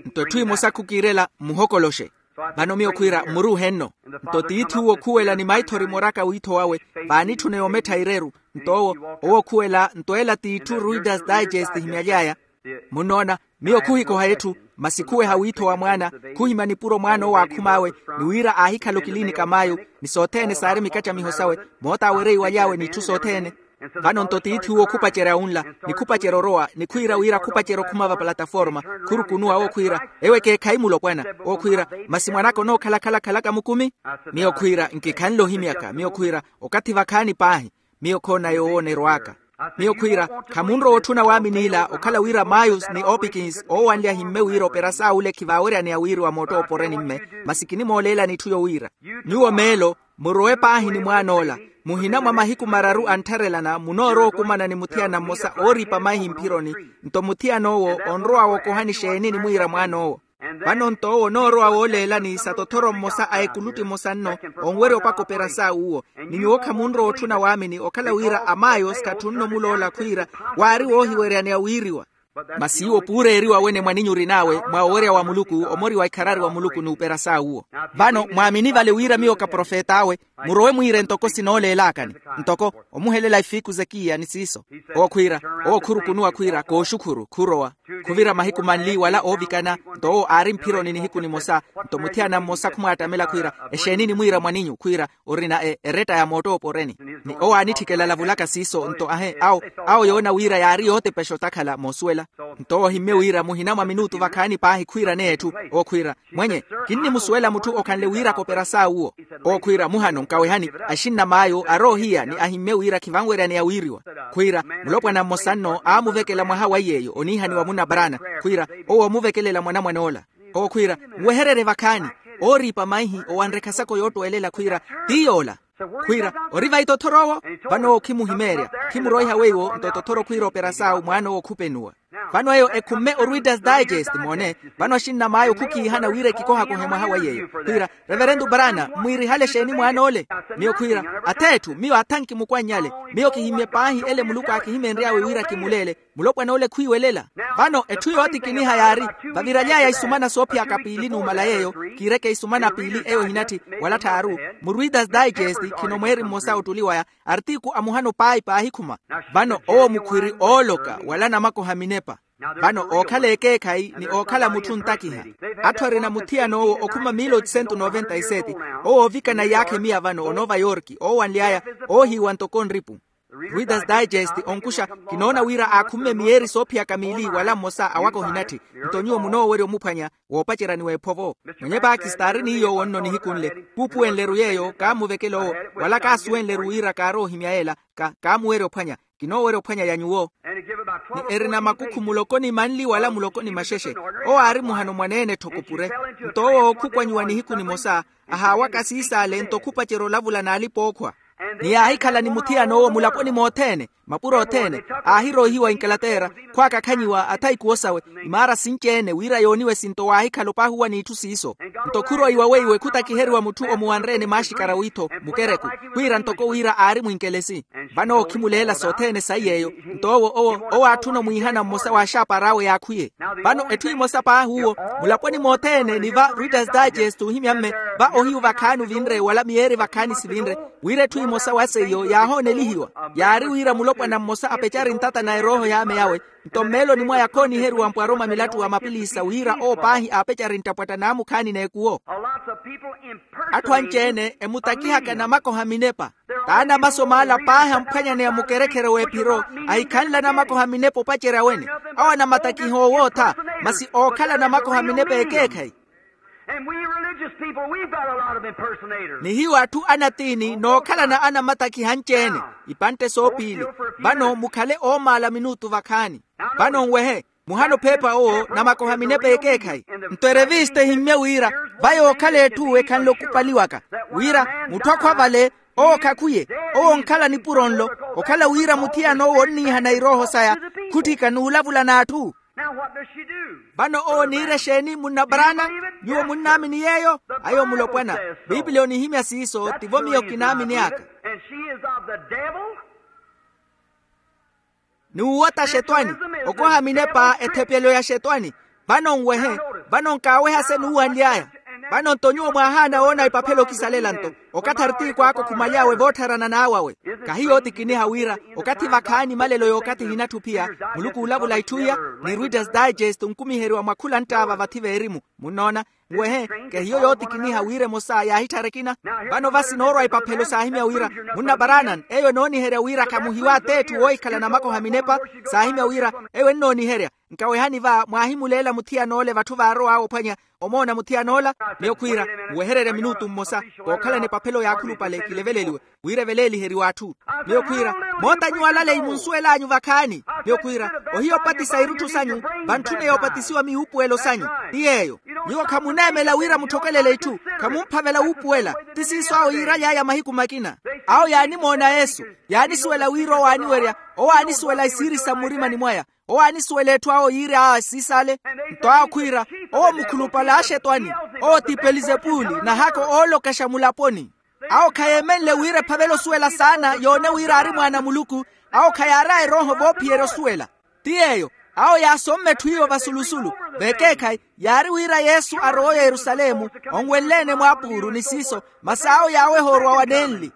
Nto etthu emosa khukiirela mmuhokoloxe. Vano miyo khwiira mmuruuhe nno. Nto tiith'uwo okhuwela ni maithori moraka wiitho wawe, vaanitthuna yomettha ireru. Nto owo owo okhuwela nto ela t'itthu readers digest ehimyaly'aya. Munnoona, miyo khuhikoha etthu, masi khuweha wiitho wa mwaana, khuhimya nipuro mwaan'owo aakhum'awe, ni wira aahikhala okilinika mayu, ni sothene saari mikattamiho sawe, moota awereiwaly'awe n'itthu sothene. Vano nto tiithi uwo khupacerya wunla, ni khupacerya orowa ni khwiira wira khupacerya okhuma vapalataforma, khurukunuwa owo khwiira, ewo ekeekhayi mulopwana. Owo khwiira, masi mwan'aka onookhala khalakhalaka mukumi? Miyo khwiira nkikhanle ohimyaka. Miyo khwiira, okathi vakhaani paahi. Miyo khoona yoowoona erow'aka. Miyo khwiira, khamunrowa otthuna waamini ila okhala wira mayus ni opikins oowanle ahimme wira operasaawu ole khivaaweryaneya wiiriwa moottooporeni mme, masi kinimooleelani itthu yowiira. Nyuwo meelo, murowe paahi ni mwaan'ola. Muhina mwa mahiku mararu anttharelana munoorowa okumana ni muthiyana mmosa ooripa maihi mphironi. Nto muthiyan'owo onrowa wookohani exeeni enimwiira mwaan'owo? Vano nto owo onoorowa wooleelani sa tothoro mmosa a ekulutti emosa nno, onwerya opaka operasaawu uwo. Ni nyuwo khamunrowa otthuna waamini okhala wira amayos khatthunno omuloola khwiira waari woohiweryaneya wiiriwa. Masi iwo puureeriwa wene mwaninyu orin'awe mwa owerya wa muluku omoriwa ikharari wa muluku n'uperasaawu uwo. Vano mwaamini vale wira miyo kaprofet'awe, murowe mwiire ntoko sinooleelaakani. Ntoko omuhelela ifiiku zekiya ni siiso. Owo khwiira, owo khurukunuwa khwiira kooxukhuru khurowa. Khuvira mahiku manli wala oovikana. Nto owo aari mphironi nihiku nimosa. Nto muthiyana mmosa khumwaattamela khwiira, exeeni enimwiira mwaninyu khwiira orina eretta ya moottooporeni? Ni owo aanitthikela alavulaka siiso nto ahe awo, awo yoona wira yaari yootepexa otakhala moosuwela. Nto owo ohimmye wira muhina mwa minuutu vakhaani paahi khwiiraneya etthu. Owo khwiira, mwenye, kinnimusuwela mutthu okhanle wiiraka operasaawu uwo. Owo khwiira muhano nkawehani, axinna maayo aroohiya ni ahimmye wira khivanweryaneya wiiriwa. Khwiira, mulopwana mmosa nno aamuvekela mwaha wa iy'eyo oniihaniwa munna brana. Khwiira, owo oomuvekelela mwanamwan'ola. Owo khwiira, nwehererye vakhaani. Ooriipa maihi owanre ekhasako yoottwelela khwiira, ti yoola. Khwiira, ori vayi tothor'owo? Vano owo khimuhimeerya, khimuroiha weiwo nto tothoro khwiira operasaawu mwaan'owo khupenuwa. Vano eyo ekhumme oruitas digest moone. Vano axinna maayo khukhiihana wira ekikohakohe mwaha wa iy'eyo khwiira, reverentu brana mmwiirihale exeeni mwaan'ole? Miyo khwiira, ath'etthu miyo athanki mukwannyale. Miyo kihimmye paahi ele muluku aakihimenry'awe wira kimuleele. Mulopwan'ole khwiiwelela. Vano etthu yootikiniha yaari, vaviraly'aya isumana soophiyaka piili numala yeeyo, kiireke isumana piili eyo ehinatthi wala tthaaru. Mu readers digest khino mweeri mmosa ottuli waya, artiku amuhano paahi paahikhuma. Vano owo mukhwiri ooloka wala namakoha minepa. Vano ookhala ekeekhayi ni ookhala mutthu ontakiha. Atthu arina muthiyan'owo okhuma mille oitocentos noventa e sete, owo oovikana iyaakha emiya vano onova yorki oowanly'aya, oohiiwa ntoko nripu. Readers Digest onkuxa, kinoona wira aakhumme miyeeri soophiyaka miili wala mmosa awaka ohinatthi. Nto nyuwo munoowerya omuphwanya woopaceryani w'ephovo. Mwenye pakisita aari ni yoowo nno nihiku nle. Kuupuwenle-ru yeeyo kaammuvekela owo, wala kaasuwenle-ru wira kaarowa ohimya yeela. Kaamuwerya ophwanya. Kinoowerya ophwanya ya nyuwo. Ni erina makukhu muloko ni manli wala muloko ni maxexe. Owo aari muhano mwaneene-tho kupure. Nto owo ookhukwanyiwa nihiku nimosa, ahaawaka siis'ale nto khupacerya olavula n'alipa-ookhwa. Ni yaahikhala ni muthiyan'owo mulaponi mothene, mapuro othene, aahiroihiwa inkalateera, khwaakakhanyiwa athaikuwo sawe, imaara sinci-ene wira yooniwe sinto waahikhala opaahuwa n'itthu siiso. Nto khuroiwa weiwe khutakiheriwa mutthu omuwanre-ene maaxikara witho mukereku, khwiira ntoko wira aari mwinkelesi. Vano owo okhimuleela sothene saiy'eyo. Nto owo owo owo aatthuna omwiihana mmosa wa axaapar'awe yaakhwiye. Vano etthu emosa paahi uwo, mulaponi mothene ni va readers digest ohimya mme, va ohiyu vakhaani ovinre wala miyeeri vakhaani sivinre, wira etthu emosa wa seiyo yaahoonelihiwa. Yaari wira mulopwana mmosa apecari ntata na erooho y'ame yawe. Nto mmeeloni mwaya khooniheriwa mpwaruma milattu wa mapilisa wira owo paahi aapecari nttapwatta n'amukhaani n'ekuwo. Atthu anci-ene emutakihaka namakoha minepa. T'anamasomaala paahi amphwanyaneya mukerekhere w'ephiro, ahikhanle anamakoha minepa opacerya wene. Awo anamatakiha owootha, masi ookhala namakoha minepa ekeekhayi. Ni hiyo atthu anatiini nookhalana anamatakiha anci-ene. Ipantte soopiili. Vano mukhale oomaala minutu vakhaani. Vano nwehe, muhano pheepha owo namakoha minepa ekeekhayi. Nto erevista ehimmye wira, va yookhala etthu ekhanle okupaliwaka, wira mutthu akhwa vale, owo khakhwiye, owo onkhala nipuro nlo, okhala wira muthiyan'owo onniihana irooho saya, khutthika n'ulavula n'atthu. Vano owo oniira exeeni munna barana? Nyuwo munnaamini yeeyo? Ayo mulopwana. Piipiliya onihimya siiso tivo miyo kinaamini aka. N'uwota axetwani, okoha minepa ethepyelo ya axetwani. Vano nwehe, vano nkaaweha se nuuwanly'aya. Vano nto nyuwo mwaahaana woona epaphelo okisalela nto okathi aritiiku aka okhumaly'awe voottharana n'awawe. Kahi yootikiniha wira okathi vakhaani malelo y'okathi hinatthi ophiya, muluku uulavula itthu iya. Ni readers digest onkumiheriwa mwa khula nttaava vathi veerimu. Munnoona? Nwehe, kehiyo yootikiniha wira emosa yaahitthara ekina. Vano vasi noorwa epaphelo saahimya wira, munna barana eyo enooniherya wira khamuhiwa t'etthu woohikhala namakoha minepa. Saahimya wira, eyo ennooniherya. Nkawehani va mwaahimuleela muthiyan'ole vatthu vaarow'awe ophwanya, omoona muthiyan'ola. Miyo khwiira, muwehererye minutu mmosa, kookhalana epaphelo yaakhulupale kileveleliwe, wira eveleeliheriwe atthu. Miyo khwiira, moota nyuwo alaleyi munsuwel'anyu vakhaani. Miyo khwiira, ohiya opatisa irutthu sanyu, vantthuneya opatisiwa miwuupuwelo sanyu. Ti yeeyo. Nyuwo khamuneemela wira mutthokelele itthu, khamumphavela wuupuwela. Ti siiso awo yiiraly'aya mahiku makina. Awo yaanimoona yesu, yaanisuwela wira owo aaniwerya, owo aanisuwela isiiri sa mmurimani mwaya. Owo aanisuwela etthu awo yiiri aa siisale. Nto awo khwiira, owo mukhulupale a axetwani, owo ti pelizepuli, nahako oolokaxa mulaponi. Awo khayeemenle wira ephavela osuwela saana yoone wira aari mwaana a muluku. Awo khayaaraya erooho voophiyerya osuwela. Ti yeeyo, awo yaasomme etthu iyo vasulusulu. Vekeekhayi, yaari wira yesu arowa oyerusalemu, onwenle-ene mwaapuuru ni siiso, masi awo yaaweha orwa wanenli.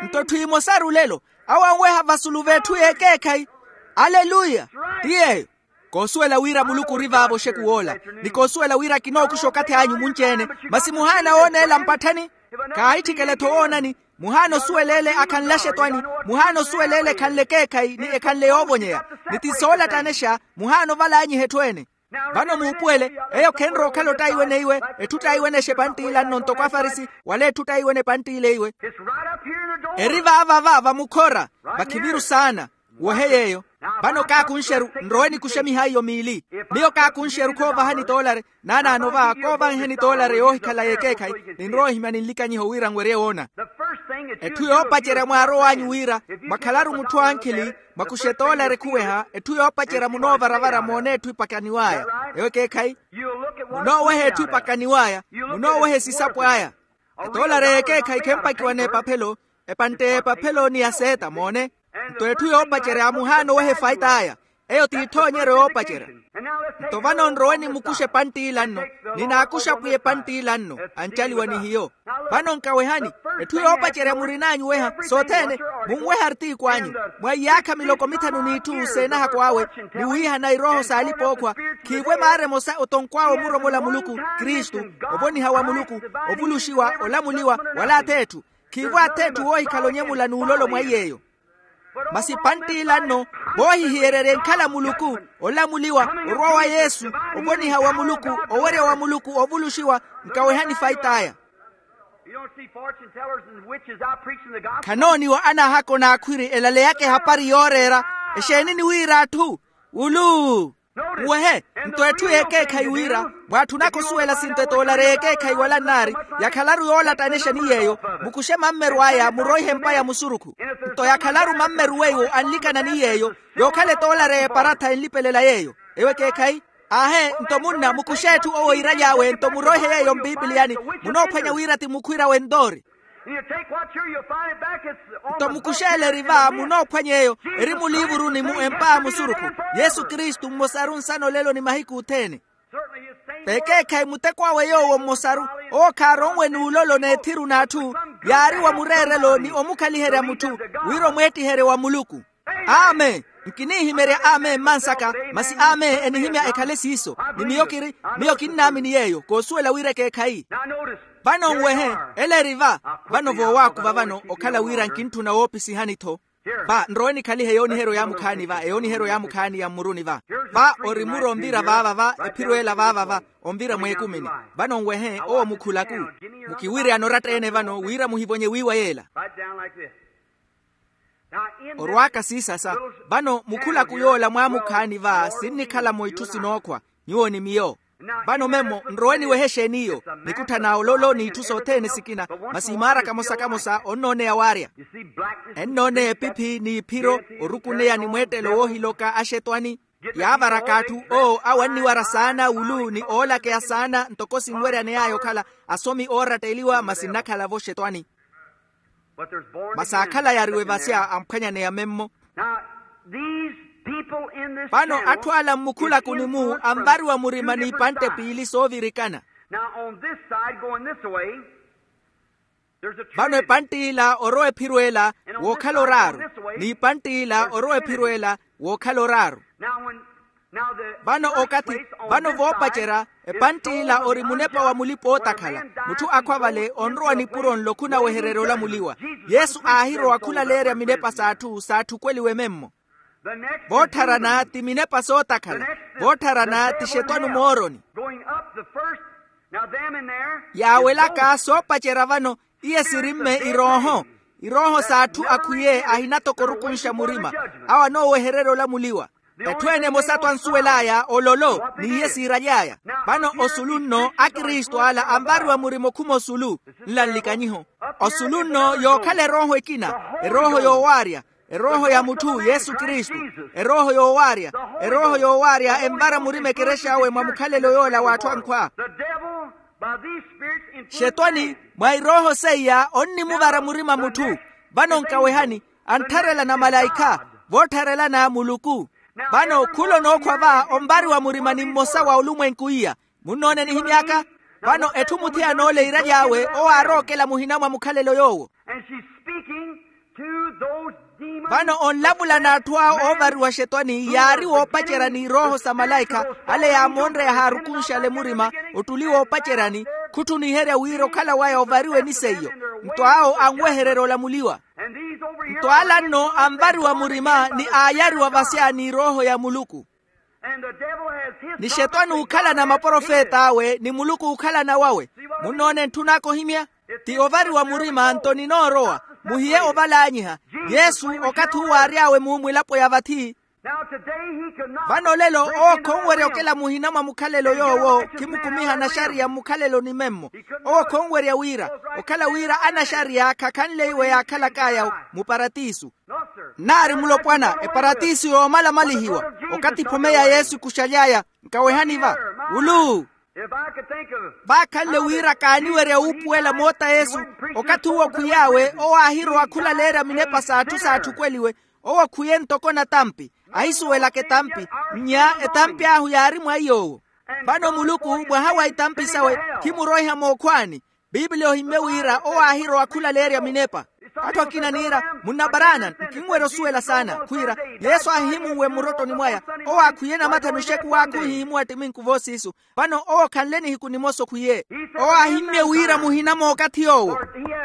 Nto etthu emosaru lelo, awo anweha vasulu v'etthu y'ekeekhayi. Aleluya. Ti yeeyo. Koosuwela wira muluku ori vaavo oxekuw'ola, ni koosuwela wira kinookuxa okathi anyu munci-ene. Masi muhaana wooneela mpatthani? Khaahitthikela-tho woonani. Muhaana osuwela ele akhanle axetwani. Muhaana osuwela ele ekhanle ekeekhayi ni ekhanle yoovonyeya. Ni ti soolattanexa. Muhaana oval'anyiha etthu ene. Vano muupuwele, eyo khenrowa okhala ottaiweneiwe. Etthu ottaiwenexa epantt'ila nno ntoko afarisi, wala etthu ottaiwene epantt'ila eiwe. Eri vaavava vamukhora, vakhiviru saana. Wohe yeeyo. Vano kaakunxeru, nrowe nikuxe mihaiyo miili. Miyo kaakunxeru khoovahani toolare. Naanaano va koovahenheni toolare yoohikhala y'ekeekhayi. Ninrowa ohimya ninlikanyiho wira nwerye woona. Etthu yoopacerya mwaarow'anyu wira, mwakhalaru mutthu ankhili, mwakuxe toolare khuweha etthu yoopacerya munoovaravara moone etthu epakaniw'aya. Eyo ekeekhayi. Munooweha etthu epakaniw'aya. Munooweha esisapo aya. Etoolare y'ekeekhayi khempakiwa n'epaphelo. Epantte y'epaphelo ni ya seeta moone. Nto etthu yoopacerya muhaana oweha efait'aya. Eyo t'ithoonyeryo yoopacerya. Nto vano nrowe nimukuxe epantt'ila nno. Ninaakuxa pwiya epantt'ila nno. Ancaliwa ni hiyo. Vano nkawehani, etthu yoopacerya murin'anyu weha sothene. Munwehe artiiku anyu mwa iyaakha miloko mithanu n'itthu seenahako awe, ni wiihana irooho s'alipa-ookhwa. Khiivo emaara emosa otonkw'awe omuromola muluku, kristu, ovoniha wa muluku, ovuluxiwa, olamuliwa, wala ath'etthu. Khiivo ath'etthu woohikhala onyemula n'ulolo mwa iy'eyo. Masi pantt'ila nno, voohihiyererya enkhala muluku, olamuliwa, orwa wa yesu, ovoniha wa muluku, owerya wa muluku, ovuluxiwa. Nkawehani fait'aya. You don't see fortune tellers and witches out preaching the gospel. Khanooniwa anaahako n'akhwiri elaleyaka ehapari yooreera. Exeeni ni wira atthu? Ulu. Muwehe. Nto etthu y'ekeekhayi wira, mwaatthunaka osuwela sinto etoolari y'ekeekhayi wala nnaari, yakhalaru yoolattanexa ni yeeyo. Mukuxe mammeru aya muroihe empa ya musurukhu. Nto yakhalaru mammeru weiwo anlikana ni yeeyo, yookhala etoolari y'eparatha enlipelela yeeyo. Eyo ekeekhayi. Aahe, nto munna mukuxe etthu owo iiraly'awe nto muroihe yeeyo mpipiliyani. Munoophwanya wira ti mukhwira w'entoori. Nto mukuxeela eri va munoophwanya eyo, eri muliivuruni mu empa ya musurukhu. Yesu kristu mmosaru nsana olelo ni mahiku othene. V'ekeekhayi muteko awe yoowo mmosaru, owo khaaronwe n'ulolo n'ethiru n'atthu, yaari wa mureerelo ni omukhaliherya mutthu, wira omweettiherye wa muluku. Amen. Nkinihimerya amen mmansaka, masi amen enihimya ekhale siiso. Ni miyo kiri, miyo kinnaamini yeeyo koosuwela wira ekeekhayi. Vano nwehe, ela eri va. Vano voowaakuva vano okhala wira nkintthuna woopisihani-tho. Va nrowe nikhalihe eyooniheryo yaamukhaani va eyooniheryo yaamukhaani ya mmuruni va. Va ori muro onvira vaava va, ephiro ela vaava va, onvira mweekumini. Vano nwehe owo mukhulaku. Mukiwiryana oratta-ene vano wira muhivonye wiiwa yeela. Orwaaka siisasa. Vano mukhulaku yoola mwaamukhaani va sinnikhala-mo itthu sinookhwa. Nyuwo ni miyo. Vano memmo nrowe niwehe exeeni iyo. Nikutthana ololo n'itthu sothene sikina, masi imaara kamosa kamosa onnooneya waarya. Ennooneya epiphi n'iphiro, orukuneya ni mweettelo woohiloka axetwani. Yaavaraka atthu owo awo anniwara saana wulu ni oolakeya saana ntoko sinweryane aya okhala asomi ooratteliwa masi nnakhala-vo xetwani. Masi aakhala yariwe vasya amphwanyaneya memmo. Vano atthu ala mmukhulaku ni mu anvariwa murima n'ipantte piili soovirikana. Vano epantte ila orowa ephiro ela wookhala oraaru, n'ipantte ila orowa ephiro ela wookhala oraaru. Vano okathi, vano voopacerya, epantte ila ori munepa wa mulipa-ootakhala. Mutthu akhwa vale onrowa nipuro nlo khunawehererya olamuliwa. Yesu aahirowa khulaleerya minepa s'atthu s'atthukweliwe memmo. Voottharana ti minepa sootakhala. Voottharana ti xetwani mooroni. Yaawelaka soopacerya vano, iye sirimme irooho. Irooho s'atthu akhwiye ahinatoko orukunxa murima. Awo anoowehererya olamuliwa. Etthu ene emosa-tho ansuwel'aya ololo n'iye siiraly'aya. Vano osulu nno akristu ala anvariwa murima okhuma osulu. Nla nlikanyiho. Osulu nno yookhala erooho ekina, erooho yoowaarya, erooho ya mutthu yesu kristu. Erooho yoowaarya, erooho yoowaarya envara murima ekerex'awe mwa mukhalelo yoola w'atthu ankhwa. Xetwani mwa irooho seiya onnimuvara murima mutthu. Vano nkawehani, anttharelana malaikha, voottharelana muluku. Vano khula onookhwa va onvariwa murima ni mmosa wa olumwenku iya. Munnoone enihimy'aka? Vano etthu muthiyana ole iiraly'awe owo aarookela muhina mwa mukhalelo yoowo. Vano onlavula n'atthu awo oovariwa xetwani yaari woopacerya n'irooho sa malaikha, ale yaamoonreya haarukunxale murima. Ottuli woopaceryani, khutthuniherya wira okhala waya ovariwe ni seiyo. Nto awo anwehererya olamuliwa. Nto ala nno anvariwa murima ni aayariwa vasya n'irooho ya muluku. Ni xetwani ookhalana maprofet'awe ni muluku ookhalana wawe. Munnoone ntthun'aka ohimya? Ti ovariwa murima nto ninoorowa. Muhiye ovalaanyiha. Yesu okathi uwo aary'awe mu mwilapo ya vathi. Vano olelo owo khonwerya okela muhina mwa mukhalelo yoowo khimukumiha anaxariya mmukhaleloni memmo. Owo khonwerya wira, okhala wira anaxariya khakhanle iwe yaakhalak'aya muparatisu. Nnaari mulopwana eparatisu yoomalamalihiwa. Okathi phome ya yesu ekuxaly'aya. Nkawehani va. Ulu. Vaakhanle wira kaaniwerya wuupuwela moota yesu. Okathi uwo khwiy'awe owo aahirowa khulaleerya minepa s'atthu s'atthukweliwe. Owo khwiye ntoko natampi. Ahisuwelaka etampi. Nnya etampi ahu yaari mwa iy'owo. Vano muluku mwaha wa itampi sawe khimuroiha mookhwaani. Piipili ohimmye wira owo aahirowa khulaleerya minepa. Atthu akina niira, munna barana nkinwerya osuwela saana khwiira, yesu aahihimunwe mmurottoni mwaya. Owo aakhwiye namathani oxeku waakha ohihimuwa ttiminku voosiisu. Vano owo khanle nihiku nimosa okhwiye. Owo aahimmye wira muhina mookathi yoowo.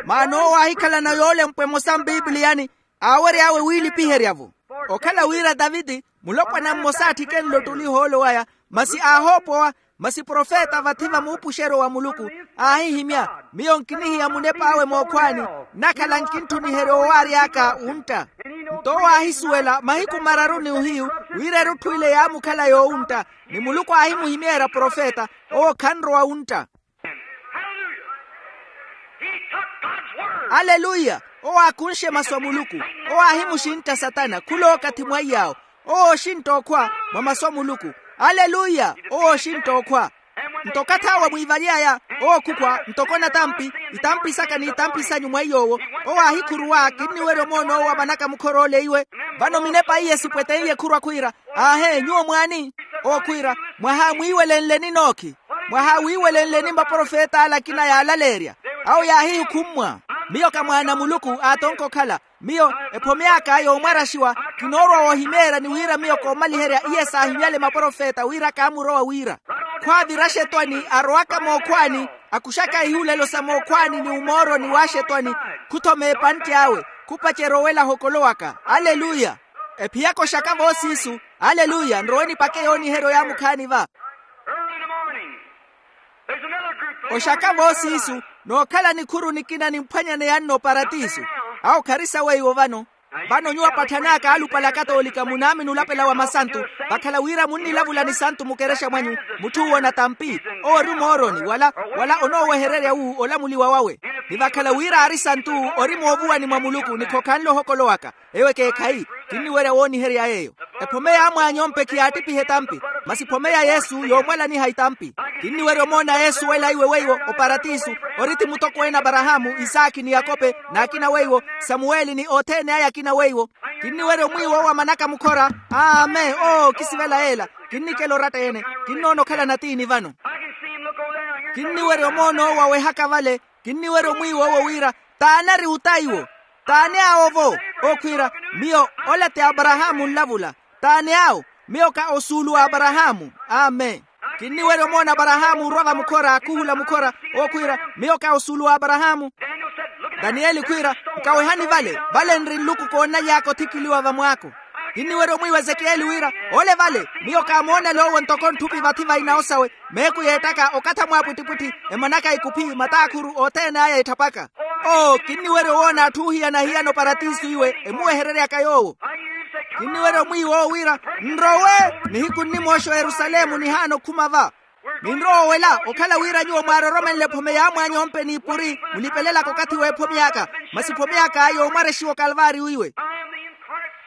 Maana owo aahikhalana yoolempwa emosa mpipiliyani, aawery'awe wiilipiherya-vo. Okhala wira taviti, mulopwana mmosa aatthike nlottuliho ole waya, masi aahoopowa, masi profeta vathi va muupuxeryo wa muluku, aahihimya, miyo nkinihiya munep'awe mookhwaani, nnakhala nkinttuniherya owaary'aka wuntta. Nto owo aahisuwela mahiku mararu ni ohiyu, wira erutthu ile yaamukhala yoowuntta, ni muluku aahimuhimeerya profeta, owo khanrowa wuntta. Aleluya. Owo aakunxe masu a muluku. Owo aahimuxintta satana khulookathi mwaiy'awo. Owo ooxintta okhwa mwa masu a muluku. Aleluya. Owo ooxintta okhwa. Nto okathi awo mwiivaly'aya, owo khukhwa ntoko natampi, itampi saka n'itampi sanyu mwa iy'owo. Owo aahikhuruwa kinniwerya omoona owo wa manaka mukhor'ole iwe. Vano minepa iye sipwete iye khurwa khwiira, aahe nyuwo mwaani? Owo khwiira, mwaha mwiiwelenleni nookhi. Mwaha wiiwelenleni maprofet'ale akina yaalaleerya. Awo yaahihukhummwa. Miyo ka mwaana a muluku aatonke okhala. Miyo ephome aka yoomwaraxiwa, kinoorwa woohimeerya ni wira miyo koomaliherya iye saahimyale maprofeta wira kaamurowa wira. Khwaavira axetwani arowaka mookhwaani, akuxaka ihulelo sa mookhwaani ni umooroni w'axetwani, khuthoma epantte awe, khupacerya owelaha okolo waka. Aleluya. Ephiyaka oxaka voosiisu. Aleluya. Nrowe nipake yooniheryo yaamukhaani va. Oxaka voosiisu, nookhala nikhuru nikina nimphwanyane yanno paratiso. Awo khari saweiwo vano. Vano nyuwo apatthan'aka alupale akatoolika munaamini olapela wa masantu, vakhala wira munnilavula ni santu mukerexa mwanyu. Mutthu uwo natampi. Owo ori mooroni wala, wala onoowehererya wu olamuliwa wawe. Ni vakhala wira aari santu, ori moovuwani mwa muluku ni khokhanle ohokolo waka. Eyo ekeekhayi. Kinniwerya wooniherya yeeyo. Ephome yaamwaany'ompe khiyaattiphiha etampi. Masi phome ya yesu yoomwalaniha itampi. Kinniwerya omoona yesu wela iwe weiwo oparatisu. Ori ti mutokweene aparahaamu, isaakhi ni yakope n'akina weiwo, samuweli ni othene aya akina weiwo. Kinniwerya omwiiwa owo wa manaka mukhora. Amen. Oo kisivela yeela. Kinnikela oratta-ene. Kinnoona okhala natiini vano. Kinniwerya omoona owo wawehaka vale. Kinniwerya omwiiwa owo wira, t'ani ari ota iwo? T'ani awo-vo? Okhwiira, miyo ola ti aparahaamu nlavula. T'ani awo? Miyo ka osuulu w'aparahaamu. Amen. Kinniwerya omoona aparahaamu orwa vamukhora khuhula mukhora. Okhwiira, miyo ka osuulu w'aparahaamu. Daniyeli khwiira, nkawehani vale. Vale nri nluku koonaly'aka othikiliwa vamwaako. Kinniwerya omwiiwa ezekiyeli wira, ole vale. Miyo kaamoonale owo ntoko ntthupi vathi va inawo sawe. Meeku yeettaka okatha mwaapwittipwitthi, emanaka ikuphi, mataakhuru othene aya etthaphaka. Oo kinniwerya owoona atthu oohiyana hiyana oparatiso iwe emuwehereryaka yoowo. Kinniwerya omwiiwa owo wira, nrowe. Nihiku nnimooxa oyerusalemu nihaana okhuma va. Ninrowa owela okhala wira nyuwo mwaaroromenle ephome yaamwaany'ompe n'ipuri, mulipelelaka okathi w'ephome aka. Masi ephome aka yoomwarexiwa okalvaariyo iwe.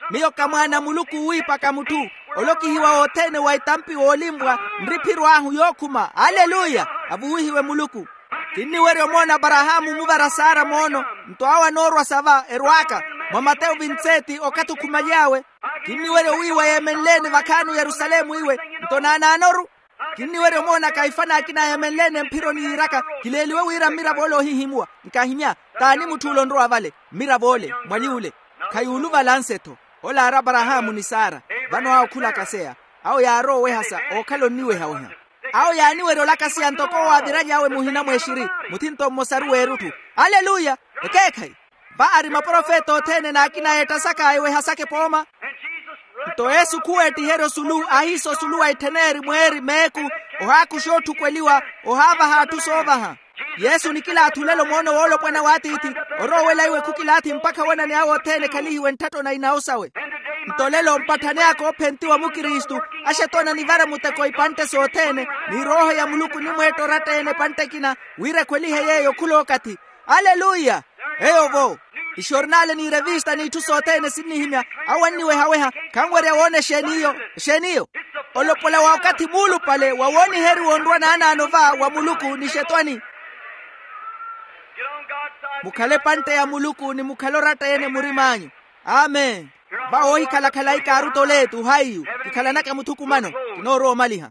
Miyo ka mwaana a muluku wiipaka mutthu. Ole okihiwa wothene wa itampi woolimpwa, nriphiro ahu yookhuma. Aleluya. Avuwihiwe muluku. Kinniwerya omoona aparahaamu omuvara sara moono. Nto awo anoorwa sava erwaaka mwa mateyo vintseti okathi okhumaly'awe. Kinniwerya owiiwa yeemenle-ene vakhaani oyerusalemu iwe. Nto naanaanoru. Kinniwerya omoona kaifa n'akina yeemenle-ene mphironi yiiraka, kileeliwe wira mmiravo ole oohihimuwa. Nkahimya, t'ani mutth'ule onrowa vale? Mmiravo ole mwali ule. Khayuuluvala anse-tho. Ole aari aparahaamu ni sara. Vano awo khula akaseya. Awo yaarowa owehasa ookhala onniwehaweha. Awo yaaniwerya olakaseya ntoko owo aaviralyawe muhina mw'exiri. Muthinto mmosaru w'erutthu. Aleluya. Ekeekhayi. Va ari maprofeta othene n'akina yeettasaka ewehasaka epooma. Nto yesu khuweettiherya osulu aahiisa osulu wa ettheneri mweeri meeku, ohaakuxa otthukweliwa, ohaavaha atthu soovaha. Yesu nikilaathi olelo moono woolopwana w'atiithi. Orowa owela iwe khukilaathi mpakha wonane awe othene ekhalihiwe ntthatto na inawo sawe. Nto olelo mpatthani aka oophentiwa mukristu, axetwana nivara muteko ipantte sothene, ni rooho ya muluku onimweetta oratta-ene epantte ekina, wira ekhwelihe yeeyo khula okathi. Aleluya. Eyo-vo. Ixornale n'irevista n'itthu sothene sinnihimya. Awo anniweha-weha. Khanwerya woona exeeni iyo? Exeeni iyo? Olopola wa okathi muulupale wa wooniheriwa onrwa naanaano va wa muluku ni xetwani. Mukhale epantte ya muluku ni mukhale oratta-ene murim'anyu. Amen. Vawo oohikhala khalayi kaarutoleetu haiyu. Kikhalanaka muthukumano. Kinoorowa omaliha.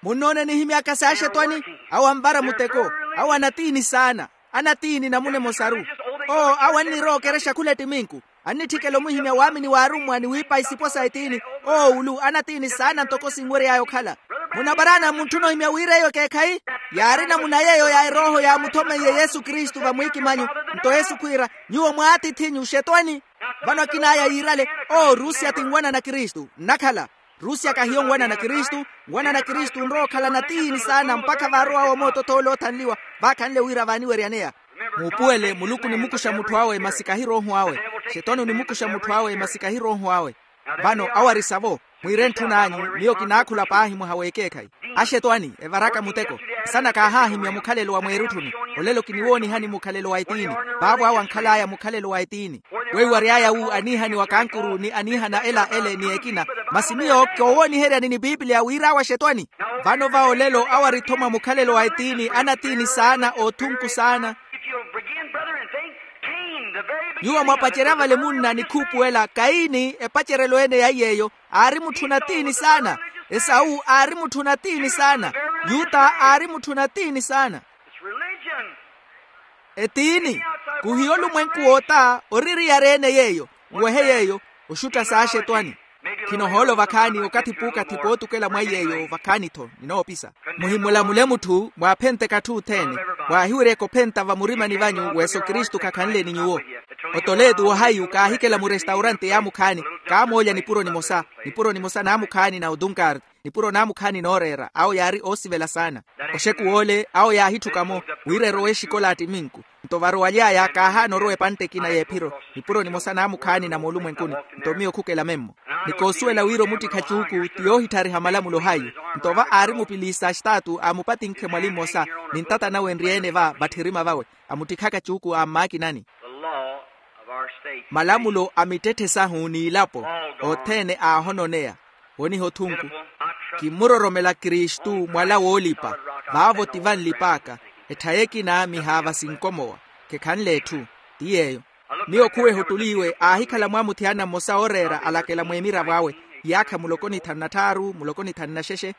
Munnoone nihimyaka s'axetwani? Awo anvara muteko. Awo anatiini saana. Anatiini namuna emosaru. Oo awo annirowa okerexa khula ettiminku. Annitthikela omwihimya waamini w'arummwa ni wiipa isipo sa ettiini. Oo ulu anatiini saana ntoko sinwery'aya okhala. Munaparaana muntthuna ohimya wira eyo ekeekhayi. Yaari namuna yeeyo ya erooho yaamuthomeiye yesu kristu vamwiikimanyu. Nto yesu khwiira, nyuwo mwaatiith'inyu xetwani. Vano akin'aya yiirale, oo rusiya ti nwanana kristu nnakhala. Rusiya kahiyo nwanana kristu. Nwanana kristu nrowa okhala natiini saana mpakha vaarow'awe omoototh'ole oothanliwa. Vaakhanle wira vaaniweryaneya. Muupuwele muluku onimukuxa mutthu awe masi kahi rooho awe. Xetwani onimukuxa mutthu awe masi kahi rooho awe. Vano awo ari savo. Mwiire ntthun'anyu. Miyo kinaakhula paahi mwaha w'ekeekhayi. Axetwani evaraka muteko. Nsana kaahaahimya mukhalelo wa mweerutthuni. Olelo kiniwoonihani mukhalelo wa etiini. Vaavo awo ankhal'aya mukhalelo wa etiini. Weiwary'aya wu aniihaniwa kankuru ni aniihana ela ele ni ekina. Masi miyo koowooniheryani ni piipiliya wira awo axetwani. Vano va olelo awo ari-tho mwa mukhalelo wa etiini anatiini saana oothunku saana. Nyuwo mwapacerya vale munna ni khuupuwela kaini epacerelo ene ya iy'eyo. Aari mutthu natiini saana. Esawu aari mutthu natiini saana. Yuta aari mutthu natiini saana. Etiini. Kuhiya olumwenku woota oririyari ene yeeyo. Nwehe yeeyo. Oxutta s'axetwani. Khinohoolo vakhaani okathi puukathi pootukela mwa iy'eyo vakhaani-tho ninoopisa. Muhimulamule mutthu mwaaphenteke atthu othene. Mwaahiweryeke ophenta vamurimani vanyu weso kristu khakhanle ni nyuwo. Otoleetu wahaiyu kaahikela murestaurante yaamukhaani. Kaamoolya nipuro nimosa. Nipuro nimosa naamukhaani na otunkaari. Nipuro naamukhaani nooreera awo yaari oosivela saana. Oxekuw'ole awo yaahitthuka-mo wira erowe exikolaati minku. Nto varowaly'aya kaahaana orowa epantte ekina y'ephiro. Nipuro nimosa naamukhaani na moolumwenkuni. Nto miyo khukela memmo. Ni koosuwela wira omuttikha cuuku ti yoohitthariha malamulo haiyu. Nto va aari mupiliisa axitaatu aamupatinkhe mwali mmosa. Ni ntata nawe enryeene va vatthirima vawe. Amuttikhaka cuuku a mmaakinani. Malamulo a mittetthe sahu n'ilapo othene aahononeya. Woniha othunku. Kimmuroromela kristu mwala woolipa. Vaavo ti vanlip'aka. Ettha y'ekina mihaava sinkomowa. Khekhanle etthu. Ti yeeyo. Miyo khuweha ottuliiwe aahikhala mwa muthiyana mmosa ooreera alakela mw'emiravo awe. Iyaakha muloko ni thanu na tthaaru muloko ni thanu na xexe.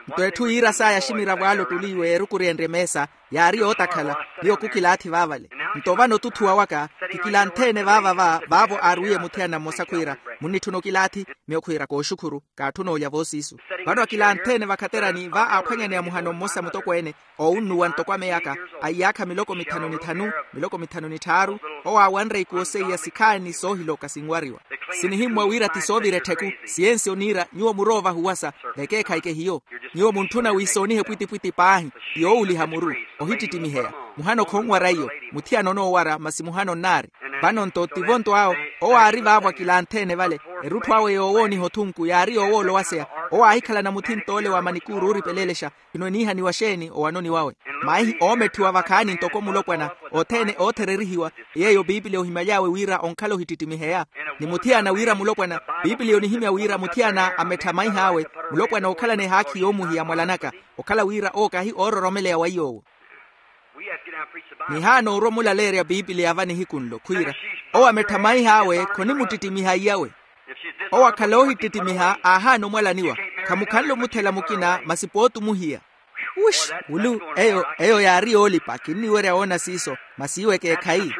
Nto etthu yiira saya aximiravo ale ottuliiwe eerukuryenrye meesa. Yaari yootakhala. Miyo khukilaathi vaavale. Nto vano otuthuwa waka kikilanthe-ene vaava va vaavo aarwiye muthiyana mmosa khwiira, munnitthuna okilaathi? Miyo khwiira kooxukhuru. Kaatthuna olya voosiisu. Vano akilanthe-ene vakhaterani va aaphwanyaneya muhano mmosa mutokweene oowunnuwa ntoko ameyaka a iyaakha miloko mithanu ni thanu miloko mithanu ni tthaaru. Owo aawanre ikuwo seiya sikhaani soohiloka sinwariwa. Sinihimmwa wira ti soovira ettheku. Siyensi oniira nyuwo murowa ovahuwasa. Vekeekhayi kehiyo. Nyuwo muntthuna wiisoonihe pwitipwiti paahi. Ti yoowuliha muru. Ohittittimiheya. Muhano khonwara iyo. Muthiyana onoowara masi muhano nnaari. Vano-nto tivo-nto awo owo aari vaavo akilanthe-ene vale. Erutthu awe yoowooniha othunku yaari yoowoolowaseya. Owo aahikhalana muthint'ole wa manikuuru ooripeleelexa. Khino eniihaniwa xeeni owanoni wawe? Maihi oometthiwa vakhaani ntoko mulopwana othene oothererihiwa. Yeeyo piipiliya ohimaly'awe wira onkhala ohittitimiheya. Ni muthiyana wira mulopwana. Piipiliya onihimya wira muthiyana amettha maih'awe. Mulopwana ookhalana ehaakhi yoomuhiya mwalanaka. Okhala wira owo kahi oororomeleya wa iy'owo. Nihaana orwa omulaleerya piipiliya va nihiku nlo khwiira, owo amettha maih'awe khonimuttitimiha iyawe. Owo akhala oohittittimiha aahaana omwalaniwa. Khamukhanle omuthela mukina masi pooti omuhiya. Wuxi, wulu eyo eyo yaari yoolipa kinniwerya woona siiso. Masi iwe ekeekhayi.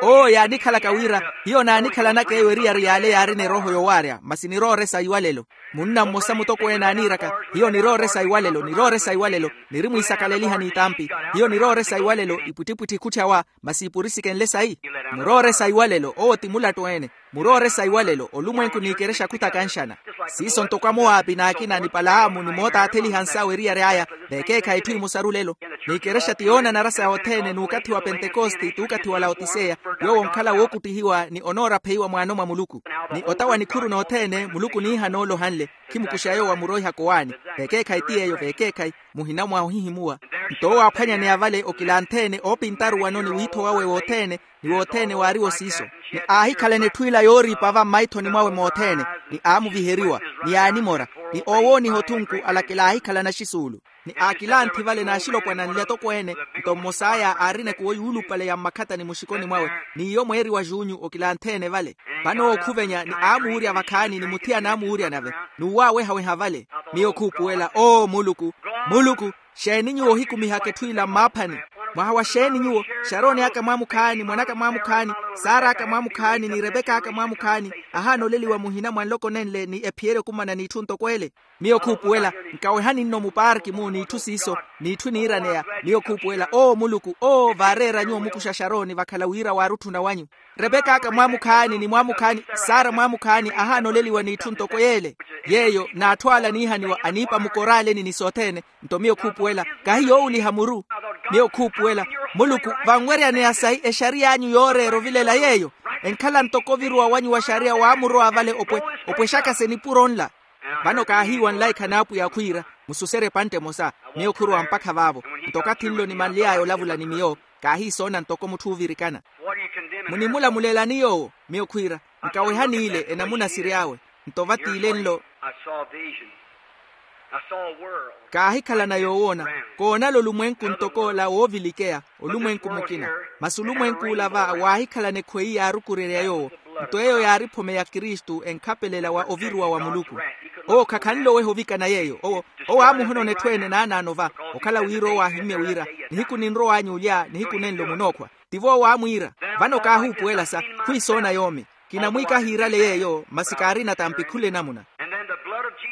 Owo yaanikhalaka wira hiyo naanikhalanaka eyo eriyari y'ale yaarina erooho yowaarya masi nirooresa iwalelo. Munna mmosa mutokweene aaniiraka, hiyo nirooresa iwalelo nirooresa iwalelo. Niri mwiisakaleliha n'itampi. Hiyo nirooresa iwalelo ipwittipwitthi khutthawa. Masi ipurisikenle sayi? Murooresa iwalelo owo ti mulattu-ene. Murooresa iwalelo olumwenku n'ikerexa khutakanxana. Siiso ntoko amowaapi n'akina ni palaamu ni mootaatheliha nsawo eriyari aya. Veekeekhayi etthu emosaru lelo. N'ikerexa ti yoonanara sa othene n'ukathi wa pentekoste t'ukathi wa laotiseya. Yoowo onkhala wookuttihiwa ni onoorapheyiwa mwaano mwa muluku. Ni ota wa nikhuru n'othene muluku oniihana ole ohanle. Khimukuxa yoowo amuroihaka owaani. Veekeekhayi ti yeeyo veekeekhayi. Muhina mwa ohihimuwa. Nto owo aaphwanyaneya vale okilanthe-ene oopintaru wano ni wiitho wawe wothene. Ni wothene waariwo siiso. Ni aahikhalana etthu ila yooriipa va mmaithoni mwawe mothene. Ni aamuviheriwa. Ni aanimora. Ni oowooniha othunku alakela aahikhalana axisuulu. Ni aakilanthi vale n'axilopwana nle atokweene. Nto mmos'aya aarina ekuwo yuulupale ya mmakhatani muxikoni mwawe, n'iyo mweeri wa junyu okilantheene vale. Vano ookhuvenya ni aamuurya vakhaani ni muthiyana aamuurya nave, n'uwaawehaweha vale. Miyo khuupuwela oo muluku, muluku, xeeni nyuwo ohikumihaka etthu ila mmaaphani? Mwaha wa xeeni nyuwo? Xarooni aka mwaamukhaani, mwan'aka mwaamukhaani, saar'aka mwaamukhaani ni repek'aka mwaamukhaani, ahaana oleliwa muhina mwa nloko nenle ni ephiyerye okumana n'itthu ntoko ele. Miyo khuupuwela, nkawehani nno mupaarki-mu n'itthu siiso, n'itthu eniiraneya. Miyo khuupuwela oo muluku oo vaareera nyuwo mukuxa xarooni vakhala wira waarutthuna wanyu. Repek'aka mwaamukhaani ni mwaamukhaani, saara mwaamukhaani ahaana oleliwa n'itthu ntoko yeele. Yeeyo n'atthu ala aniihaniwa aniipa mukoraaleni ni sothene. Nto miyo khuupuwela, kahi yoowuliha muru. Miyo khuupuwela, muluku, vanweryaneya sahi exariy'anyu yooreera ovilela yeeyo. Enkhala ntoko oviruwa wanyu wa xariya waamurowa vale opwe, opwexaka-se nipuro nla. Vano kaahiiwa nlaikha n'apwiya khwiira, mususerye epantte emosa. Miyo khurowa mpakha vaavo. Nto okathi nlo nimanly'aya olavula ni miyo, kaahiisoona ntoko mutthu oovirikana. Munimulamulelani yoowo? Miyo khwiira, nkawehani ile enamuna siry'awe. Nto vatiile nlo, kaahikhalana yoowoona, koonala olumwenku ntoko ola woovilikeya, olumwenku mukina. Masi olumwenku ola va waahikhalana ekhweyi yaarukurerya yoowo. Nto eyo yaari ephome ya kristu enkhapelela wa oviruwa wa muluku. Owo khakhanle oweha ovikana yeeyo owo, owo aamuhonona etthu-ene naanaano va, okhala wira owo aahimmye wira, nihiku ninrow'anyu olya nihiku nenlo munookhwa. Tivo owo aamwiira. Vano kaahuupuwela sa, khwiisoona yoomi. Kinamwiika ahiirale yeeyo masi kaarina tampi khula enamuna.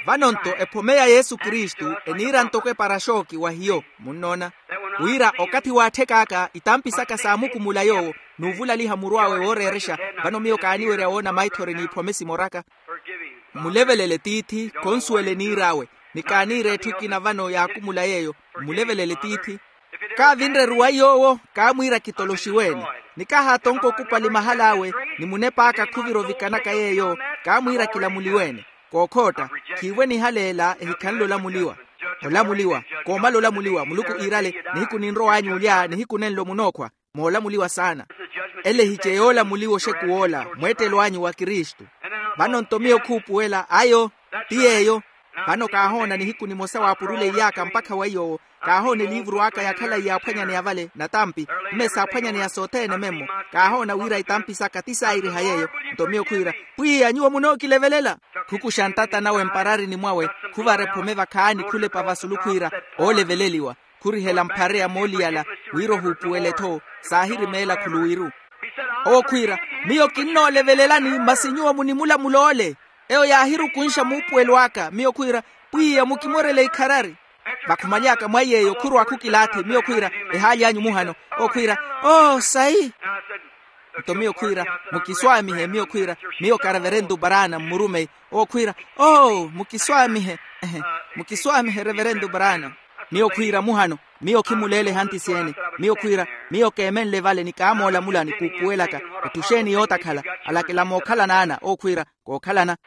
Vano-nto ephome ya yesu kristu eniira ntoko eparaxooki wa hiyo, munnoona, wira okathi waatthek'aka itampi saka saamukumula yoowo, n'uvulaliha muru awe wooreerexa. Vano miyo kaaniwerya woona maithori n'iphome simoraka. Mmulevelele tiithi khonsuwela eniir'awe, ni kaaniira etthu ekina vano yaakumula yeeyo. Mmulevelele tiithi. Kaavinre eruwayi yoowo, kaamwiira kitoloxiweene. Ni kahaatonka okupali mahal'awe, ni munep'aka khuvira ovikanaka yeeyo, kaamwiira kilamuliweene. Kookhootta, khiivo enihaleela ehikhanle olamuliwa. Olamuliwa, koomala olamuliwa muluku iirale, nihiku ninrow'anyu olya nihiku nenlo munookhwa. Moolamuliwa saana. Ele ehice yoolamuliwa oxekuw'ola mweettelo anyu wa kristu. Vano-nto miyo khuupuwela ayo, ti yeeyo. Vano kaahoona nihiku nimosa waapurula iy'aka mpakha weiyo owo. Kaahoona eliivuru aka yakhalayi yaaphwanyaneya vale natampi, mme saaphwanyaneya sothene memmo. Kaahoona wira itampi saka ti saayiriha yeeyo. Nto miyo khwiira, pwiya nyuwo munookilevelela. Khukuxa ntata nawe mpararini mwawe, khuvara ephome vakhaani khulepa vasulu khwiira, ooleveleliwa. Khurihela mphareya mooliyala, wira ohuupuwele-tho. Saahirimeela khuluwiru. Owo khwiira, miyo kinnoolevelelani masi nyuwo munimulamula ole. Eyo yaahirukunxa muupuwelo aka miyo khwiira, pwiya mukimorele ikharari. Vakhumaly'aka mwa iy'eyo khurwa khukilaathi miyo khwiira, ehaali anyu muhano. Owo khwiira, oo sayi. Nto miyo khwiira, mukiswaamihe miyo khwiira, miyo ka reverentu paraana mmurumeyi. Owo khwiira, oo mukiswaamihe. Mukiswaamihe reverentu paraana. Miyo khwiira muhano, miyo khimuleele ehantisi ene. Miyo khwiira, miyo keemenle vale ni kaamoolamula ni kuupuwelaka. Etthu xeeni yootakhala? Alakela mookhalana ana owo khwiira, kookhalana.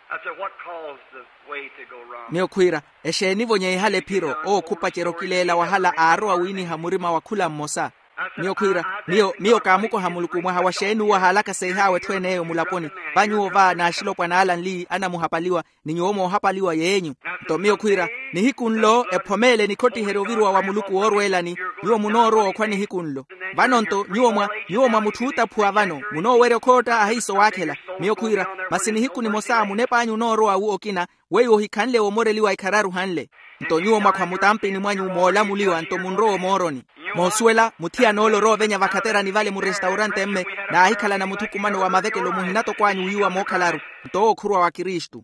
Miyo khwiira, exeeni-vo nyeihala ephiro? Owo khupacerya okileela wahala aarowa wiiniha murima wa khula mmosa. Miyo khwiira, miyo miyo kaamukoha muluku mwaha wa xeeni uwo ahaalaka seih'awe etthu en'eyo mulaponi. Va nyuwo va n'axilopwana ala nli anamuhapaliwa, ni nyuwo moohapaliwa yeenyu. Nto miyo khwiira, nihiku nlo ephome ele nikhottiherya oviruwa wa muluku woorweelani. Nyuwo munoorowa okhwa nihiku nlo. Vano-nto nyuwo mwa nyuwo mwa mutthutaphuwa vano munoowerya okhootta ahiiso waakhela. Miyo khwiira, masi nihiku nimosa munep'anyu onoorowa wu okina, weiwo ohikhanle womoreliwa ikhararu hanle. Nto nyuwo mwakhwa mutampini mwanyu moolamuliwa nto munrowa omooroni. Moosuwela muthiyana ole orowa ovenya vakhaterani vale murestaurante mme, naahikhalana muthukumano wa mavekelo muhinatoko anyu wiiwa mookhalaru. Nto owo khuruwa wa kristu.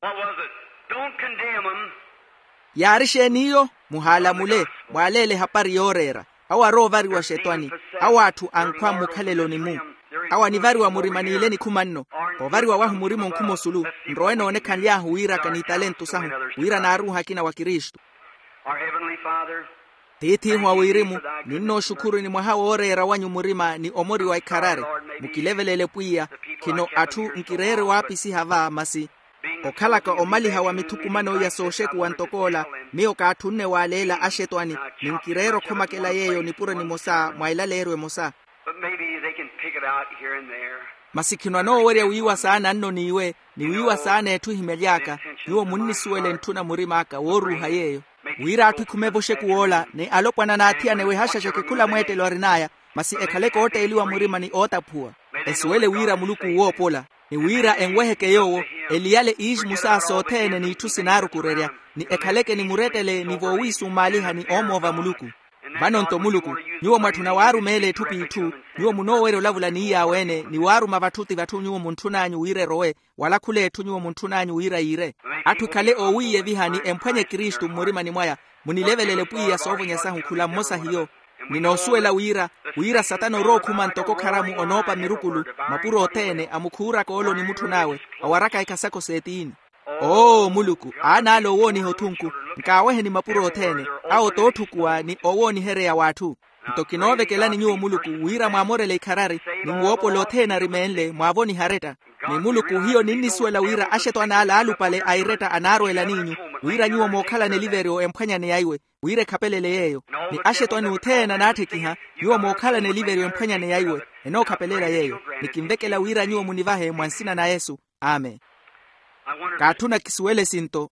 Yaari xeeni iyo? Muhaalamule, mwaaleele ehapari yooreera. Awo arowa ovariwa xetwani. Awo atthu ankhwa mmukhaleloni-mu. Awo anivariwa murima n'ile nikhuma nno. Ovariwa wahu murima onkhuma osulu. Nrowe noonekhanly'ahu wira kaniitalentu sahu, wira naaruuha akina wa kristu. Tiith'ihu a wirimu, ninnooxukhuruni mwaha wooreera wanyu murima ni omori wa ikharari. Mukilevelele pwiya. Khino atthu nkireere waapisiha va masi. Okhalaka omaliha wa mithukumano ya sooxekuwa ntok'ola, miyo kaatthunne waaleela axetwani, ni nkireera okhomakela yeeyo nipuro nimosa mwa elaleeryo emosa. Masi khino anoowerya wiiwa saana nno n'iwe, ni wiiwa saana etthu ehimyaly'aka. Nyuwo munnisuwela entthuna murim'aka wooruuha yeeyo. Wira atthu ekhume evoxeku woola ni alopwana n'athiyana ewehaxaxeke khula mweettelo arin'aya, masi ekhale kootteeliwa murima ni ootaphuwa. Esuwele wira muluku woopola, ni wira enweheke yoowo, eliyale iixmusa sothene n'itthu sinaarukurerya, ni ekhaleke ni murettele ni voowiisummaaliha ni oomoova muluku. Vano-nto muluku, nyuwo mwatthuna waarumeela etthu p'itthu, nyuwo munoowerya olavula ni iyaawe-ene ni waaruma vatthu ti vatthu nyuwo muntthun'anyu wira erowe, wala khul'etthu nyuwo muntthun'anyu wira yiire. Atthu ekhale oowiiyeviha ni emphwanye kristu mmurimani mwaya. Munilevelele pwiya soovonya sahu khula mmosa hiyo. Ni noosuwela wira, wira satana orookhuma ntoko kharamu onoopa mirukulu, mapuro othene amukhuuraka oolo ni mutthun'awe, awaraka ekhasakho s'etiini. Oo muluku, aan'ale owooniha othunku, nkaaweheni mapuro othene, awo t'otthukuwa ni owoonihereya w'atthu. Nto kinoovekelani nyuwo muluku wira mwaamorele ikharari, ni mwoopola othene arimeenle mwaavoniha aretta. Ni muluku hiyo ninnisuwela wira axetwani ala aalupale a iretta anaarweela n'inyu, wira nyuwo mookhalana eliveryo emphwanyaneya iwe, wira ekhapelele yeeyo. Ni axetwani othene anaatthekiha, nyuwo mookhalana eliveryo emphwanyaneya iwe, enookhapelela yeeyo. Ni kinvekela wira nyuwo munivahe mwa nsina na yesu. Amen. Kaatthuna kisuwele sinto.